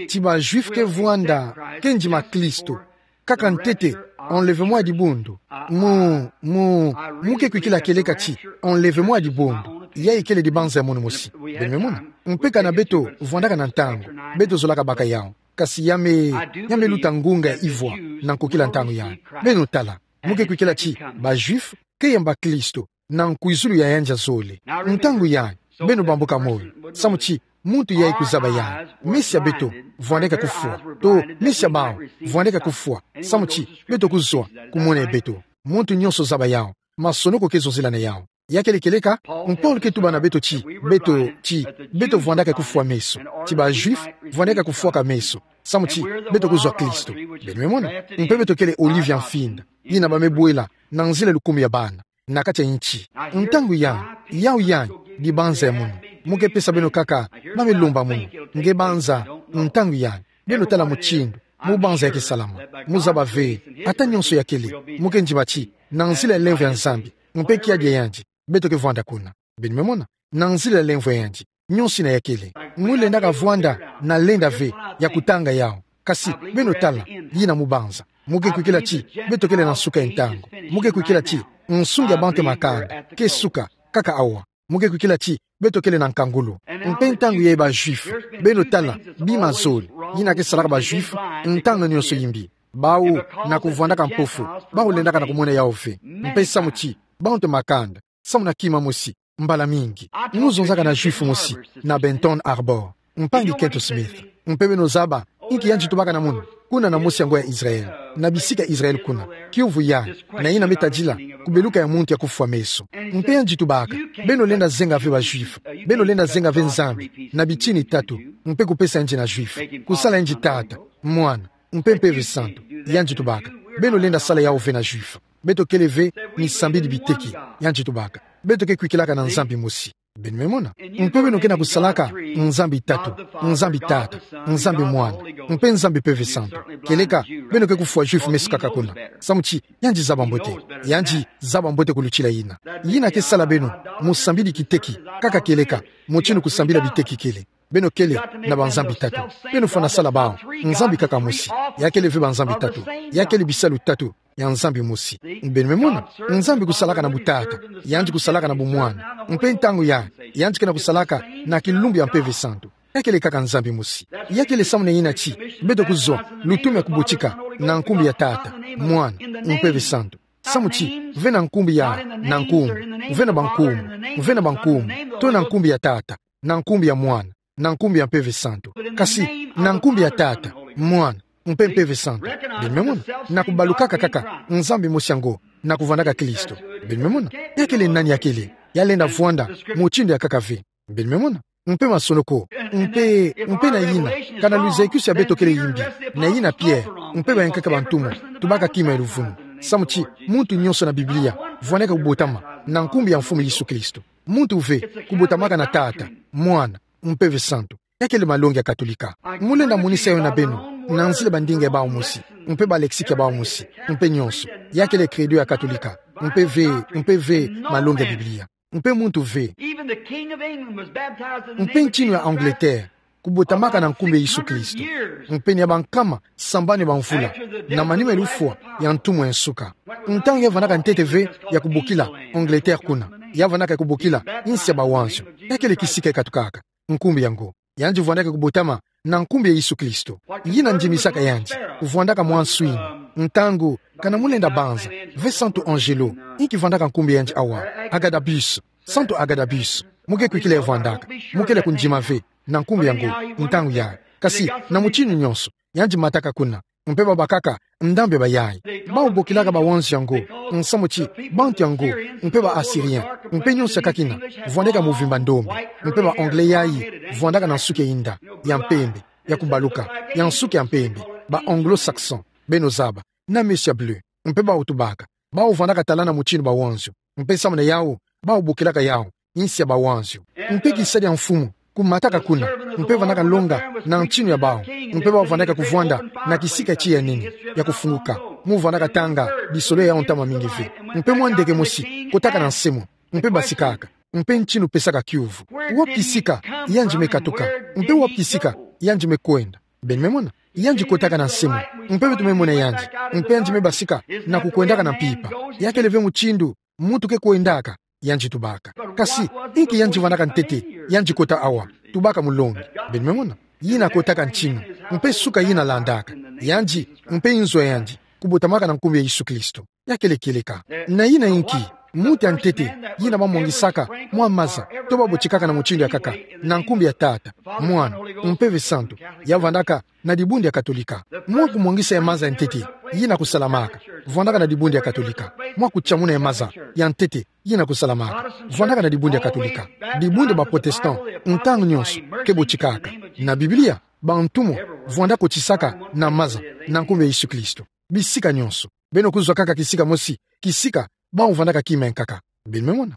ti ba Juifs ke vwanda, ke ndima Kristo, kaka ntete enlèvement ya dibundu? Mu, mu, mu ke kwikila kieleka ti enlèvement ya dibundu yayi kele dibanza ya munu mosi. Beno me mona? Mpe kana beto vwandaka na ntangu, beto zolaka baka yawu. Kasi ya me, ya me luta ngunga ya ivwa na nkokila ntangu yayi. Beno tala, mu ke kwikila ti ba Juifs ke yamba Kristo na nkwizulu ya yandi ya zole. Ntangu yayi, beno bambuka moyo, samu ti muntu yayi kuzaba yayi, meso ya beto vwandeke kufwa, to meso ya bawu vwandeke kufwa, samu ti beto kuzwa kumona ya beto. Muntu nyonso zaba yawu, masonoko ke zonzila na yawu. Ya kele kieleka, Paul ke tuba na beto ti, beto, ti, beto vwandeke kufwa meso. Ti ba Juifs vwandeke kufwaka meso, samu ti beto kuzwa Kristo. Beno me mona? Mpe beto kele olive ya mfinda, yina ba me bwela na nzila lukumu ya bana na kati ya nti. Ntangu yayi, yawu yayi dibanza ya munu. Mu ke pesa beno kaka, ba me lomba munu. Nge banza, ntangu yayi, beno tala mutindu Mubanza ya ke salama. Muzaba ve, ata nionso ya kele, mu ke ndima ti, na nzila ya lemvo ya Nzambi, mpe kiadi ya yandi, beto ke vwanda kuna. Beno me mona, na nzila ya lemvo ya yandi, nionso ina ya kele. Mulendaka vwanda na lenda ve ya kutanga yau. Kasi, beno tala, yina mubanza. Mu ke kwikila ti, beto kele na nsuka ya ntangu. Mu ke kwikila ti, nsungi ya bantu ya makanda ke suka, kaka awa. Mu ke kwikila ti, beto kele na nkangulu. Mpe ntangu ya ba Juifs, beno tala, bima zole, yina ke salaka ba Juifs, ntangu nionso yimbi. Bau, na kuvwandaka mpofu, bau lendaka na kumona yau ve. Mpe samu ti, bantu ya makanda, samu na kima mosi, mbala mingi. Muzonzaka na Juif mosi, na Benton Harbor, mpangi Kenton Smith. Mpe beno zaba, inki yandi tubaka na munu, kuna na mosi yango ya Israel, na bisika Israel kuna, kiuvu ya, na yina me tadila, kubeluka ya muntu ya kufwa meso. Mpe yandi tubaka, beno lenda zenga ve ba Juif, beno lenda zenga ve Nzambi, na bitini tatu, mpe kupesa yandi na Juif, kusala yandi Tata, Mwana, mpe Mpeve Santu, yandi tubaka, beno lenda sala yau ve na Juif. Beto kele ve, misambidi biteki, yandi tubaka. Beto ke kwikilaka na Nzambi mosi. Beno me mona. Mpe beno ke na kusalaka, Nzambi tatu, Nzambi Tata, Nzambi Mwana, mpe Nzambi Mpeve Santu. Kieleka, beno ke kufwa Juif meso kaka kuna. Samu ti, yandi zaba mbote. Yandi zaba mbote kulutila yina. Yina ke sala beno, musambidi kiteki, kaka kieleka, mutindu kusambila biteki kele. Beno kele, na ba Nzambi tatu. Beno fwana sala bau, Nzambi kaka mosi. Ya kele ve ba Nzambi tatu. Ya kele bisalu tatu ya Nzambi mosi. Beno me mona, Nzambi kusalaka na butata, yandi kusalaka na bumwana. Mpe ntangu ya, yandi ke na kusalaka na kilumbu ya Mpeve Santu. Ya kele kaka Nzambi mosi. Ya kele samu na yina ti, beto kuzwa, lutumu ya kubotika, na nkumbu ya Tata, Mwana, Mpeve Santu. Samu ti, ve na nkumbu ya, na nkumbu, ve na ba nkumbu, ve na ba nkumbu, to na nkumbu ya Tata, na nkumbu ya Mwana, na nkumbu ya Mpeve Santu. Kasi, na nkumbu ya Tata, Mwana, mpe Mpeve Santu. Beno me mona, na kubalukaka kaka, Nzambi mosi yango, na kuvwandaka Kristo. Beno me mona, ya kele nani ya kele, ya lenda vwanda, mutindu ya kaka ve. Beno me mona, mpe masonoko, mpe, mpe na yina, kana luzekisi ya beto kele yimbi, na yina Pierre, mpe bayankaka ba ntumwa, tubaka kima ya luvunu. Samu ti, muntu nionso na Biblia, vwanaka kubotama, na nkumbu ya Mfumu Yesu Kristo. Muntu ve, kubotamaka na Tata, Mwana, Mpeve Santu. Ya kele malongi ya Katolika. Mu lenda monisa yo na beno, na nzila bandinga ya bau mosi, mpe ba lexique ya bau mosi, mpe nionso. Ya kele credo ya Katolika, mpe ve, mpe ve, malongi ya Biblia. Mpe muntu ve. Even the King of England was baptized in the name of Jesus Christ. Mpe ntinu ya Angleterre, kubotamaka na nkumbu ya Yesu Kristo. Mpe ni ya bankama sambanu ya bamvula, na manima ya lufwa ya ntumwa ya nsuka. Ntangu ya vandaka ntete ve ya kubokila Angleterre kuna, ya vandaka kubokila insi ya bawanzio. Ya kele kisika ya katukaka, nkumbu yango. Yandi vandaka kubotama na nkumbu ya Yesu Kristo. Yina ndimisaka yandi, vandaka mwa nswini. Ntangu, kana mu lenda banza, ve Santu Angelo, inki vandaka nkumbu ya yandi awa, Agabus, Santu Agabus, mu ke kwikila ya vandaka, mu kele kundima ve, na nkumbu yango, ntangu yayi. Kasi, na mutinu nionso, yandi mataka kuna, mpe babakaka ndambu ya bayayi. Bau bokilaka bawanzio yango, nsamu ti, bantu yango, mpe ba Assyrien, mpe nionso ya kakina, vandaka muvimba ndombe, mpe ba Anglais yayi, vandaka na nsuki ya inda, ya mpembe, ya kubaluka, ya nsuki ya mpembe, ba Anglo-Saxon, beno zaba, na meso ya bleu, mpe bau tubaka, bau vandaka talana mutinu bawanzio, mpe samu na yau, bau bokilaka yau insi ya bawanzio. Mpe kisa dia mfumu kumataka kuna, mpe vandaka longa na ntinu ya bau, mpe bau vandaka kuvanda na kisika tiya nini ya kufunguka, mu vandaka tanga lisolo ya yau ntama mingi ve. Mpe mwa ndeke mosi kotaka na nse mo, mpe basikaka, mpe ntinu pesaka kiuvu: Wapi kisika yandi me katuka, mpe wapi kisika yandi me kwenda? Beno me mona, yandi kotaka na nse mo, mpe beto me mona yandi, mpe yandi me basika na kukwendaka na mpimpa. Ya kele ve mutindu muntu ke kwendaka, yandi tubaka. Kasi, inki yandi vandaka ntete, yandi kota awa, tubaka mulongi? Beno me mona, yina kotaka ntinu, mpe suka yina landaka, yandi, mpe inzo ya yandi, kubotamaka na nkumbu ya Yesu Kristo. Ya kele kieleka. Na yina inki, muntu ya ntete, yina bamwangisaka mwa maza, to babotikaka na mutindu ya kaka, na nkumbu ya Tata, Mwana, Mpeve Santu, ya vandaka na dibundu ya Katolika. Mwa kumwangisa ya maza ya ntete, yina kusalamaka, vandaka na dibundu ya Katolika. Mwa kutiamuna ya maza ya ntete, yina kusalamaka, vandaka na dibundu ya Katolika. Dibundu ya ba Protestant, ntangu nionso, ke botikaka. Na Biblia, bantumwa vanda kotisaka na maza, na nkumbu ya Yesu Kristo. Bisika nionso. Beno kuzwa kaka kisika mosi, kisika bau vandaka kima ya nkaka. Beno me mona.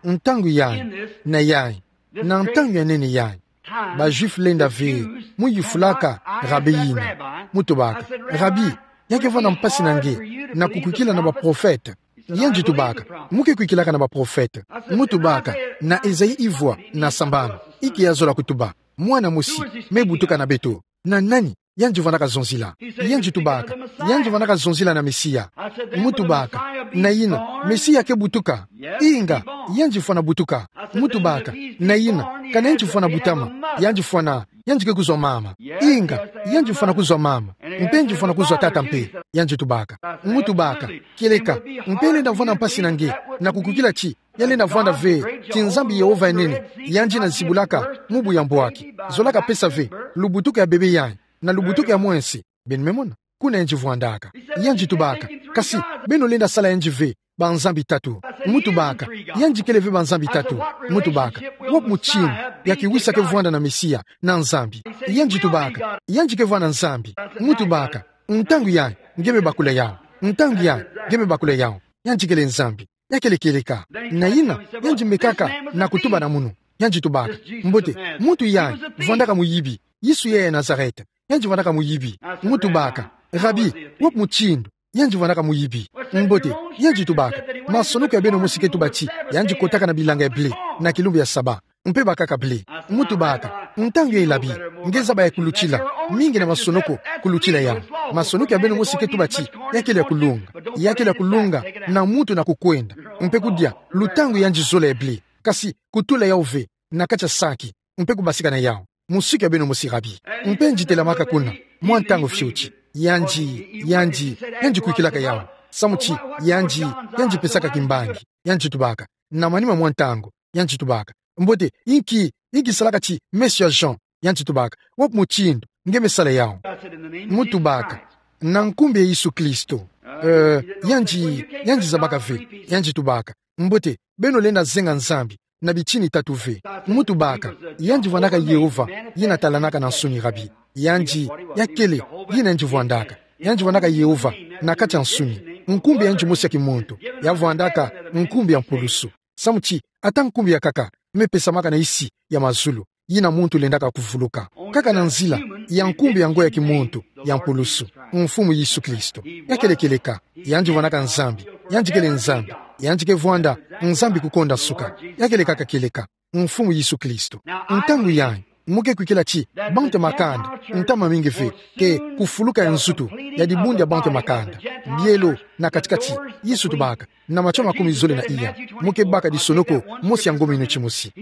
Ntangu yayi, na yayi, na ntangu ya nene yayi, Ba Juifs lenda ve, mu yufulaka rabi yina. Mu tubaka: Rabi, ya ke vwanda mpasi na nge na kukwikila na baprofete? Yandi tubaka: Mu ke kwikilaka na baprofete. Mu tubaka: Na Esaïe ivwa na sambanu, i ke ya zola kutuba: Mwana mosi me butuka na beto. Na nani yandi vwandaka zonzila? Yandi tubaka: Yandi vwandaka zonzila na Mesia. Mu tubaka: Na yina, Mesia ke butuka? Inga, yandi fwana butuka. Mu tubaka: Na yina, kana yandi fwana butama? Yandi fwana, yandi ke kuzwa mama. Inga, yandi fwana kuzwa mama. Mpe yandi fwana kuzwa tata mpe. Yandi tubaka. Mu tubaka: Kieleka, mpe lenda vwanda mpasi na nge na kukwikila ti ya lenda vwanda ve ti Nzambi Yehova ya nene, yandi na zibulaka mubu ya mbwaki, zolaka pesa ve lubutuku ya bebe yayi na lubutuku ya mwese. Beno me mona kuna yandi vwandaka. Yandi tubaka: Kasi beno lenda sala yandi ve banzambi tatu. Mu tubaka: Yandi kele ve banzambi tatu. Mu tubaka: Wapi mutindu ya kiwisa ke vwanda na Mesia na Nzambi? Yandi tubaka: Yandi ke vwanda Nzambi. Mu tubaka: Ntangu yayi nge me bakula yawu. Ntangu yayi nge me bakula yawu. Yandi kele Nzambi. Ya kele kieleka. Na yina, yandi me kaka na kutuba na munu. Yandi tubaka: Mbote, muntu yayi vwandaka muyibi. Yesu yayi ya Nazareth, yandi vwandaka muyibi. Mu tubaka: Rabi, wapi mutindu yandi vwandaka muyibi? Mbote, yandi tubaka: Masonoko ya beno mosi ke tuba ti yandi kotaka na bilanga ya blé na kilumbu ya Saba, mpe bakaka blé. Mu tubaka: Ntangu yayi, Rabi, nge zaba ya kulutila mingi na masonoko kulutila yawu. Masonoko ya beno mosi ke tuba ti ya kele ya kulunga. Ya kele ya kulunga na muntu na kukwenda, mpe kudia lutangu yandi zola ya blé, kasi kutula yawu ve na kati ya saki, mpe kubasika na yawu. Musiku ya beno mosi, Rabi. Mpe yandi telamaka kuna mwa ntangu fioti. Yandi, yandi, yandi kwikilaka yawu. Samu ti yandi, yandi pesaka kimbangi. Yandi tubaka, na manima mwa ntangu, yandi tubaka: Mbote, inki, inki salaka ti meso ya Jean? Yandi tubaka: Wapi mutindu nge me sala yawu? Mu tubaka: Na nkumbu ya Yesu Kristo. Eh, yandi, yandi zabaka ve. Yandi tubaka: Mbote, beno lenda zenga Nzambi na bitini tatu ve. Mu tubaka: Yandi vwandaka Yehova, yina talanaka na nsuni, Rabi. Yandi, ya kele yina yandi vwandaka. Yandi vwandaka Yehova na kati ya nsuni. Nkumbu ya yandi mosi ya kimuntu, ya vwandaka nkumbu ya mpulusu. Samu ti ata nkumbu ya nkaka me pesamaka na nsi ya mazulu, yina muntu lendaka kuvuluka. Kaka na nzila ya nkumbu yango ya kimuntu ya mpulusu, Mfumu Yesu Kristo. Ya kele kieleka. Yandi vwandaka Nzambi. Yandi kele Nzambi. Yandi ke vwanda Nzambi kukonda nsuka. Ya kele kaka kieleka. Mfumu Yesu Kristo. Ntangu yayi, mu ke kwikila ti bantu ya makanda, ntama mingi ve, ke kufuluka ya nzutu ya dibundu ya bantu ya makanda, bielo na kati-kati. Yesu tubaka, na Matio makumi zole na iya, mu ke baka disonoko mosi ya ngomi inu timosi.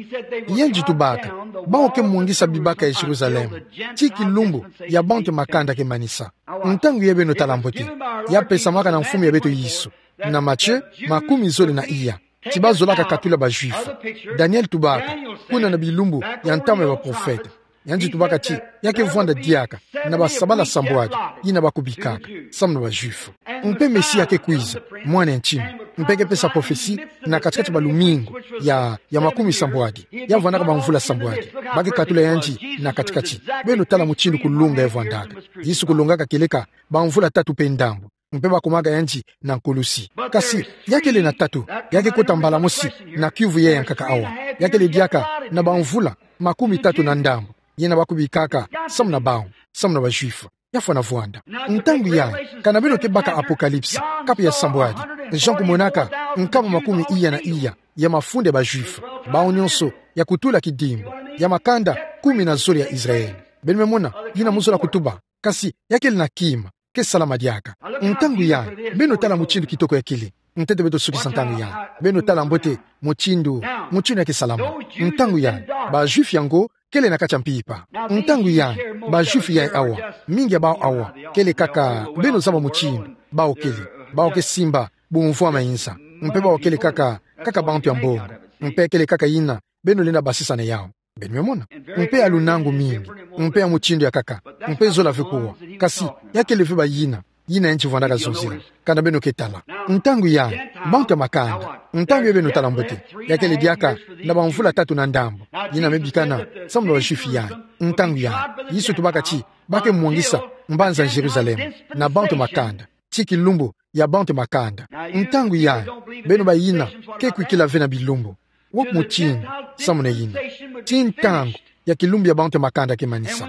Yandi tubaka: Bawu ke mwangisa bibaka ya Jérusalem, ti kilumbu ya bantu ya makanda ke manisa. Ntangu yayi beno tala mbote, ya pesamaka na mfumu ya beto Yesu, na Matio makumi zole na iya, ti bazolaka katula ba Juifs. Daniel tubaka, kuna na bilumbu ya ntama ya baprofete, yandi tubaka ti ya ke vwanda diaka na basabala sambwadi, yina ba kubikaka samu na ba Juifs. Mpe Mesia ke kwiza, mwana ya ntinu, mpe ke pesa prophetie na kati-kati ba lumingu ya, ya makumi sambwadi, ya vwandaka bamvula sambwadi. Ba ke katula yandi na kati-kati. Beno tala mutindu kulunga ya vwandaka. Yesu kulongaka kieleka bamvula tatu mpe ndambu, mpe ba kumaka yandi na nkulusi. Kasi ya kele na tatu, ya ke kota mbala mosi na kiuvu yayi ya nkaka awa. Ya kele diaka na bamvula makumi tatu na ndambu, yina ba kubikaka samu na bawu, samu na ba Juifs. Ya fwana vwanda. Ntangu yayi, kana beno ke baka Apocalypse, kapu ya sambwadi, Jean kumonaka nkama makumi iya na iya ya mafunda ya ba Juifs, bawu nionso ya kutula kidimbu, ya makanda kumi na zole ya Israël. Beno me mona, yina mu zola kutuba, kasi ya kele na kima ke salama diaka. Ntangu yayi, beno tala mutindu kitoko ya kele. Ntete beto sukisa ntangu yayi. Beno tala mbote mutindu, mutindu ya ke salama. Ntangu yayi, ba Juifs yango kele na kati ya mpimpa. Ntangu yayi, ba Juifs yayi awa, mingi ya bawu awa, kele kaka, beno zaba mutindu bawu kele. Bawu ke simba bumvwama inza. Mpe bawu kele kaka, kaka bantu ya mbongo. Mpe kele kaka yina beno lenda basisa na yawu. Beno me mona. Mpe ya lunangu mingi, mpe ya mutindu ya nkaka, mpe zola ve kuwa. Kasi ya kele ve bayina, yina yandi vwandaka zonzila. Kana beno ke tala. Ntangu yayi, bantu ya makanda. Ntangu yayi beno tala mbote, ya kele diaka na bamvula tatu na ndambu, yina me bikana samu na ba Juifs yayi. Ntangu yayi, Yesu tubaka ti ba ke mwangisa mbanza ya Jérusalem na bantu ya makanda, ti kilumbu ya bantu ya makanda. Ntangu yayi, beno bayina ke kwikila ve na bilumbu, wapi mutindu samu na yina? Ti ntangu ya kilumbu ya bantu ya makanda ke manisa.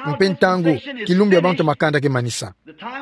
Mpe ntangu kilumbu ya bantu ya makanda ke manisa,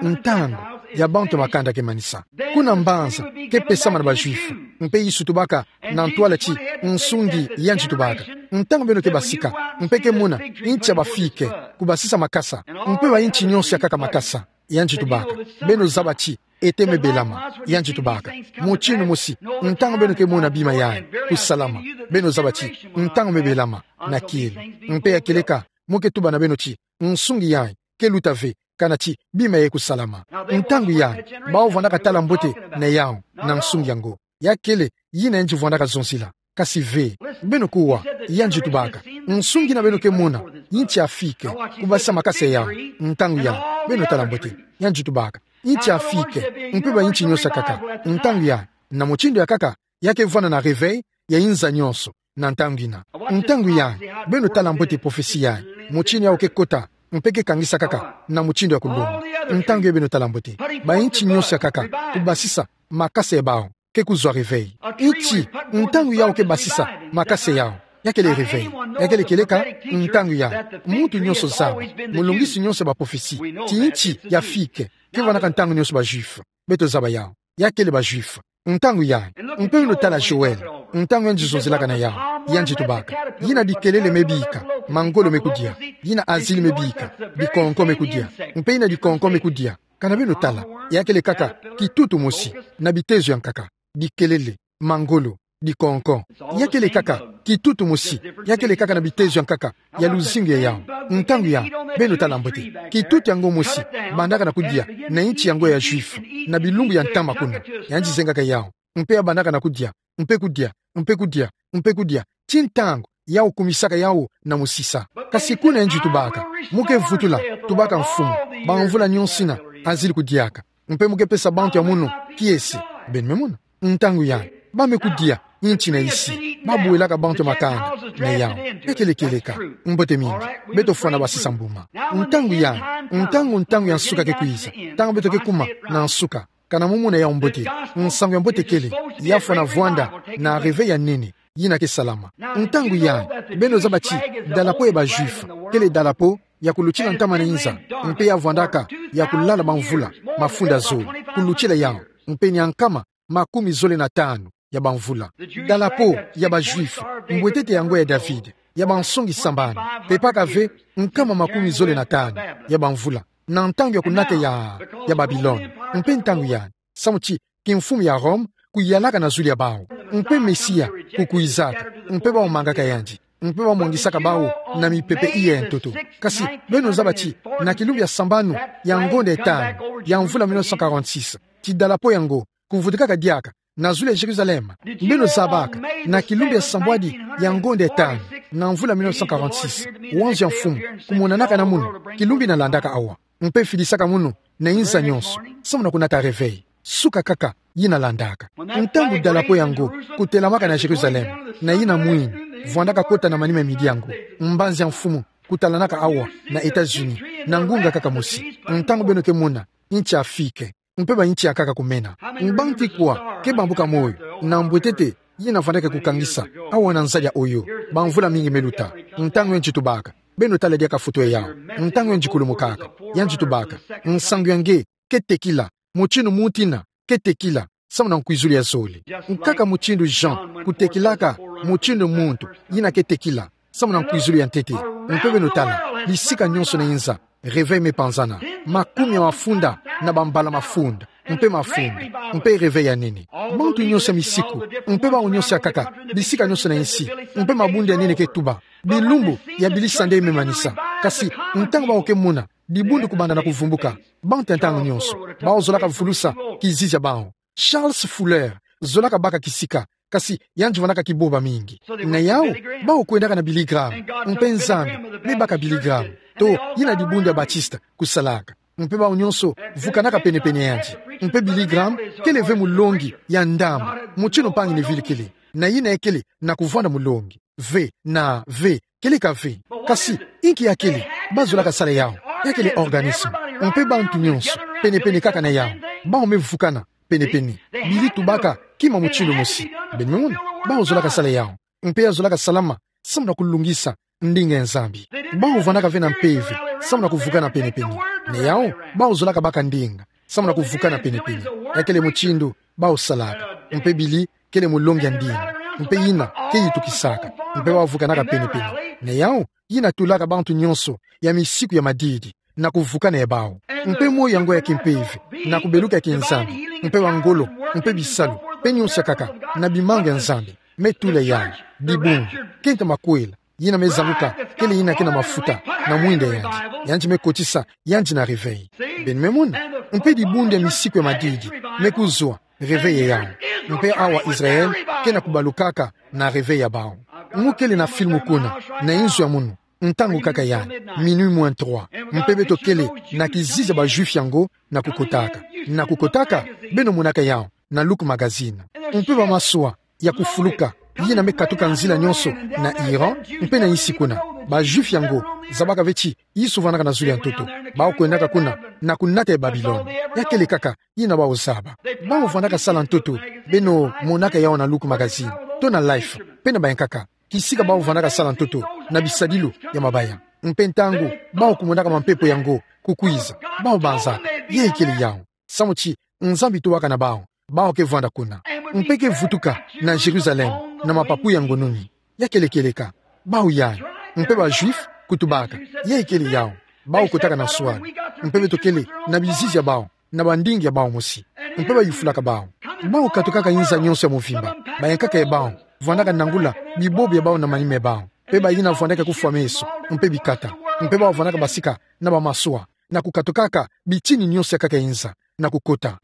ntangu ya bantu ya makanda ke manisa, kuna mbanza ke pesama na Bajuifu. Mpe Yesu tubaka na ntwala ti nsungi yandi tubaka: Ntangu beno ke basika, mpe ke mona inti ya bafike, kubasisa makasa, mpe ba inti nyonso ya kaka makasa, yandi tubaka: Beno zaba ti ete me belama. Yandi tubaka mutindu mosi: Ntangu beno ke mona bima yayi kusalama, beno zaba ti ntangu me belama na kieleka. Mpe ya kieleka, mo ke tuba na beno ti nsungi yayi ke luta ve, kana ti bima yayi kusalama. Ntangu yayi, bawu vwandaka tala mbote na yawu, na nsungi yango. Ya kele yina yandi vwandaka zonzila. Kasi ve, beno kuwa, yandi tubaka: Nsungi yina beno ke mona, inti afike, kubasisa makasa ya yawu. Ntangu yayi, beno tala mbote. Yandi tubaka: Inti afike, mpe ba inti nyonso ya kaka. Ntangu yayi, na mutindu ya kaka, ya ke vwanda na réveil ya inza nyonso na ntangu yina. Ntangu yayi, beno tala mbote prophétie yayi, mutindu yawu ke kota, mpe ke kangisa kaka na mutindu ya kulonga. Ntangu yayi, beno tala mbote, ba inti nyonso ya kaka, kubasisa makasa ya bawu, ke kuzwa réveil. Inti, ntangu yawu ke basisa makasa ya yawu, ya kele réveil. Ya kele kieleka, ntangu yayi, muntu nyonso zaba, mulongisi nyonso ya baprophétie, ti inti ya fike ke vwandaka ntangu nyonso Bajuifu. Beto zaba yawu, ya kele Bajuifu. Ntangu yayi, mpe beno tala Joël, ntangu yandi zonzilaka na yawu, yandi tubaka: Yina bikelele me bika, mangolo me kudia. Yina azili me bika, bikonko me kudia. Mpe yina bikonko me kudia, kana beno tala, ya kele kaka kitutu mosi, na bitezo ya nkaka, bikelele, mangolo, bikonko. Ya kele kaka kitutu mosi, ya kele kaka na bitezo ya nkaka ya luzingu ya yawu. Ntangu yayi, beno tala mbote, kitutu yango mosi bandaka na kudia na inti yango ya Juifu, na bilumbu ya ntama kuna. Yandi zengaka yawu, mpe ya bandaka na kudia, mpe kudia, mpe kudia, mpe kudia, ti ntangu yawu kumisaka yawu na mosisa. Kasi kuna yandi tubaka: Mo ke vutula, tubaka Mfumu, bamvula nyonso yina azili kudiaka, mpe mo ke pesa bantu ya munu kiese. Beno me mona? Ntangu yayi, ba me kudia inti na isi, ba buelaka bantu ya makanda na yawu. Ya kele kieleka, mbote mingi, beto fwana basisa mbuma. Ntangu yayi, ntangu, ntangu ya nsuka ke kwiza, ntangu beto ke kuma na nsuka, kana mo mona yawu mbote. Nsangu ya mbote kele, ya fwana vwanda na réveil ya nene yina ke salama. Ntangu yayi, beno zaba ti drapeau ya Bajuifu kele drapeau ya kulutila ntama na inza, mpe ya vwandaka ya kulala bamvula mafunda zole. Kulutila yawu, mpe ni ya nkama makumi zole na tanu ya bamvula. Drapeau ya Bajuifu, mbwetete ya ngwa ya David, ya bansongi sambanu, pepaka ve nkama makumi zole na tanu ya bamvula, na ntangu ya kunata ya, ya Babilone. Mpe ntangu yandi, samu ti kimfumu ya Rome kuyalaka na zulu ya bawu, mpe Mesia kukwizaka, mpe bawu mangaka yandi, mpe bawu mwangisaka bawu na mipepe iya ya ntoto. Kasi beno zaba ti na kilumbu ya sambanu ya ngonda ya tanu ya mvula mille neuf cent quarante-six, ti drapeau yango kuvutukaka diaka na zulu ya Jérusalem? Beno zabaka na kilumbu ya sambwadi ya ngonda ya tanu na mvula mille neuf cent quarante-six, wanzo ya Mfumu kumonanaka na munu, kilumbu yina landaka awa, mpe fidisaka munu na inza nyonso, samu na kunata réveil, suka kaka yina landaka. Ntangu drapeau yango kutelamaka na Jérusalem, na yina mwini vwandaka kota na manima ya midi yango, mbanzi ya Mfumu kutalanaka awa na États-Unis, na ngunga kaka mosi, ntangu beno ke mona inti afike, mpe ba inti ya kaka kumena. Mbanti kwa ke bambuka moyo na mbwetete yina vwandaka kukangisa awa na nzadi ya Oyo, bamvula mingi me luta? Ntangu yandi tubaka, beno tala diaka foto ya yawu, ntangu yandi kulumukaka, yandi tubaka: Nsangu ya nge ke tekila, mutindu muntu yina ke tekila samu na nkwizulu ya zole. Nkaka mutindu Jean kutekilaka mutindu muntu yina ke tekila samu na nkwizulu ya ntete. Mpe beno tala, bisika nyonso na inza, réveil me panzana, makumi ya mafunda na bambala mafunda, mpe mafunda, mpe réveil ya nene. Bantu nyonso ya misiku, mpe bawu nyonso ya kaka, bisika nyonso na insi, mpe mabundu ya nene ke tuba, bilumbu ya Billy Sunday me manisa. Kasi ntangu bawu ke mona dibundu kubanda na kuvumbuka, bantu ya ntangu nyonso, bawu zolaka vulusa kizizi ya bawu. Charles Fuller zolaka baka kisika, kasi yandi vwandaka kibomba mingi. Na yawu, bawu kwendaka na Billy Graham, mpe Nzambi me baka Billy Graham, to yina dibundu ya Baptiste kusalaka. Mpe bawu nyonso vukanaka pene-pene ya yandi. Mpe Billy Graham kele ve mulongi ya ndambu, mutindu mpangi Neville kele, na yina ya kele na kuvwanda mulongi. Ve, na ve, kele ka ve. Kasi inki ya kele? Ba zolaka sala yawu, ya kele organisme. Mpe bantu nyonso pene-pene kaka na yawu, bawu me vukana pene-pene. Billy tubaka kima mutindu mosi. Beno me mona? Bawu zolaka sala yawu. Mpe ya zolaka salama samu na kulungisa ndinga ya Nzambi. Bau vandaka ve na mpeve, samu na kuvukana penepene. Na yau, bau zolaka baka ndinga, samu na kuvukana penepene. Ya kele mutindu bau salaka. Mpe bili, kele mulongi ya ndinga. Mpe yina ke yitukisaka. Mpe bau vukanaka penepene. Na yau, yina tulaka bantu nyonso ya misiku ya madidi na kuvukana ya bau. Mpe moyo yango ya kimpeve, na kubeluka ya kiNzambi, mpe bangolo, mpe bisalu, mpe nyonso ya nkaka, na bimanga ya Nzambi, me tula yandi. Dibundu, kento makwela, yina me zabuka, kele yina ke na mafuta na mwinda yandi. Yandi me kotisa yandi na réveil. Beno me mona, mpe dibundu ya misiku ya madidi me kuzwa, réveil ya yau. Mpe awa Israël ke na kubalukaka na réveil ya bau. Mu kele na film kuna, na inzo ya munu, ntangu nkaka yandi, minuit moins trois. Mpe beto kele na kizizi ya ba Juifs yango na kukotaka. Na kukotaka, beno monaka yau na Look Magazine. Mpe bamaswa ya kufuluka, yina me katuka nzila nyonso na Iran, mpe na insi kuna. Ba Juifs yango zabaka ve ti Yesu vandaka na zulu ya ntoto. Bau kwendaka kuna na kunata ya Babilone. Ya kele nkaka yina bau zaba. Bau vandaka sala ntoto, beno monaka yau na Look Magazine, to na Life, mpe na bayankaka. Kisika bau vandaka sala ntoto na bisadilu ya mabaya. Mpe ntangu bau kumonaka mampepo yango kukwiza, bau banzaka: Yai kele yau? Samu ti Nzambi tubaka na bau, bau ke vwanda kuna. Mpe ke vutuka na Jérusalem na mapapu ya ngununi. Ya kele kieleka. Bau yai. Mpe ba Juifs kutubaka: Yai kele yau? Bau kotaka na swali. Mpe beto kele na bizizi ya bau, na bandinga ya bau mosi. Mpe bayufulaka bau: Bau katukaka inza nyonso ya mvimba? Bayankaka ya bau vwandaka nangula bibobi ya bau na manima ya bau, mpe bayina vwandaka kufwa meso, mpe bikata. Mpe bau vwandaka basika na bamaswa, na kukatukaka bitini nyonso ya nkaka ya inza, na kukota.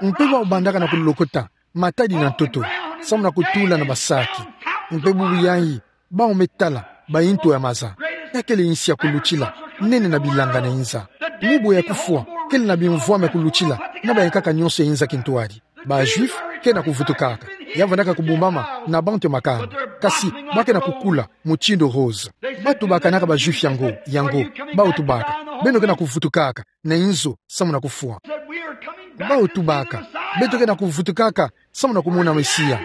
Mpe bau bandaka na kulokota matadi na ntoto, samu na kutula na basaki. Mpe bubu yai, bau me tala bainto ya maza. Ya kele insi ya kulutila, nene na bilanga na inza. Mu bwe ya kufwa kele na bimvwama ya kulutila na bayankaka nyonso ya inza kintwadi. Ba Juifs ke na kuvutukaka. Ya vandaka kubumbama na bantu ya makanda, kasi ba ke na kukula mutindu rose. Batubakanaka ba Juifs yango, yango. Bau tubaka: Beno ke na kuvutukaka na inzo samu na kufwa? Bau tubaka: Beto ke na kuvutukaka samu na kumona Mesia.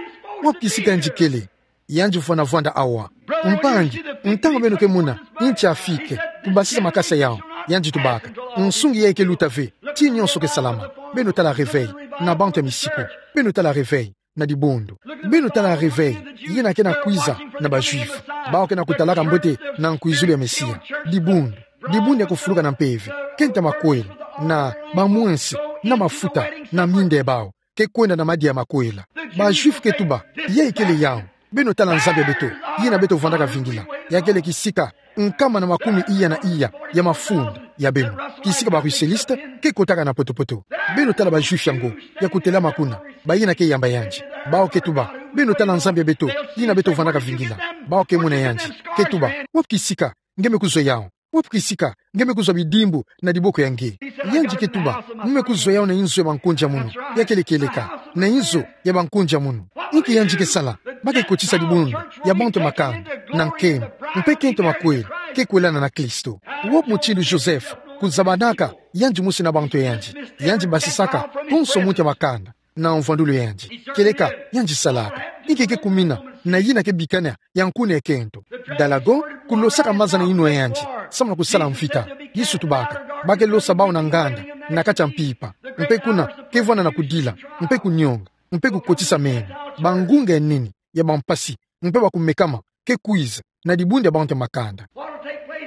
Wapi kisika yandi kele? Yandi vwanda vwanda awa. Mpangi, ntangu beno ke mona nti afike, kubasisa makasa yau, yandi tubaka: Nsungi yai ke luta ve, ti nyonso ke salama. Beno tala réveil na bantu ya misiku. Beno tala réveil na dibundu. Beno tala réveil yina ke na kwiza na ba Juifs. Bau ke na kutalaka mbote na nkwizulu ya Mesia. Dibundu, dibundu ya kufuluka na mpeve, kento makwela, na bamwensi, na mafuta na minda ya bau, ke kwenda na madia ya makwela. Ba Juifs ke tuba: Yai kele yau? Beno tala Nzambi ya beto, yina beto vwandaka vingila. Ya kele kisika nkama na makumi iya na iya ya mafunda ya beno, kisika ba Russellistes ke kotaka na potopoto. Beno tala ba Juifs yango ya kutelama kuna, bayina ke yamba yandi. Bau ke tuba: Beno tala Nzambi ya beto, yina beto vwandaka vingila. Bau ke mona yandi, ke tuba: Wapi kisika nge me kuzwa yau? Wapi kisika nge me kuzwa bidimbu na diboko ya nge? Yandi ke tuba: Mu me kuzwa yau na inzo ya bankundi ya munu. Ya kele kieleka, na inzo ya bankundi ya munu. Inki yandi ke sala? Ba ke kotisa dibundu ya bantu ya makanda na nkembo, mpe kento makwela ke kwelana na Kristo. Wapi mutindu Joseph kuzabanaka yandi mosi na bantu ya yandi? Yandi basisaka konso muntu ya makanda na mvwandulu ya yandi. Kieleka, yandi salaka. Inki ke kumina na yina ke bikana ya nkuna ya kento? Dalagon, kulosaka maza na yinwa ya yandi samu na kusala mvita. Yesu tubaka: Ba ke losa bau na nganda na kati ya mpimpa, mpe kuna ke vwanda na kudila, mpe kunyonga, mpe kukotisa meno. Bangunga ya nene ya bampasi mpe bakumekama ke kwiza na dibundu ya bantu ya makanda.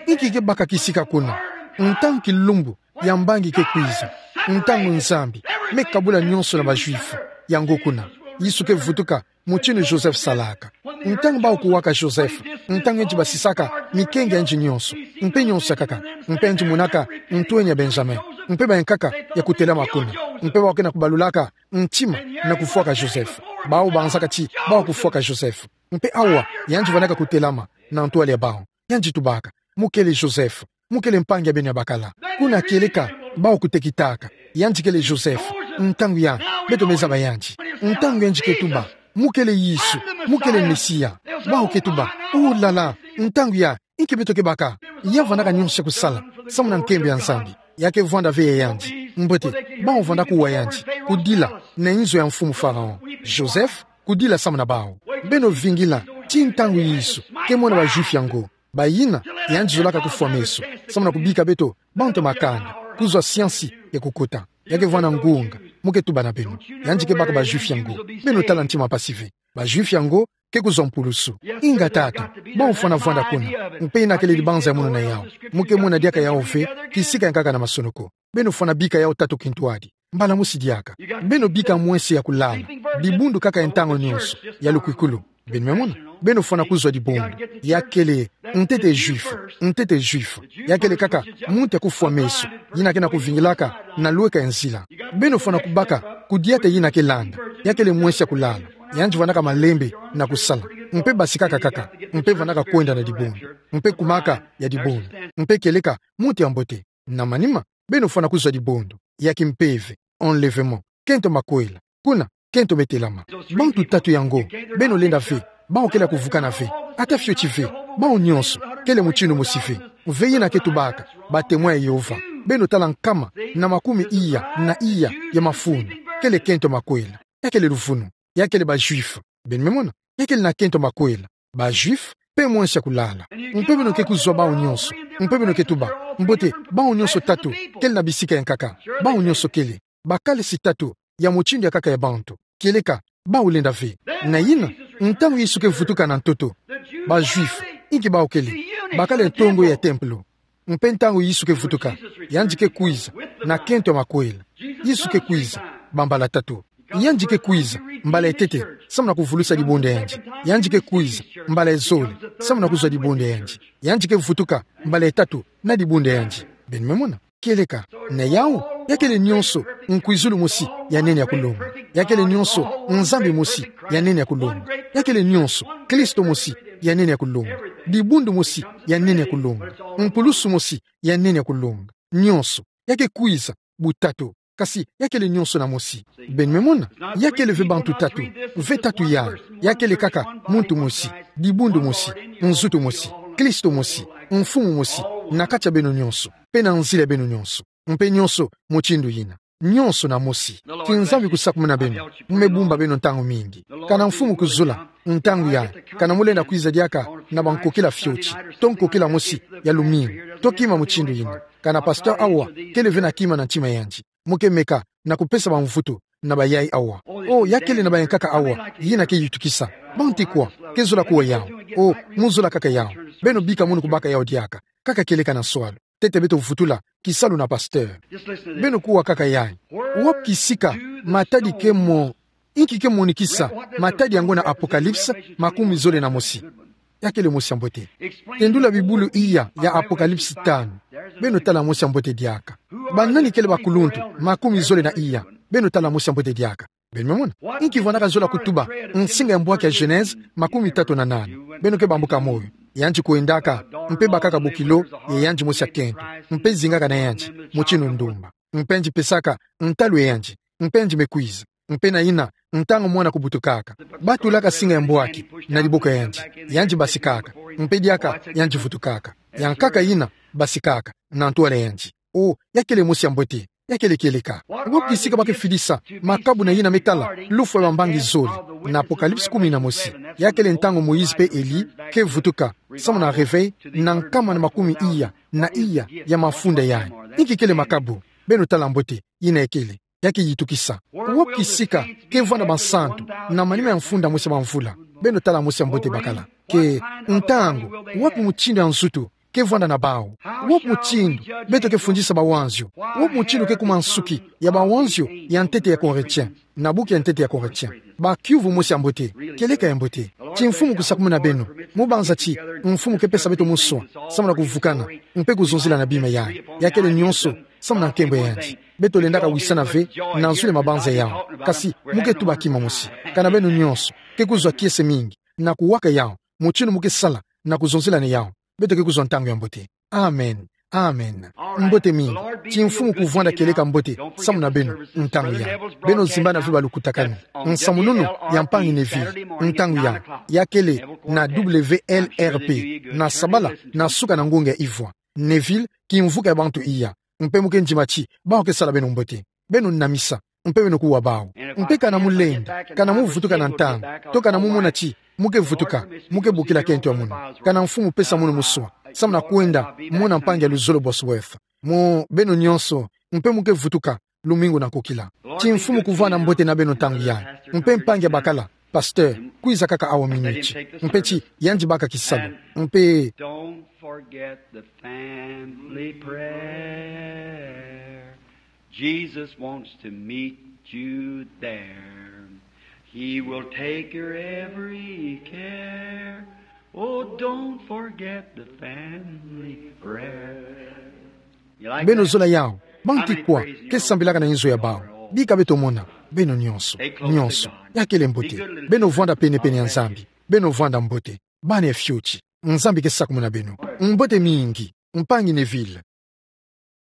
Inki ke baka kisika kuna? Ntangu kilumbu ya mbangi ke kwiza, ntangu Nzambi me kabula nyonso na ba Juifs yango kuna. Yesu ke vutuka mutindu Joseph salaka. Ntangu bau kuwaka Joseph, ntangu yandi basisaka mikengi ya yandi nyonso, mpe nyonso ya nkaka, mpe yandi monaka ntwenya Benjamin, mpe bayankaka ya kutelama kuna, mpe bau ke na kubalulaka ntima na kufwaka Joseph. Bau banzaka ti bau kufwaka Joseph. Mpe awa, yandi vwandaka kutelama na ntwala ya bau. Yandi tubaka: Mu kele Joseph, mu kele mpangi ya beno ya bakala. Kuna kieleka, bau kutekitaka: Yandi kele Joseph. Ntangu ya, beto me zaba yandi. Ntangu yandi ke tuba: Mu kele Yesu, mu kele Mesia. Bau ke tuba: Oh là là, ntangu ya, inki beto ke baka? Ya vwandaka nyonso ya kusala samu na nkembo ya Nzambi. Ya ke vwanda ve ya yandi. Mbote, bau vwanda kuwa yandi, kudila na inzo ya mfumu Pharaon. Joseph, kudila samu na bau. Beno vingila Ti ntangu Yesu ke mona ba Juifs yango. Bayina, yandi zolaka kufwa meso, samu na kubika beto bantu ya makanda, kuzwa siansi ya kukota. Ya kevwanda ngunga, mu ke tuba na beno. Yandi ke baka ba Juifs yango. Beno tala ntima mpasi ve. Ba Juifs yango ke kuzwa mpulusu. Inga tata, bau fwana vwanda kuna. Mpe yina kele libanza ya mono na yau. Mu ke mona diaka yau ve, kisika yankaka na masonoko. Beno fwana bika yau tatu kintwadi. Mbala mosi diaka. Beno bika mwense ya kulala. Dibundu kaka ya ntangu nyonso, ya lukwikulu. Beno me mona? Beno fwana kuzwa dibundu. Ya kele, ntete Juif, ntete Juif. Ya kele kaka muntu ya kufwa meso, yina ke na kuvingilaka na lweka ya nzila. Beno fwana kubaka kudiata yina ke landa. Ya kele mwense ya kulala. Yandi vwandaka malembe na kusala. Mpe basikaka kaka. Mpe vandaka kwenda na dibundu. Mpe kumaka ya dibundu. Mpe kieleka muntu ya mbote. Na manima, beno fwana kuzwa dibundu ya kimpeve, enlèvement, kento makwela, kuna kento me telama. Bantu tatu yango, beno lenda ve, bau kele ya kuvukana ve, ata fioti ve. Bau nyonso kele mutindu mosi ve. Ve yina ke tubaka ba Témoins ya Yehova. Beno tala nkama na makumi iya na iya ya mafunda, kele kento makwela. Ya kele luvunu. Ya kele ba Juifs. Beno me mona? Ya kele na kento makwela. Ba Juifs, mpe mwense ya kulala. Mpe beno ke kuzwa bau nyonso. Mpe beno ke tuba: Mbote, bau nyonso tatu kele na bisika yankaka. Bau nyonso kele. Bakala si tatu ya mutindu yankaka ya bantu. Kieleka, bau lenda ve. Na yina, ntangu Yesu ke vutuka na ntoto, ba Juifs, inki bau kele? Bakala ntongo ya tempelo. Mpe ntangu Yesu ke vutuka, yandi ke kwiza na kento ya makwela. Yesu ke kwiza bambala tatu. Yandi ke kwiza mbala ya ntete, samu na kuvulusa dibundu ya yandi. Yandi ke kwiza mbala ya zole, samu na kuzwa dibundu ya yandi. Yandi ke vutuka mbala ya tatu na dibundu ya yandi. Beno me mona? Kieleka, na yau, ya kele nyonso nkwizulu mosi ya nene ya kulonga. Ya kele nyonso Nzambi mosi ya nene ya kulonga. Ya kele nyonso Kristo mosi ya nene ya kulonga. Dibundu mosi ya nene ya kulonga. Mpulusu mosi ya nene ya kulonga. Nyonso. Ya ke kwiza butatu. Kasi ya kele nyonso na mosi. Beno me mona? Ya kele ve bantu tatu, ve tatu yai. Ya kele kaka muntu mosi, dibundu mosi, nzutu mosi, Kristo mosi, mfumu mosi, na kati ya beno nyonso, mpe na nzila ya beno nyonso. Mpe nyonso mutindu yina. Nyonso na mosi. Kinzambi kusakumuna beno. Mu me bumba beno ntangu mingi. Kana Mfumu kuzula, ntangu yai, kana mu lenda kwiza diaka na bankokila fioti, to nkokila mosi ya lumingu, to kima mutindu yina. Kana pasteur awa kele ve na kima na ntima ya yandi, mu ke meka na kupesa bamvutu na bayai awa. O, ya kele na bayankaka awa yina ke yitukisa. Banti kwa ke zola kuwa yau? O, mu zola kaka yau. Beno bika munu kubaka yau diaka, kaka kieleka na nswalu. Ntete beto vutula kisalu na pasteur. Beno kuwa kaka yai. Wapi kisika matadi ke mo-, inki ke monikisa matadi yango na Apocalypse makumi zole na mosi? Ya kele mosi ya mbote. Tendula bibulu iya ya Apocalypse tanu. Beno tala mosi ya mbote diaka. Banani kele bakuluntu makumi zole na iya? Beno tala mosi ya mbote diaka. Beno me mona? Inki vandaka zola kutuba nsinga ya mbwaki ya Genèse makumi tatu na nana? Beno ke bambuka moyo. Yandi kwendaka, mpe bakaka bokilo ya yandi mosi ya kento, mpe zingaka na yandi mutindu ndumba. Mpe yandi pesaka ntalu ya yandi, mpe yandi me kwiza. Mpe na yina, ntangu mwana kubutukaka, batulaka nsinga ya mbwaki na diboko ya yandi. Yandi basikaka, mpe diaka yandi vutukaka. Yankaka yina basikaka na ntwala ya yandi. O, ya kele mosi ya mbote. Ya kele kieleka. Wapi kisika ba ke fidisa makabu na yina me tala lufwa ya bambangi zole na Apocalypse kumi na mosi? Ya kele ntangu Moïse mpe Elie ke vutuka, samu na réveil, na nkama na makumi iya na iya ya mafunda yai. Inki kele makabu? Beno tala mbote yina ya kele. Ya ke yitukisa. Wapi kisika ke vwanda bansantu na manima ya mfunda mosi ya bamvula? Beno tala mosi ya mbote bakala. Ke ntangu, wapi mutindu ya nzutu ke vwanda na bau? Wapi mutindu beto ke fundisa bawanzio? Wapi mutindu ke kuma nsuki ya bawanzio ya ntete ya Corinthiens? Na buku ya ntete ya Corinthiens, ba kiuvu mosi ya mbote, kieleka ya mbote. Ti Mfumu kusakumuna beno, mu banza ti Mfumu ke pesa beto muswa, samu na kuvukana, mpe kuzonzila na bima yai. Ya kele nyonso samu na nkembo ya yandi. Beto lendaka wisana ve na nzule mabanza yau. Kasi mu ke tuba kima mosi. Kana beno nyonso ke kuzwa kiese mingi na kuwaka yau, mutindu mu ke sala na kuzonzila na yau, beto ke kuzwa ntangu ya mbote. Amen. Amen. Mbote mingi. Ti Mfumu kuvwanda kieleka mbote samu na beno ntangu yai. Beno zimbana ve balukutakanu. Nsamununu ya mpangi Neville ntangu yai, ya kele na W L R P, na sabala na suka na ngonga ya ivwa. Neville, kimvuka ya bantu iya. Mpe mu ke ndima ti bau ke sala beno mbote. Beno namisa. mpe beno kuwa bau. Mpe kana mulenda, kana muvutuka na ntangu, to kana mumona ti muke vutuka, muke bokila kento ya munu, kana mfumu pesa munu muswa, samu na kwenda mona mpangi ya luzolo Bosworth. Mo beno nyonso, mpe muke vutuka, lumingu na kukila. Ti mfumu kuvwanda mbote na beno ntangu yayi. Mpe mpangi abakala, pasteur, kwiza kaka awa miniti. Mpe ti, yandi baka kisalu. Mpe Don't forget the family prayer. Jesus wants to meet you there. He will take your every care. Oh, don't forget the family prayer. You like beno that? Zola yawu, bantu kwa ke sambilaka na inzo ya bawu. Bika beto mona, beno nyonso, nyonso, ya kele mbote. Beno vwanda penepene ya Nzambi, beno vwanda mbote. Bana ya fioti, Nzambi ke sakumuna beno. Mbote mingi, mpangi Neville.